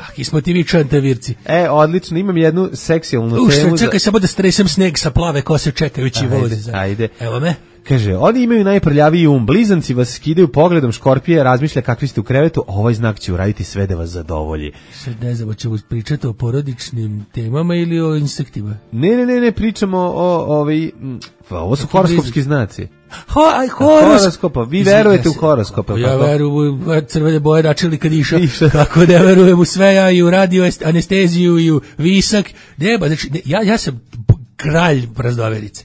Taki smo ti vi čantavirci. Odlično, imam jednu seksualnu temu. Čekaj samo da stresem sneg sa plave kose čekajući voze. Ajde. Evo me. Kaže, oni imaju najprljaviji blizanci vas skidaju pogledom, škorpije razmišlja kakvi ste u krevetu, ovaj znak će uraditi sve da vas zadovolji. Sad ne znam, ćemo pričati o porodičnim temama ili o insektima? Ne, pričamo ovo su horoskopski znaci. Horoskopa, vi verujete u horoskope. Ja verujem u crvene boje načeli kad išao, kako da verujem u sve, ja i u radio anesteziju i u visak, nema, znači, ja sam kralj prazdoverice.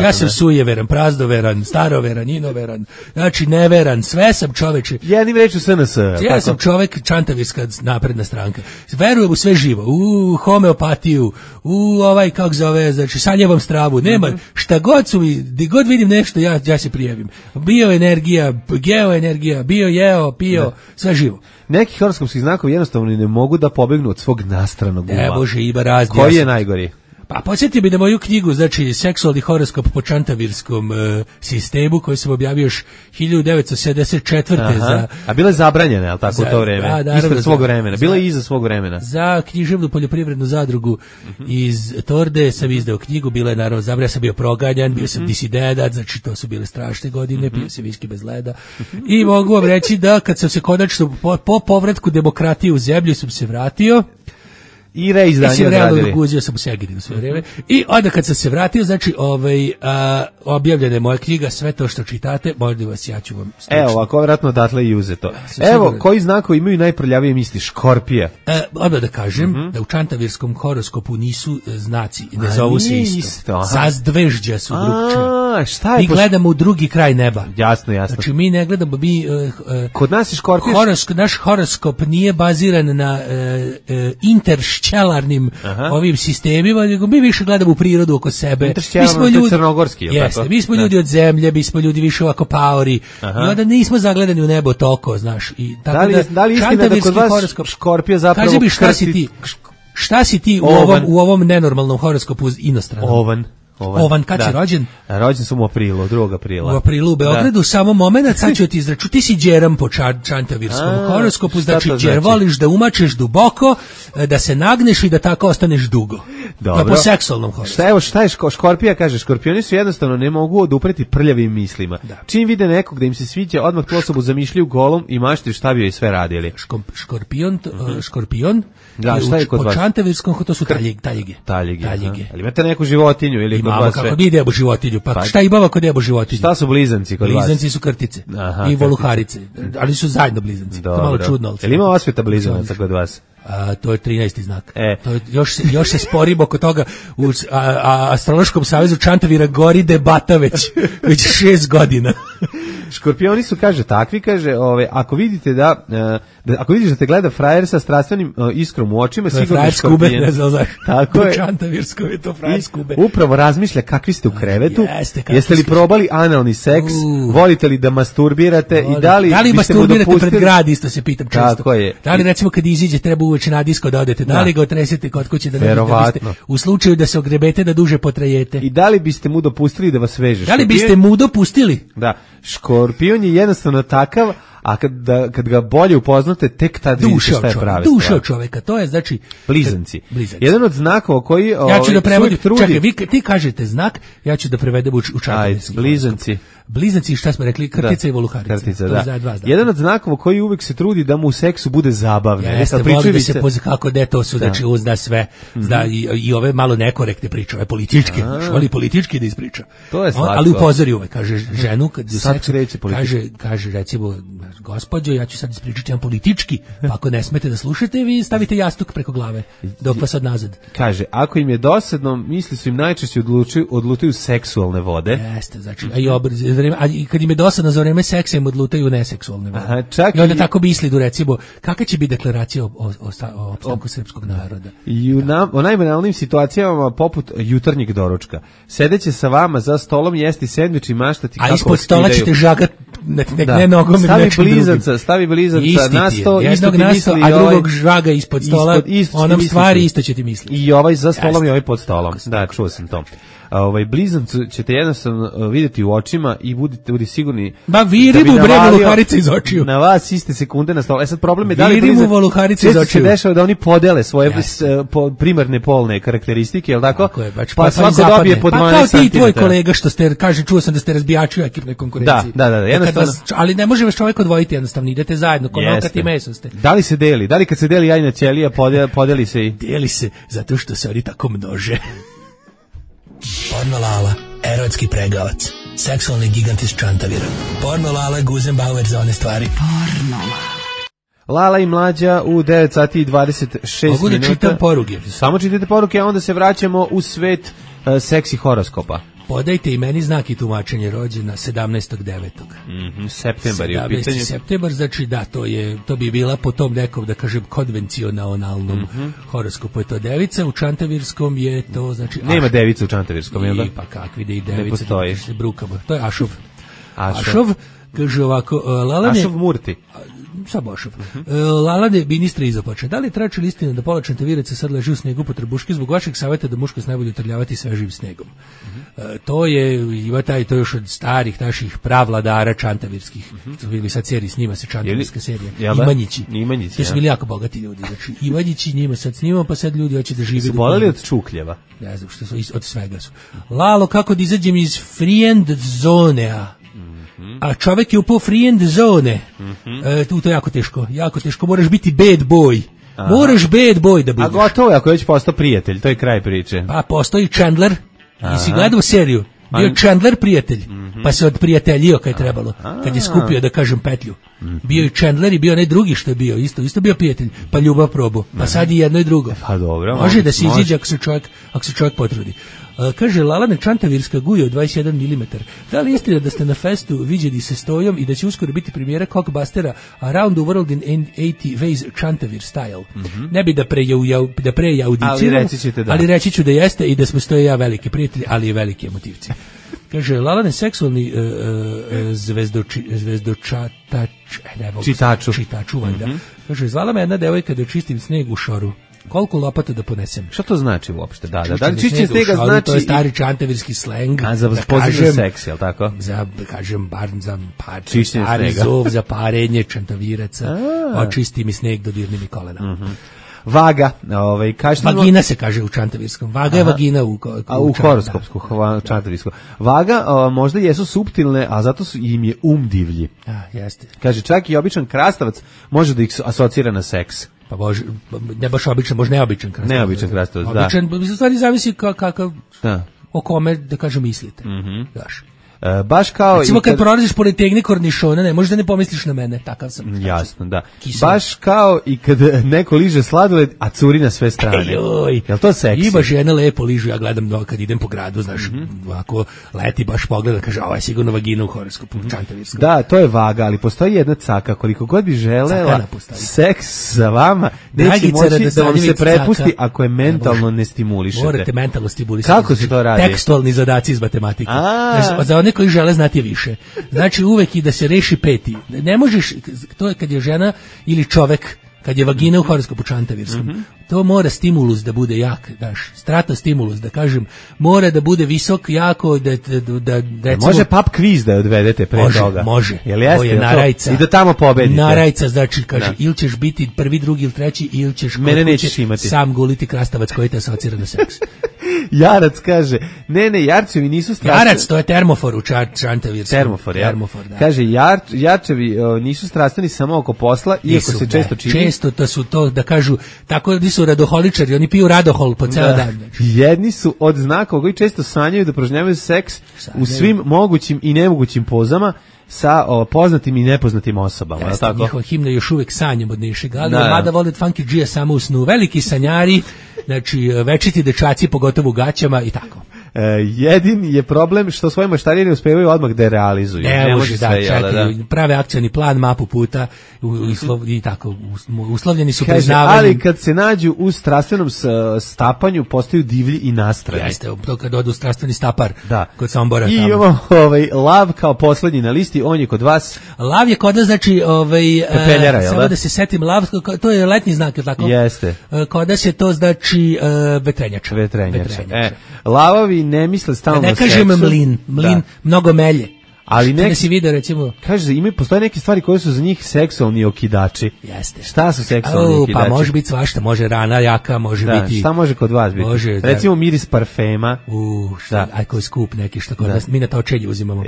Ja sam sujeveran, prazdoveran, staroveran, inoveran, znači neveran, sve sam čoveče. Jednim rečju SNS. Ja sam čovek čantavirska napredna stranka. Verujem u sve živo, u homeopatiju, u kako zove, znači sanjevom stravu, nema, šta god su mi, gdje god vidim nešto, ja se prijavim. Bioenergija, geoenergija, bio, pio, sve živo. Neki horoskopski znakovi jednostavno ne mogu da pobegnu od svog nastranog uma. Bože, ima razni. Koji je najgori? Pa podsjetio bi na moju knjigu, znači seksualni horoskop po čantavirskom sistemu, koji sam objavio još 1974. A bila je zabranjena, je li tako, u to vreme? Da, ispred svog vremena, bila je iza svog vremena. Za književnu poljoprivrednu zadrugu iz Torde sam izdao knjigu, bila je naravno zabranjena, sam bio proganjan, bio sam disidenat, znači to su bile strašne godine, pio se viski bez leda. I mogu vam reći da kad sam se konačno po povratku demokratije u zemlju sam se vratio, i reizdanje odradili. Guzio sam u Segedinu sve vreme. I onda kad sam se vratio, znači objavljena je moja knjiga, sve to što čitate, možda vas ja ću vam stručno. Evo, ovako vjerojatno odatle i uzeto. Evo, koji znakovi imaju najprljavije misli? Škorpija. Odmah da kažem da u čantavirskom horoskopu nisu znaci, ne zovu se isto. Zazdvežđa su drugčije. Šta je? Mi gledamo u drugi kraj neba. Jasno. Znači mi ne gledamo, kod nas je škorpija. Naš horoskop nije baziran na interšćelarnim ovim sistemima, nego mi više gledamo u prirodu oko sebe. Mi smo ljudi crnogorski, jeste, mi smo ljudi od zemlje, mi smo ljudi više ovako paori. I onda nismo zagledani u nebo toko, znaš. I tako da li istina da kod vas škorpija zapravo kaži mi šta si ti u ovom nenormalnom horoskopu inostranom? Ovan, kad si rođen? Rođen sam u aprilu, 2. aprila. U aprilu u Beogradu, samo moment, sad ću ti izraču, ti si đeram po čantavirskom horoskopu, znači đer voliš da umačeš duboko, da se nagneš i da tako ostaneš dugo. Dobro. Po seksualnom horoskopu. Šta je škorpija, kaže, škorpioni su jednostavno ne mogu odupreti prljavim mislima. Da. Čim vide nekog da im se sviđa, odmah tu osobu zamišljaju golom i maštaju šta bi joj sve radili. Škorpion, da, šta je kod vas? Po čantavirskom, to su taljige. Ali imate neku životinju ili imamo kako mi idemo životinju, pa šta imamo kod idemo životinju? Šta su blizanci kod vas? Blizanci su krtice i voluharice, ali su zajedno blizanci. To je malo čudno. Jel ima osveta blizanaca kod vas? To je 13. znak. To je, još se sporimo oko toga. U Astrološkom savezu Čantavira gori debata već 6 godina. Škorpioni su, kaže, takvi, kaže, ako vidite ako vidiš da te gleda frajer sa strastvenim iskrom u očima, to sigurno je škorpijen. Ne znam zašto. Tako je. Čantavirsko je to frajer skube. Upravo razmišlja kakvi ste u krevetu, jeste li probali analni seks, volite li da masturbirate i da li masturbirate pred grad, isto se pitam često. Tako je. Da li recimo kad iziđe treba uveče na disko da odete, da li ga otresete kod kuće da biste, u slučaju da se ogrebete da duže potrajete. I da li biste mu dopustili da vas veže? Da li biste mu dopustili? Da. Škorpion je jednostavno takav, a kad ga bolje upoznate, tek tad vidite šta je pravi. Duša čoveka, to je znači blizanci. Jedan od znakova koji ja ću da prevodim. Čekaj, ti kažete znak, ja ću da prevedem u čantavirski. Blizanci. Blizanci, šta smo rekli, krtica i voluharica. Krtica, da. Jedan od znakova koji uvek se trudi da mu u seksu bude zabavno. Jeste, voli da se kako to su, znači uzna sve, zna i ove malo nekorektne priče, ove političke, voli politički da ispriča. To je slatko. Ali upozori uvek, kaže ženu, kad sad kreće kaže recimo, gospođo, ja ću sad ispričati jedan politički, pa ako ne smete da slušate, vi stavite jastuk preko glave, dok vas od nazad. Kaže, ako im je dosadno, misli su im najčešće odlutaju seksualne vode. Jeste, znači, i kad im je dosadno za vreme seksa, im odlutaju neseksualne vode. Aha, čak i onda tako misli, recimo, kakva će biti deklaracija o opstanku srpskog naroda? I u najbanalnijim situacijama, poput jutarnjeg doručka, sedeće sa vama za stolom, jesti sendvič i maštati kako ispod stola ćete žagat ne nogom stavi blizanca na sto, jednog na sto, a drugog žaga ispod stola, onom stvari isto će ti misliti. I ovaj za stolom i ovaj pod stolom. Da, čuo sam to. Blizancu ćete jednostavno vidjeti u očima i budite sigurni da viri mu bre voluharice iz očiju. Na vas iste sekunde na stolu. Sad problem je da li viri mu voluharice iz očiju. Se dešava da oni podele svoje primarne polne karakteristike, je l' tako? Pa svako dobije po 12 cm. Pa kao ti tvoj kolega što ste, čuo sam da ste razbijači u ekipnoj konkurenciji. Da, jednostavno. Ali ne može vas čovjek odvojiti, jednostavno idete zajedno, ko nokat i meso ste. Da li se deli? Da li kad se deli jajna ćelija podeli se i... Deli se, zato što se oni tako množe. Porno Lala, erotski pregavac, seksualni gigant iz Čantavira. Porno Lala, Guzenbauer za one stvari. Porno Lala i Mlađa u 9 sati i 26 minuta. Mogu da čitam poruke. Samo čitajte poruke, a onda se vraćamo u svet seksi horoskopa. Podajte i meni znak i tumačenje rođena 17.9. Septembar je u pitanju. 17. septembar, znači da, to bi bila po tom nekom, da kažem, konvencionalnom horoskopu je to devica, u čantavirskom je to, znači... Nema devica u čantavirskom, jel da? Pa kakvi da i devica, ne postoji. Se brukamo. To je Ašov. Ašov, kaže ovako, Lalane... Ašov Murti. Sad Bošov. Lalane, ministre izopače. Da li je tračila istina da pola čantaviraca sad leži u snegu po trbuški zbog vašeg savjeta da muškost najbolje utrljavati svežim snegom? To je, to još od starih naših pravladara čantavirskih. Bili sad seriji, snima se čantavirska serija. Imanjići. To su bili jako bogati ljudi. Znači, Imanjići njima sad snimamo, pa sad ljudi hoće da žive. Su boleli od čukljeva? Ne znam, što su, od svega su. Lalo, kako da izađem iz friend zone-a? A čovjek je upao friend zone. To je jako teško, moraš biti bad boy. Moraš bad boy da budeš. A gotovo je ako već postao prijatelj, to je kraj priče. Pa postoji Chandler, i si gledao seriju, bio Chandler prijatelj, pa se odprijateljio kad je trebalo, kad je skupio, da kažem, petlju. Bio i Chandler i bio onaj drugi što je bio, isto bio prijatelj, pa ljubav probu, pa sad i jedno i drugo. Pa dobro. Može da se iziđe ako se čovjek potrudi. Kaže, Lalane, čantavirska guja od 21 mm. Da li je istina da ste na festu viđeni se stojom i da će uskoro biti premijera Cockbustera Around the World in 80 Ways Čantavir Style? Ne bi da prejaudiciram, ali reći ću da jeste i da smo stoje ja veliki prijatelji, ali i veliki emotivci. Kaže, Lalane, seksualni čitaču, valjda. Kaže, zvala me jedna devojka da čistim sneg u šoru. Koliko lopata da ponesem? Šta to znači uopšte? Da li čišćenje snega znači... To je stari čantavirski sleng. A za pozitivni seks, jel tako? Za, kažem, bar za stari zov, za parenje čantaviraca. Očisti mi sneg, dodirni mi kolena. Vaga, vagina se kaže u čantavirskom. Vaga je vagina u horoskopsku čantavirsku. Vaga možda jesu suptilne, a zato im je divlji. Jeste. Kaže, čak i običan krastavac može da ih asocira na seks. Pa ne baš običan, možda neobičan krastavac. Neobičan krastavac, da. Običan, stvari zavisi kakav, o kome, da kažem, mislite. Daš. Baš kao... Recimo kad prolaziš pored tegne kornišona, ne, možda ne pomisliš na mene, takav sam. Jasno, da. Baš kao i kad neko liže sladoled, a curi na sve strane. Jel to seksi? Ima žena lepo ližu, ja gledam kad idem po gradu, znaš, ovako leti baš pogleda, kaže, ovo je sigurno vagina u horoskopu, čantavirskom. Da, to je vaga, ali postoji jedna caka, koliko god bi želela seks sa vama, neće moći da vam se prepusti ako je mentalno ne stimulišete. Morate mentalno stimulisati. Kako se to radi? Tekstualni zadaci iz matematike. Za one koji žele znati više. Znači uvek i da se reši peti. Ne možeš, to je kad je žena ili čovek, kad je vagina u horoskopu čantavirskom, to mora stimulus da bude jak, daš, stratostimulus, da kažem, mora da bude visok, jako, da recimo... Može pub quiz da odvedete pre toga? Može, to je narajca. I da tamo pobedite. Narajca, znači, kaže, ili ćeš biti prvi, drugi ili treći, ili ćeš sam guliti krastavac koji te asocira na seks. Jarac kaže, ne, jarčevi nisu strastveni. Jarac, to je termofor u čantavirskom. Termofor, da. Kaže, jarčevi nisu strastveni samo oko posla, iako se često čini. Često to su to, da kažu, tako da su radoholičari, oni piju radohol po ceo dan. Jedni su od znaka koji često sanjaju da prožnjavaju seks u svim mogućim i nemogućim pozama, sa poznatim i nepoznatim osobama. Jeste, tako? njihova himna još uvek sanjam od Nišega, ali mada vole od Funky G-a samo u snu. Veliki sanjari, znači večiti dečaci, pogotovo u gaćama i tako. Jedin je problem što svoje maštarije ne uspevaju odmah da je realizuju. Ne može sve, čekaju, prave akcioni plan, mapu puta i tako, uslovljeni su priznavanjem. Ali kad se nađu u strastvenom stapanju, postaju divlji i nastrani. Jeste, to kad odu u strastveni stapar kod Sombora. I imamo Lav kao poslednji na listi, on je kod vas. Lav je kod nas, znači, pepeljara, je samo da se setim, Lav, to je letnji znak, je tako? Jeste. Kod nas je to, znači, vetrenjača. Lavovi ne misle stalno ne kažem mlin, mnogo melje. Ali neki si video, recimo, kaže, postoje neke stvari koje su za njih seksualni okidači. Jeste. Šta su seksualni okidači? Pa može biti svašta, može rana jaka, može biti. Šta može kod vas biti? Može, recimo miris parfema. Aj koji skup neki što kod nas, mi na to očelje uzimamo.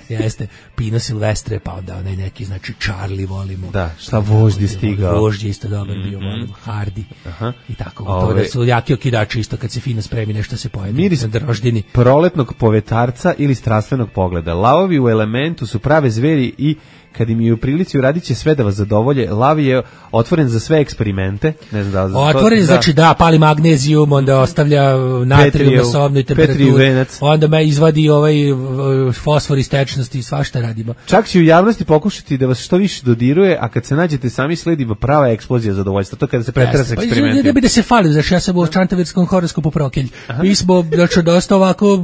Jeste. Pino Silvestre, pa onda onaj neki, znači Charlie volimo. Da, šta vožd je stigao. Vožd je isto dobar bio, volimo. Hardy. I tako. To da su jaki okidači isto kad se fino spremi nešto se pojede. Miris proletnog povetarca ili strastvenog pogleda. Lavovi u elementu su prave zveri i kad im je u prilici uradit će sve da vas zadovolje. Lav je otvoren za sve eksperimente. Ne znam da otvoren, znači pali magnezijum, onda ostavlja natrijum na sobnoj temperaturi, onda me izvadi fosfor iz tečnosti i svašta radimo. Čak će u javnosti pokušati da vas što više dodiruje, a kad se nađete sami sledi prava eksplozija zadovoljstva. To kada se pretera s eksperimentima. Ne bi da se falim, znači ja sam u čantavirskom horoskopu prokelj. Mi smo, znači, dosta ovako,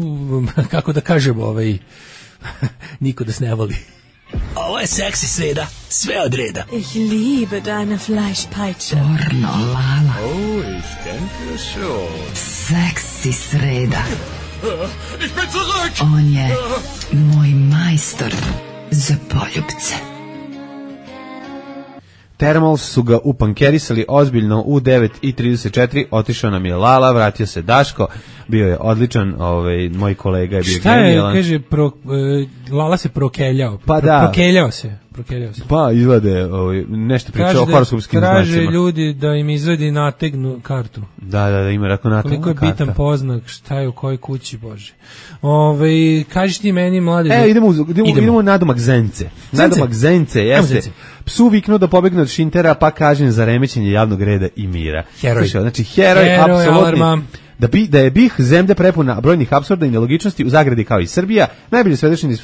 kako da kažemo, niko da se ne voli. Ovo je seksi sreda, sve od reda. Ich liebe deine Fleischpeitsche. Pornolala. Oh, ich denke schon. Seksi sreda. Ich bin zurück. On je moj majstor za poljubce. Thermals su ga upankerisali ozbiljno u 9:34, otišao nam je Lala, vratio se Daško, bio je odličan, moj kolega je bio genijalan. Šta je, kaže, Lala se prokeljao, prokeljao se. Pa izvade nešto pričao o horoskopskim znacima. Traže ljudi da im izvadi nategnu kartu. Da, ima rako nategnu kartu. Koliko je bitan poznak, šta je u kojoj kući, Bože. Kažiš ti meni, mlade... Idemo nadomak Zence. Nadomak Zence, jeste. Psu viknuo da pobegne od Šintera, pa kažem za remećenje javnog reda i mira. Heroj. Znači, heroj, apsolutni. Da je BiH zemlja prepuna brojnih apsurda i nelogičnosti, u zagradi kao i Srbija, najbolje svedočeni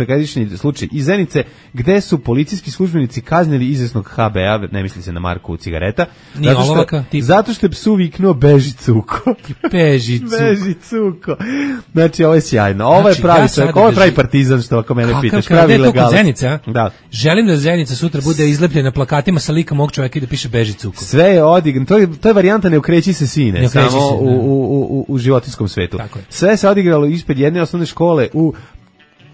slučaj iz Zenice, gde su policijski službenici kaznili izvesnog HB-a, ne misli se na marku cigareta, zato što je psu viknuo beži cuko. Beži cuko. Znači, ovo je sjajno. Ovo je pravi čovjek, ovo je pravi partizan, što ako mene pitaš. Pravi ilegalac. Zenica? Da. Želim da Zenica sutra bude izlepljena plakatima sa likom ovog čovjeka i da piše beži cuko. Sve je odigrano. To je varijanta ne okreći se sine, samo u životinskom svetu. Sve se odigralo ispred jedne osnovne škole u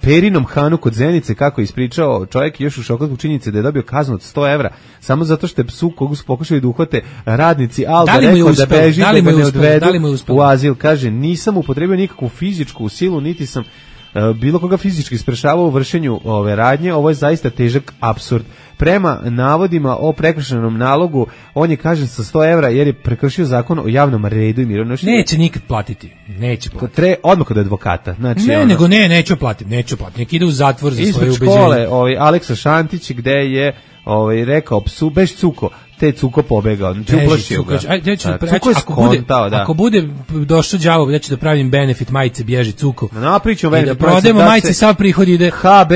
Perinom Hanu kod Zenice, kako je ispričao čovjek još u šoku zbog činjenice da je dobio kaznu od 100 evra, samo zato što je psu kogu su pokušali da uhvate radnici Alba rekao da beži, da ga ne odvedu u azil. Kaže, nisam upotrebio nikakvu fizičku silu, niti sam bilo koga fizički sprešavao u vršenju ove radnje, ovo je zaista težak apsurd. Prema navodima o prekršenom nalogu, on je kažen sa 100 evra jer je prekršio zakon o javnom redu i miru. Neće nikad platiti. Odmah kod advokata. Znači, neću platiti. Nek ide u zatvor za svoje ubeđenje. Ispred škole, Aleksa Šantić, gde je rekao psu, beš cuko, te cuko pobegao, znači uplašio ga. Ako bude došao đavo, da ću da pravim benefit majice bježi cuko. Napričamo benefit majice. Da prodemo majice, sav prihod ide. HB,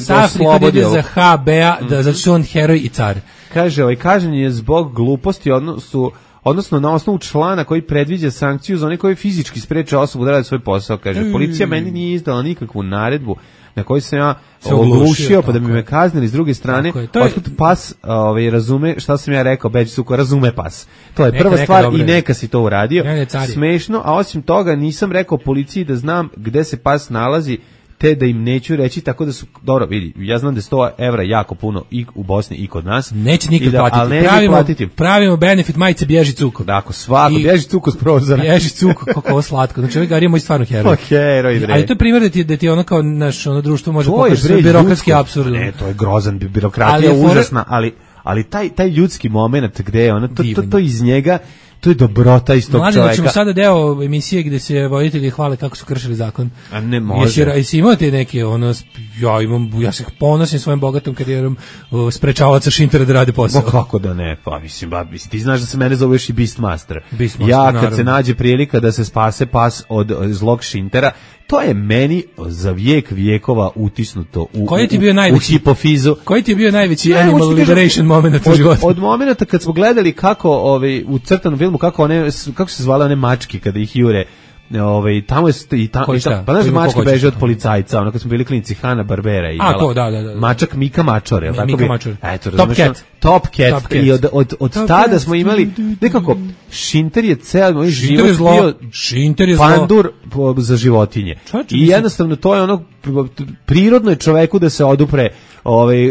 sav prihod ide za HB-a, zato što on heroj i car. Kaže, kažen je zbog gluposti, odnosno na osnovu člana koji predviđa sankciju za one koji fizički spreče osobu da radi svoj posao. Kaže, policija meni nije izdala nikakvu naredbu na koji sam ja oglušio, pa da bi me kaznili s druge strane. Otkud pas razume šta sam ja rekao, beđi suko, razume pas. To je prva stvar i neka si to uradio. Smešno, a osim toga nisam rekao policiji da znam gde se pas nalazi, te da im neću reći, tako da su, dobro, vidi, ja znam da je 100 evra jako puno i u Bosni i kod nas. Neće nikad platiti. Pravimo benefit majice bježi cuko. Dakle, svako, bježi cuko s prozora. Bježi cuko, kako ovo slatko. Znači, ovaj Gari je moj stvarno heroj. Ali to je primjer da ti ono kao naš društvo može pokažiti sve birokratski apsurd. Ne, to je grozan, birokratija užasna, ali taj ljudski moment gde je ono, to iz njega To je dobrota iz tog Mladen, čoveka. ćemo sada deo emisije gde se voditelji hvale kako su kršili zakon. A ne može. Jesi imao te neke, ja se ponosim svojim bogatom karijerom sprečavaca Šintera da radi posao. Kako da ne, pa mislim, ti znaš da se mene zoveš i Beastmaster. Beastmaster, ja kad naravno. se nađe prilika da se spase pas od zlog Šintera, to je meni za vijek vijekova utisnuto u hipofizu. Koji ti je bio najveći animal liberation moment u životu? Od momenta kad smo gledali kako u crtanom filmu kako se zvale one mačke kada ih jure. Tamo je pa znaš da mačke beže od policajca, ono kad smo bili klinici Hanna Barbera i mačak Mika Mačor, je tako bi? Eto, Top Cat. I od tada smo imali nekako Šinter je ceo moj život bio pandur za životinje. I jednostavno to je ono prirodno je čoveku da se odupre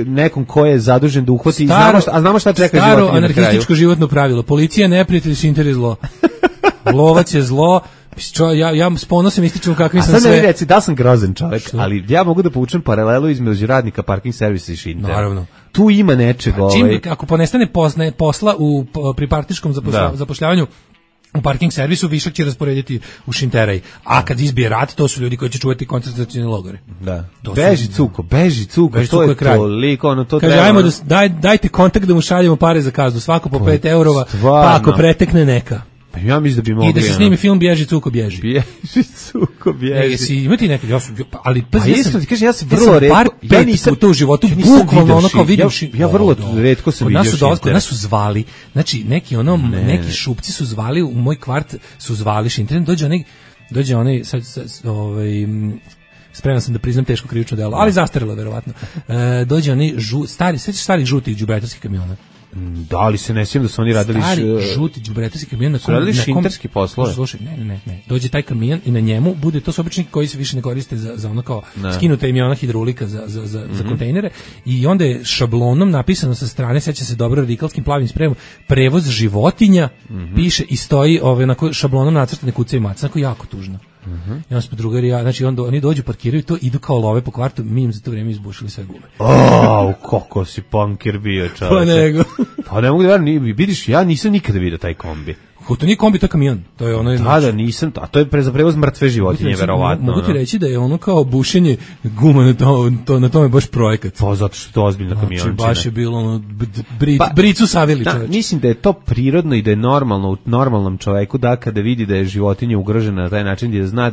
nekom ko je zadužen da uhvati, a znamo šta čeka životinje na kraju. Staro anarhističko životno pravilo. Policija neprijatelj, Šinter je zlo. Lovac je zlo. Ja s ponosom ističem kakvi sam sve. A sad ne reci, da sam grozan čovjek, ali ja mogu da povučem paralelu između radnika parking servisa i Šintera. Naravno. Tu ima nečega. Ako ponestane posla pri partiškom zapošljavanju u parking servisu, višak će rasporediti u Šinteraj. A kad izbije rat, to su ljudi koji će čuvati koncentracione logore. Da. Beži cuko, to je toliko, ono to kaže, treba. Ajmo dajte kontakt da mu šaljemo pare za kaznu, svako po 5 eurova, pa ako pretekne neka. Ja mislim da bi mogli. I da se snimi film Bježi cuko bježi. Bježi cuko bježi. Jesi imati neki, ali ja sam vrlo retko, ja nisam to u životu bukvalno ono kao vidim. Ja vrlo retko sam vidio Šintera. Kod nas su zvali, znači neki šupci su zvali u moj kvart, su zvali Šintera, dođe onaj sad spreman sam da priznam teško krivično delo, ali zastarelo verovatno. Dođe onaj stari žuti đubretarski kamiona. Da, ali se ne sjećam da su oni radili žuti đubretarski kamion na radili šinterski poslove. Slušaj, ne. Dođe taj kamion i na njemu bude, to su obični koji se više ne koriste za ono kao skinuta im je ona hidraulika za kontejnere i onda je šablonom napisano sa strane, seća se dobro radikalskim plavim spremom, prevoz životinja, piše i stoji onako šablonom nacrtane kuce i maca, onako jako tužno. I onda smo drugari, znači oni dođu, parkiraju to, idu kao love po kvartu, mi im za to vrijeme izbušili sve gume. Kako si punkir bio, čovječe. Pa nego. Pa ne mogu da verujem, vidiš, ja nisam nikada vidio taj kombi. To nije kombi, to je kamion. To je ono. Da, nisam, a to je za prevoz mrtve životinje, verovatno. Mogu ti reći da je ono kao bušenje guma na tome baš projekat. Pa zato što je to ozbiljna kamiončina. Znači baš je bilo ono bricu savili čoveče. Mislim da je to prirodno i da je normalno u normalnom čoveku da kada vidi da je životinja ugrožena na taj način, da zna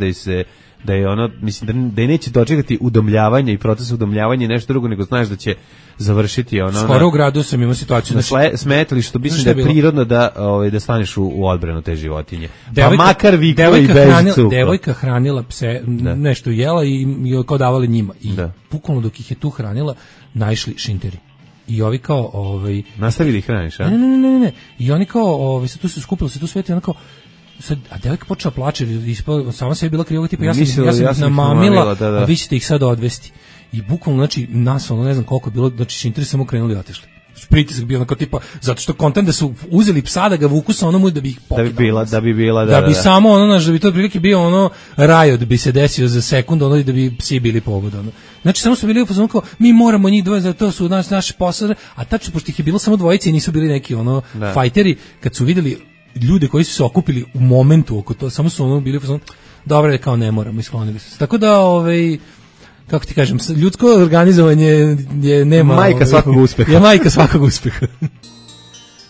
da je ono, mislim da je neće dočekati udomljavanje i proces udomljavanja i nešto drugo, nego znaš da će završiti ono. Skoro u gradu sam imao situaciju na smetlištu, mislim da je prirodno da staneš u odbranu te životinje. Pa makar vikla i beži cuko. Devojka hranila pse, nešto jela i kao davali njima. I bukvalno dok ih je tu hranila, naišli Šinteri. I ovi kao nastavili ih hraniš, a? Ne. I oni kao se tu su skupili, se tu sveti, ono kao a devojka počela plače, sama se je bila kriva, tipa ja sam namamila, a vi ćete ih sad odvesti. I bukvalno, znači, nas, ne znam koliko je bilo, znači, Šinteri samo krenuli i otišli. Pritisak bio onako tipa, zato što kontent da su uzeli psa da ga vuku sa onomu da bi ih pokidali. Da bi samo da bi to prilike bio ono rajot bi se desio za sekundu, i da bi psi bili pobud. Znači, samo su bili u fazonu kao, mi moramo njih dvoje, za to su naše posade, a tačno, pošto ih je bilo samo dvojice i nisu bili neki fajteri, kad su vidjeli ljude koji su se okupili u momentu oko to, samo su bili u fazonu, dobro je kao ne moramo, isklonili su se. Tako da, kako ti kažem, ljudsko organizovanje nema... Majka svakog uspeha. Je majka svakog uspeha.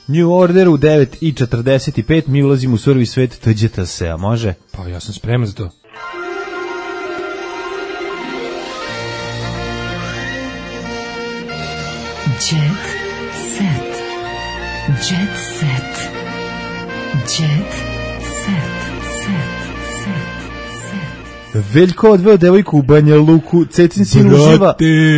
New Order u 9:45, mi ulazimo u surovi svet Tđeta se, a može? Pa ja sam spreman za to. Jet set. Jet set. Jet set. Veljko odveo devojku u Banja Luku, Cecin sin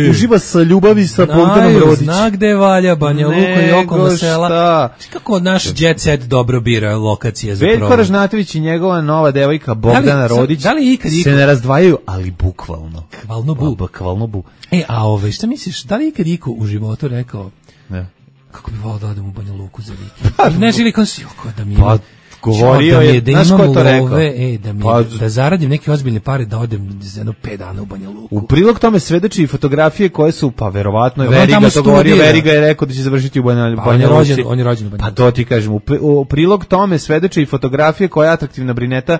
uživa sa ljubavi sa Bogdanom Rodić. Zna gde valja Banja Luka i okolna sela. Kako naš jet set dobro bira lokacije za Veljko Ražnatović i njegova nova devojka Bogdana Rodić se ne razdvajaju, ali bukvalno. Kvalno bu. Šta misliš, da li ikad iko u životu rekao kako bi volao da odem u Banja Luku za vikend? Ne želi konsi, da mi govorio je, znaš ko je to rekao? Da zaradim neke ozbiljne pare, da odem za jedno 5 dana u Banja Luku. U prilog tome svedoči i fotografije koje su, pa verovatno je Veriga to govorio, Veriga je rekao da će završiti u Banja Luci. On je rođen u Banja Luci. Pa to ti kažem, u prilog tome svedoči i fotografije koje je atraktivna Brineta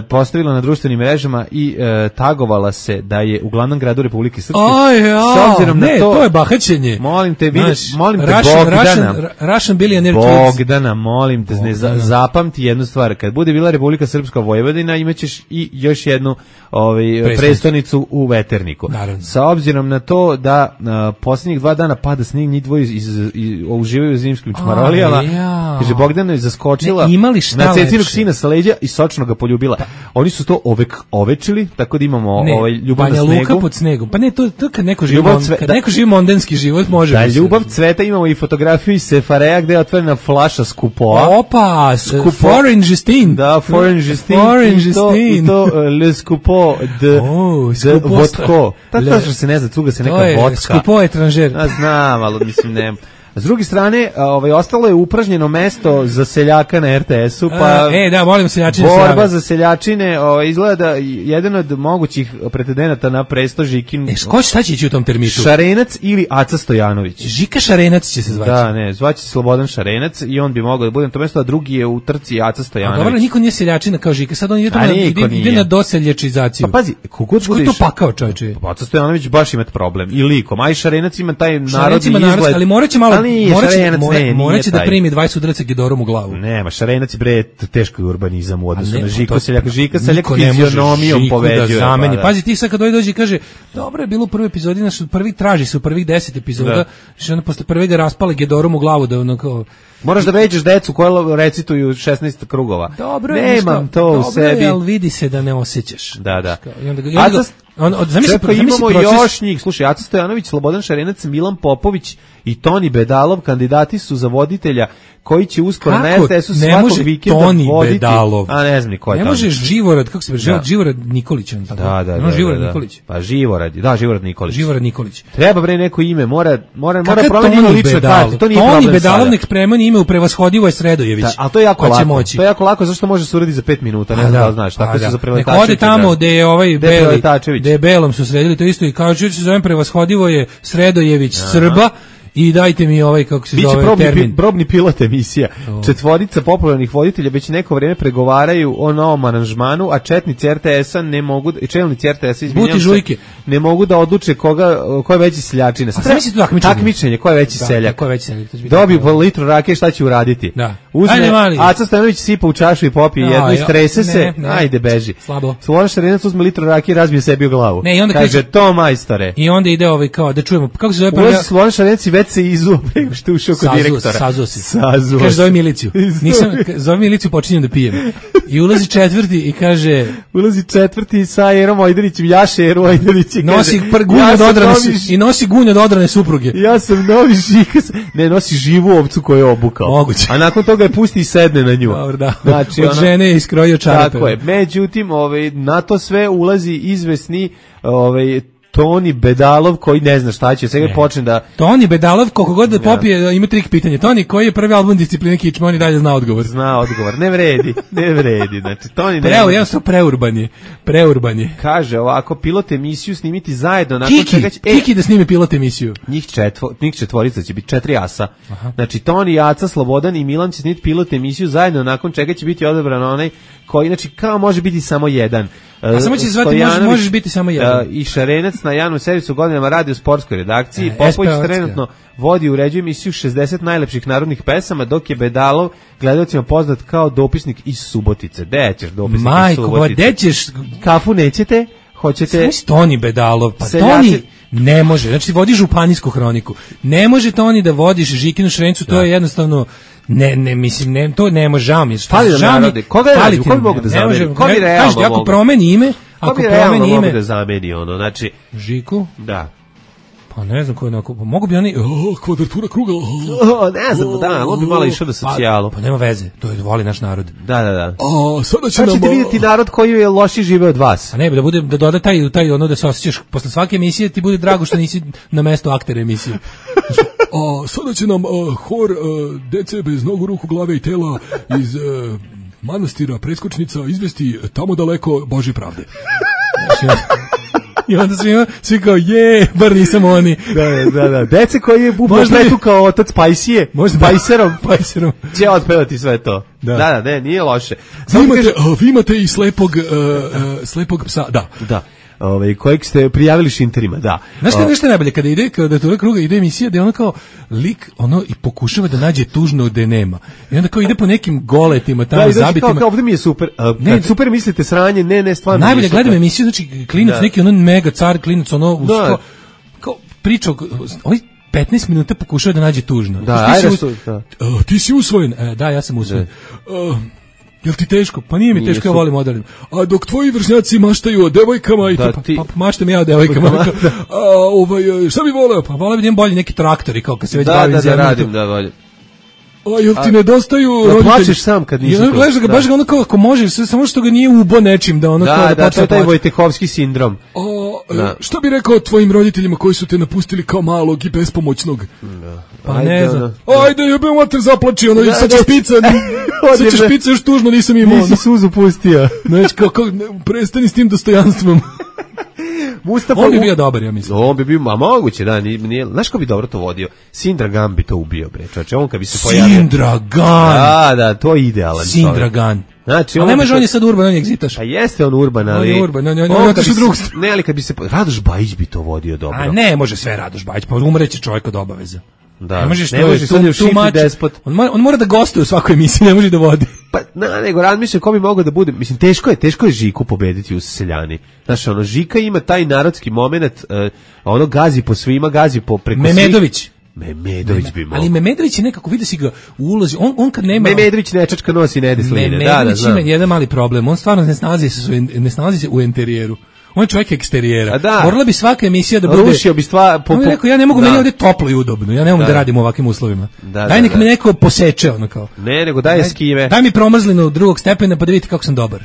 postavila na društvenim mrežama i tagovala se da je u glavnom gradu Republike Srpske. S obzirom na to je bahaćenje. Molim te, molim te Russian billionaire Bogdana, molim te, zapamti jednu stvar, kad bude bila Republika Srpska Vojvodina, imaćeš i još jednu prestonicu u Veterniku. Naravno. Sa obzirom na to da posljednjih 2 dana pada snijeg, njih dvoje uživaju u zimskim čmarolijama, kaže Bogdana je zaskočila na cecinog sina sa leđa i sočno ga poljubila. Oni su to ovečili, tako da imamo ljubav na snegu. Banja Luka pod snegom. Pa ne, to kad neko živi mondenski život, može. Da, ljubav cveta, imamo i fotografiju iz Sefareja gde je otvorena flaša Skupoa. Opa, Foreign Justin. Da, Foreign Justin. I to Le Skupo de vodko. Tako što se ne zna, cuga se neka vodka. Skupo etranžer. Znam, ali mislim ne. S druge strane, ostalo je upražnjeno mesto za seljaka na RTS-u, pa da, molim seljačine. Borba za seljačine, izgleda da jedan od mogućih pretendenata na presto Žikin. Šta će ići u tom termitu? Šarenac ili Aca Stojanović. Žika Šarenac će se zvati. Da, ne, zvaće se Slobodan Šarenac i on bi mogao da bude na to mesto, a drugi je u trci Aca Stojanović. Dobro, niko nije seljačina kao Žika, sad on ide na doseljačizaciju. Pa pazi, kogod što je to pakao, čovječe. Aca Stojanović baš ima problem i likom, a i Šarenac ima taj narodni izgled. Ali moraće malo moraće da primi 20 udaraca Gedorom u glavu. Nema, Šarenac bre teško je urbanizam u odnosu na Žika seljaka. Žika seljak fizionomijom poveđuje. Pazi, ti sad kad dođe i kaže, dobro je bilo u prvoj epizodi, traži se u prvih 10 epizoda, što onda posle prve ga raspale Gedorom u glavu da ono kao... Moraš da veđeš decu koja recituju 16 krugova. Dobro, nemam to u sebi. Dobro, ali vidi se da ne osjećaš. Da. Čekaj, imamo još njih. Slušaj, Aca Stojanović, Slobodan Šarenac, Milan Popović i Toni Bedalov kandidati su za voditelja koji će uskoro na RTS-u svakog vikenda voditi. Bedalov. A ne znam ni ko je Toni. Ne može Živorad, kako se zove, Živorad Nikolić. Da. Živorad Nikolić. Pa Živorad Nikolić. Živorad Nikolić. Treba bre neko ime, mora promeniti lične karte. To nije problem. Toni Bedalov nek premeni ime u Prevashodivo je Sredojević. A to je jako lako. To je jako lako zašto može se uraditi za 5 minuta, ne znam da znaš, tako se za Preletačević. Nek ode tamo gde je ovaj Beli, gde je Belom su sredili to isto i kao što se zove Prevashodivo je Sredojević Srba. I dajte mi ovaj, kako se zove, termin. Probni pilot emisija. 4 popularnih voditelja već neko vrijeme pregovaraju o novom aranžmanu, a četnici RTS-a ne mogu, čelnici RTS-a, izvinjam se, ne mogu da odluče ko je veći seljačina. A zamisli to takmičenje, ko je veći seljak. Ko je veći seljak. Dobiju po litru rakije, šta će uraditi? Da. Uzme, Aca Stojanović sipa u čašu i popije jednu, istrese se, ajde beži. Slabo. Slobodan Šarenac uzme litru rakije, razbije sebi u glavu. Ne, i onda kaže, to majstore. I onda ide ovaj kao, da čujemo, kako se zove prvi... Slobodan Šarenac već se izuo preko što je ušao kod direktora. Sazuo. Kaže, zove miliciju. Zove miliciju, počinjem da pijem. I ulazi četvrti i kaže... Ulazi četvrti sa Erom Ojdanićem, jaše Eru Ojdanić i kaže... nosi gunja od odrane supruge. Ja sam novi Žika. Ne, nosi živu ovcu koju je obukao. Moguće. A nakon toga je pusti i sedne na nju. Dobro, da. Znači, od žene je iskrojio čarape. Tako je. Međutim, na to sve ulazi izvesni Toni Bedalov koji ne zna šta će, sve počne da... Toni Bedalov, koliko god da popije, ima trik pitanje. Toni, koji je prvi album Discipline Kičma, on i dalje zna odgovor. Zna odgovor, ne vredi. Znači, Toni ne... Jednostavno preurban je. Kaže ovako, pilot emisiju snimiti zajedno. Kiki da snimi pilot emisiju. Njih četvorica će biti 4 asa. Aha. Znači, Toni, Aca, Slobodan i Milan će snimiti pilot emisiju zajedno, nakon čega će biti odabran onaj koji, znači, kao može biti samo jedan. A samo će zvati možeš biti samo jedan. I Šarenac na javnom servisu godinama radi u sportskoj redakciji. Popović trenutno vodi i uređuje emisiju 60 najlepših narodnih pesama, dok je Bedalov gledaocima poznat kao dopisnik iz Subotice. Gde ćeš dopisnik iz Subotice? Majko, gde ćeš? Kafu nećete? Hoćete? Toni Bedalov, pa Toni ne može. Znači ti vodiš županijsku hroniku. Ne može Toni da vodiš Žikinu Šrencu, to je jednostavno... Ne, to ne može, žao mi je. Fali da narode. Koga bi mogu da zameni? Ko bi realno mogu? Ako promeni ime, mogu da zameni ono, znači... Žiku? Da. Pa ne znam ko je onako, mogu bi oni, kvadratura kruga. Ne znam, da, on bi malo išao da socijalu. Pa nema veze, to je voli naš narod. Da. Sada ćete vidjeti narod koji je loši žive od vas. A ne, da doda taj ono da se osjećaš, posle svake emisije ti bude drago što nisi na mesto aktera emisije. Sada će nam hor dece bez nogu, ruku, glave i tela iz manastira preskočnica izvesti tamo daleko Božje pravde. Znači, i onda svi kao, bar nisam oni. Da. Dece koji je bubletu kao otac Pajsije, Pajserom, će otpevati sve to. Da, ne, nije loše. Vi imate i slepog psa, da. Kojeg ste prijavili šinterima, da. Znaš što je najbolje, kada ide, kada do kruga ide emisija, da je ono kao lik, i pokušava da nađe tužno gde nema. I onda kao ide po nekim goletima, tamo zabitima. Kao ovdje mi je super. Kad super mislite sranje, ne, stvarno. Najbolje gledam emisiju, znači klinac, neki mega car klinac, kao priča, 15 minuta pokušava da nađe tužno. Ti si usvojen. Da, ja sam usvojen. Jel ti teško? Pa nije mi teško, ja volim odalim. A dok tvoji vršnjaci maštaju o devojkama, pa maštam ja o devojkama. Šta bi voleo? Pa voleo bi da bolje neki traktori, kao kad se već bavim zemljom. Da, radim, da, bolje. A jel ti nedostaju roditelji? Plaćeš sam kad nisi tu. Gledaš ga, baš ga ono kao, ako možeš, samo što ga nije ubo nečim, da ono kao da to je taj Vojtehovski sindrom. Šta bi rekao tvojim roditeljima koji su te napustili kao malog i bespomoćnog? Pa ne znam. Ajde, jebem mater, zaplači, sad će špica još tužno, nisam imao. Nisi suzu pustio. Znači, prestani s tim dostojanstvom. On bi bio dobar, ja mislim. On bi bio, a moguće, da, nije, znaš ko bi dobro to vodio? Sindragan bi to ubio, bre, čoveče, on kad bi se pojavio. Sindragan! Da, to je idealan. Sindragan. Znači, a nemaš, on je sad urban, on je egzitaš. A jeste on urban, ali... On je urban, on je otišao drugog. Ne, ali kad bi se... Radoš Bajić bi to vodio dobro. A ne može sve Radoš Bajić, pa umreće čovjek od obaveza. Da. Ne može sad u šifri despot. On mora da gostuje u svakoj emisiji, ne može da vodi. Pa, nego razmišljam ko bi mogao da bude. Mislim, teško je Žiku pobediti u Seljani. Znaš, Žika ima taj narodski moment, gazi po svima, gazi po preko Memedović. Memedović bi mogao. Ali Memedović je nekako, vidi si ga u ulozi, on kad nema... Memedović nečačka nosi nedesline. Memedović ima jedan mali problem, on stvarno ne snalazi se u interijeru. On je čovjek eksterijera. Morala bi svaka emisija da bude... Rušio bi stvar... On je rekao, ja ne mogu, meni ovdje toplo i udobno, ja ne mogu da radim u ovakvim uslovima. Daj nek me neko poseče, ono kao. Ne, nego daj eskime. Daj mi promrzlinu drugog stepena pa da vidite kako sam dobar.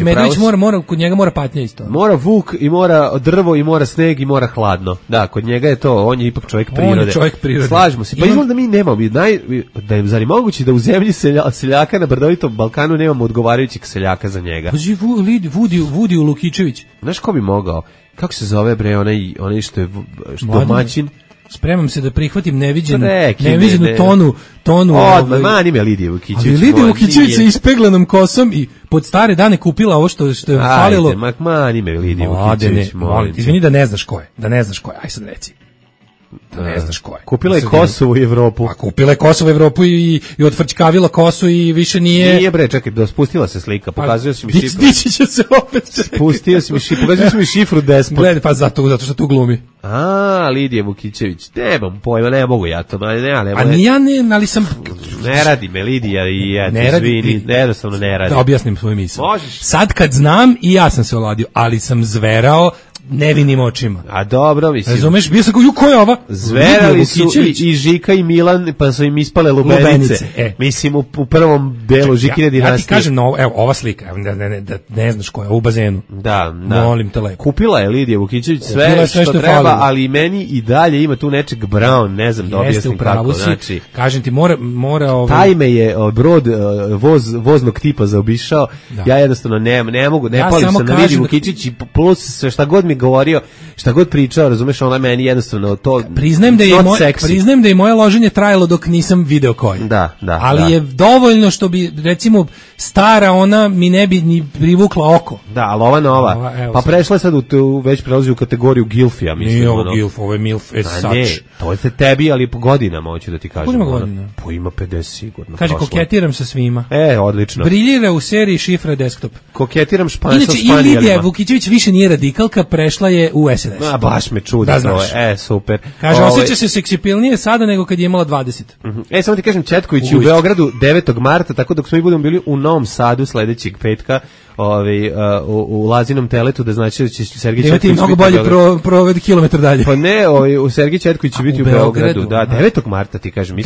Medović mora, kod njega mora patnja isto. Mora vuk i mora drvo i mora sneg i mora hladno. Da, kod njega je to, on je ipak čovjek prirode. On je čovjek prirode. Slažemo se. Pa izgleda da mi nemamo, da je zar moguće da u zemlji seljaka na brdovitom Balkanu nemamo odgovarajućeg seljaka za njega. Vudiju Lukičević. Znaš ko bi mogao? Kako se zove bre onaj što je domaćin? Spremam se da prihvatim neviđenu tonu. Mani me Lidija Vukićević. Ali Lidija Vukićević sa ispeglanom kosom i pod stare dane kupila ovo što je falilo. Ajde, mani me Lidija Vukićević. Izvini da ne znaš ko je. Aj sad reci. Da ne znaš ko je. Kupila je Kosovo i Evropu. A kupila je Kosovo i Evropu i odfrčkavila kosu i više nije... Nije bre, čekaj, spustila se slika, pokazuje si mi šifru. Dići će se opet. Spustio si mi šifru, pokazuje si mi šifru despot. Gledaj, pa zato što tu glumi. Lidija Vukićević, nemam pojma, ne mogu ja to, ali sam... Ne radi me Lidija i izvini, jednostavno ne radi. Da objasnim svoju misl. Možeš. Sad kad znam i ja sam se oladio, ali sam zverao nevinim očima. A dobro, mislim. Razumeš, bio sam ko je ova? Zverali su i Žika i Milan, pa su im ispale lubenice. Mislim, u prvom delu Žikine dinastije. Ja ti kažem, evo, ova slika, da ne znaš ko je, u bazenu. Da. Molim te lepo. Kupila je Lidija Vukićević sve što treba, ali meni i dalje ima tu nečeg Brown, ne znam da objasnim kako. Znači, kažem ti, mora taj me je brod voznog tipa zaobišao, ja jednostavno ne mogu, ne palim se na Lidiju Vukićević i plus sve šta god mi govorio, šta god pričao, razumeš, ona meni jednostavno to... Priznajem da je moje loženje trajalo dok nisam video koji. Da. Ali je dovoljno što bi, recimo, stara ona mi ne bi ni privukla oko. Da, ali ova nova. Pa prešla je sad već prelazi u kategoriju Gilfija, mislim. Nije ovo Gilf, ovo je Milf as such. Ne, to je tebi, ali po godinama, hoću da ti kažem. Koliko ima godina? Po ima 50 sigurno. Kaže, koketiram sa svima. Odlično. Briljira u seriji Šifra desktop. Koketiram sa Inače, i Lidija Vukićević više nije radikalka, prešla je u SNS. Baš me čudi to je. Super. Kaže, osjeća se seksipilnije sada nego kad je imala 20. Samo ti kažem, Četković je u Beogradu 9. marta, tako dok smo i budemo bili u Novom Sadu sledećeg petka, u Lazinom teletu, da znači da će Sergej Četković biti mnogo bolje provedi kilometar dalje. Pa ne, u Sergej Četković će biti u Beogradu, da, 9. marta ti kažem.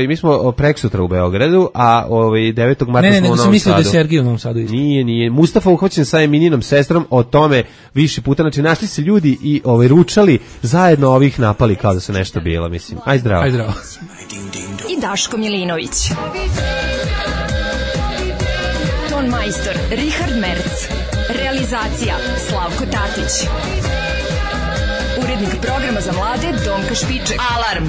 Mi smo preksutra u Beogradu, a 9. marta smo u Novom Sadu. Ne, sam mislio da je Sergej u Novom Sadu. Nije. Mustafa uhvaćen sa Emininom sestrom, o tome više puta, znači našli se ljudi i ručali zajedno, ovih napali kao da su nešto bilo, mislim. Aj zdravo. Aj zdravo. I Daško Milinović. Ton majstor Richard Merc. Realizacija Slavko Tatić. Urednik programa za mlade Donka Špiček. Alarm!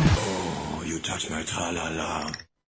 You touch my tra-la-la.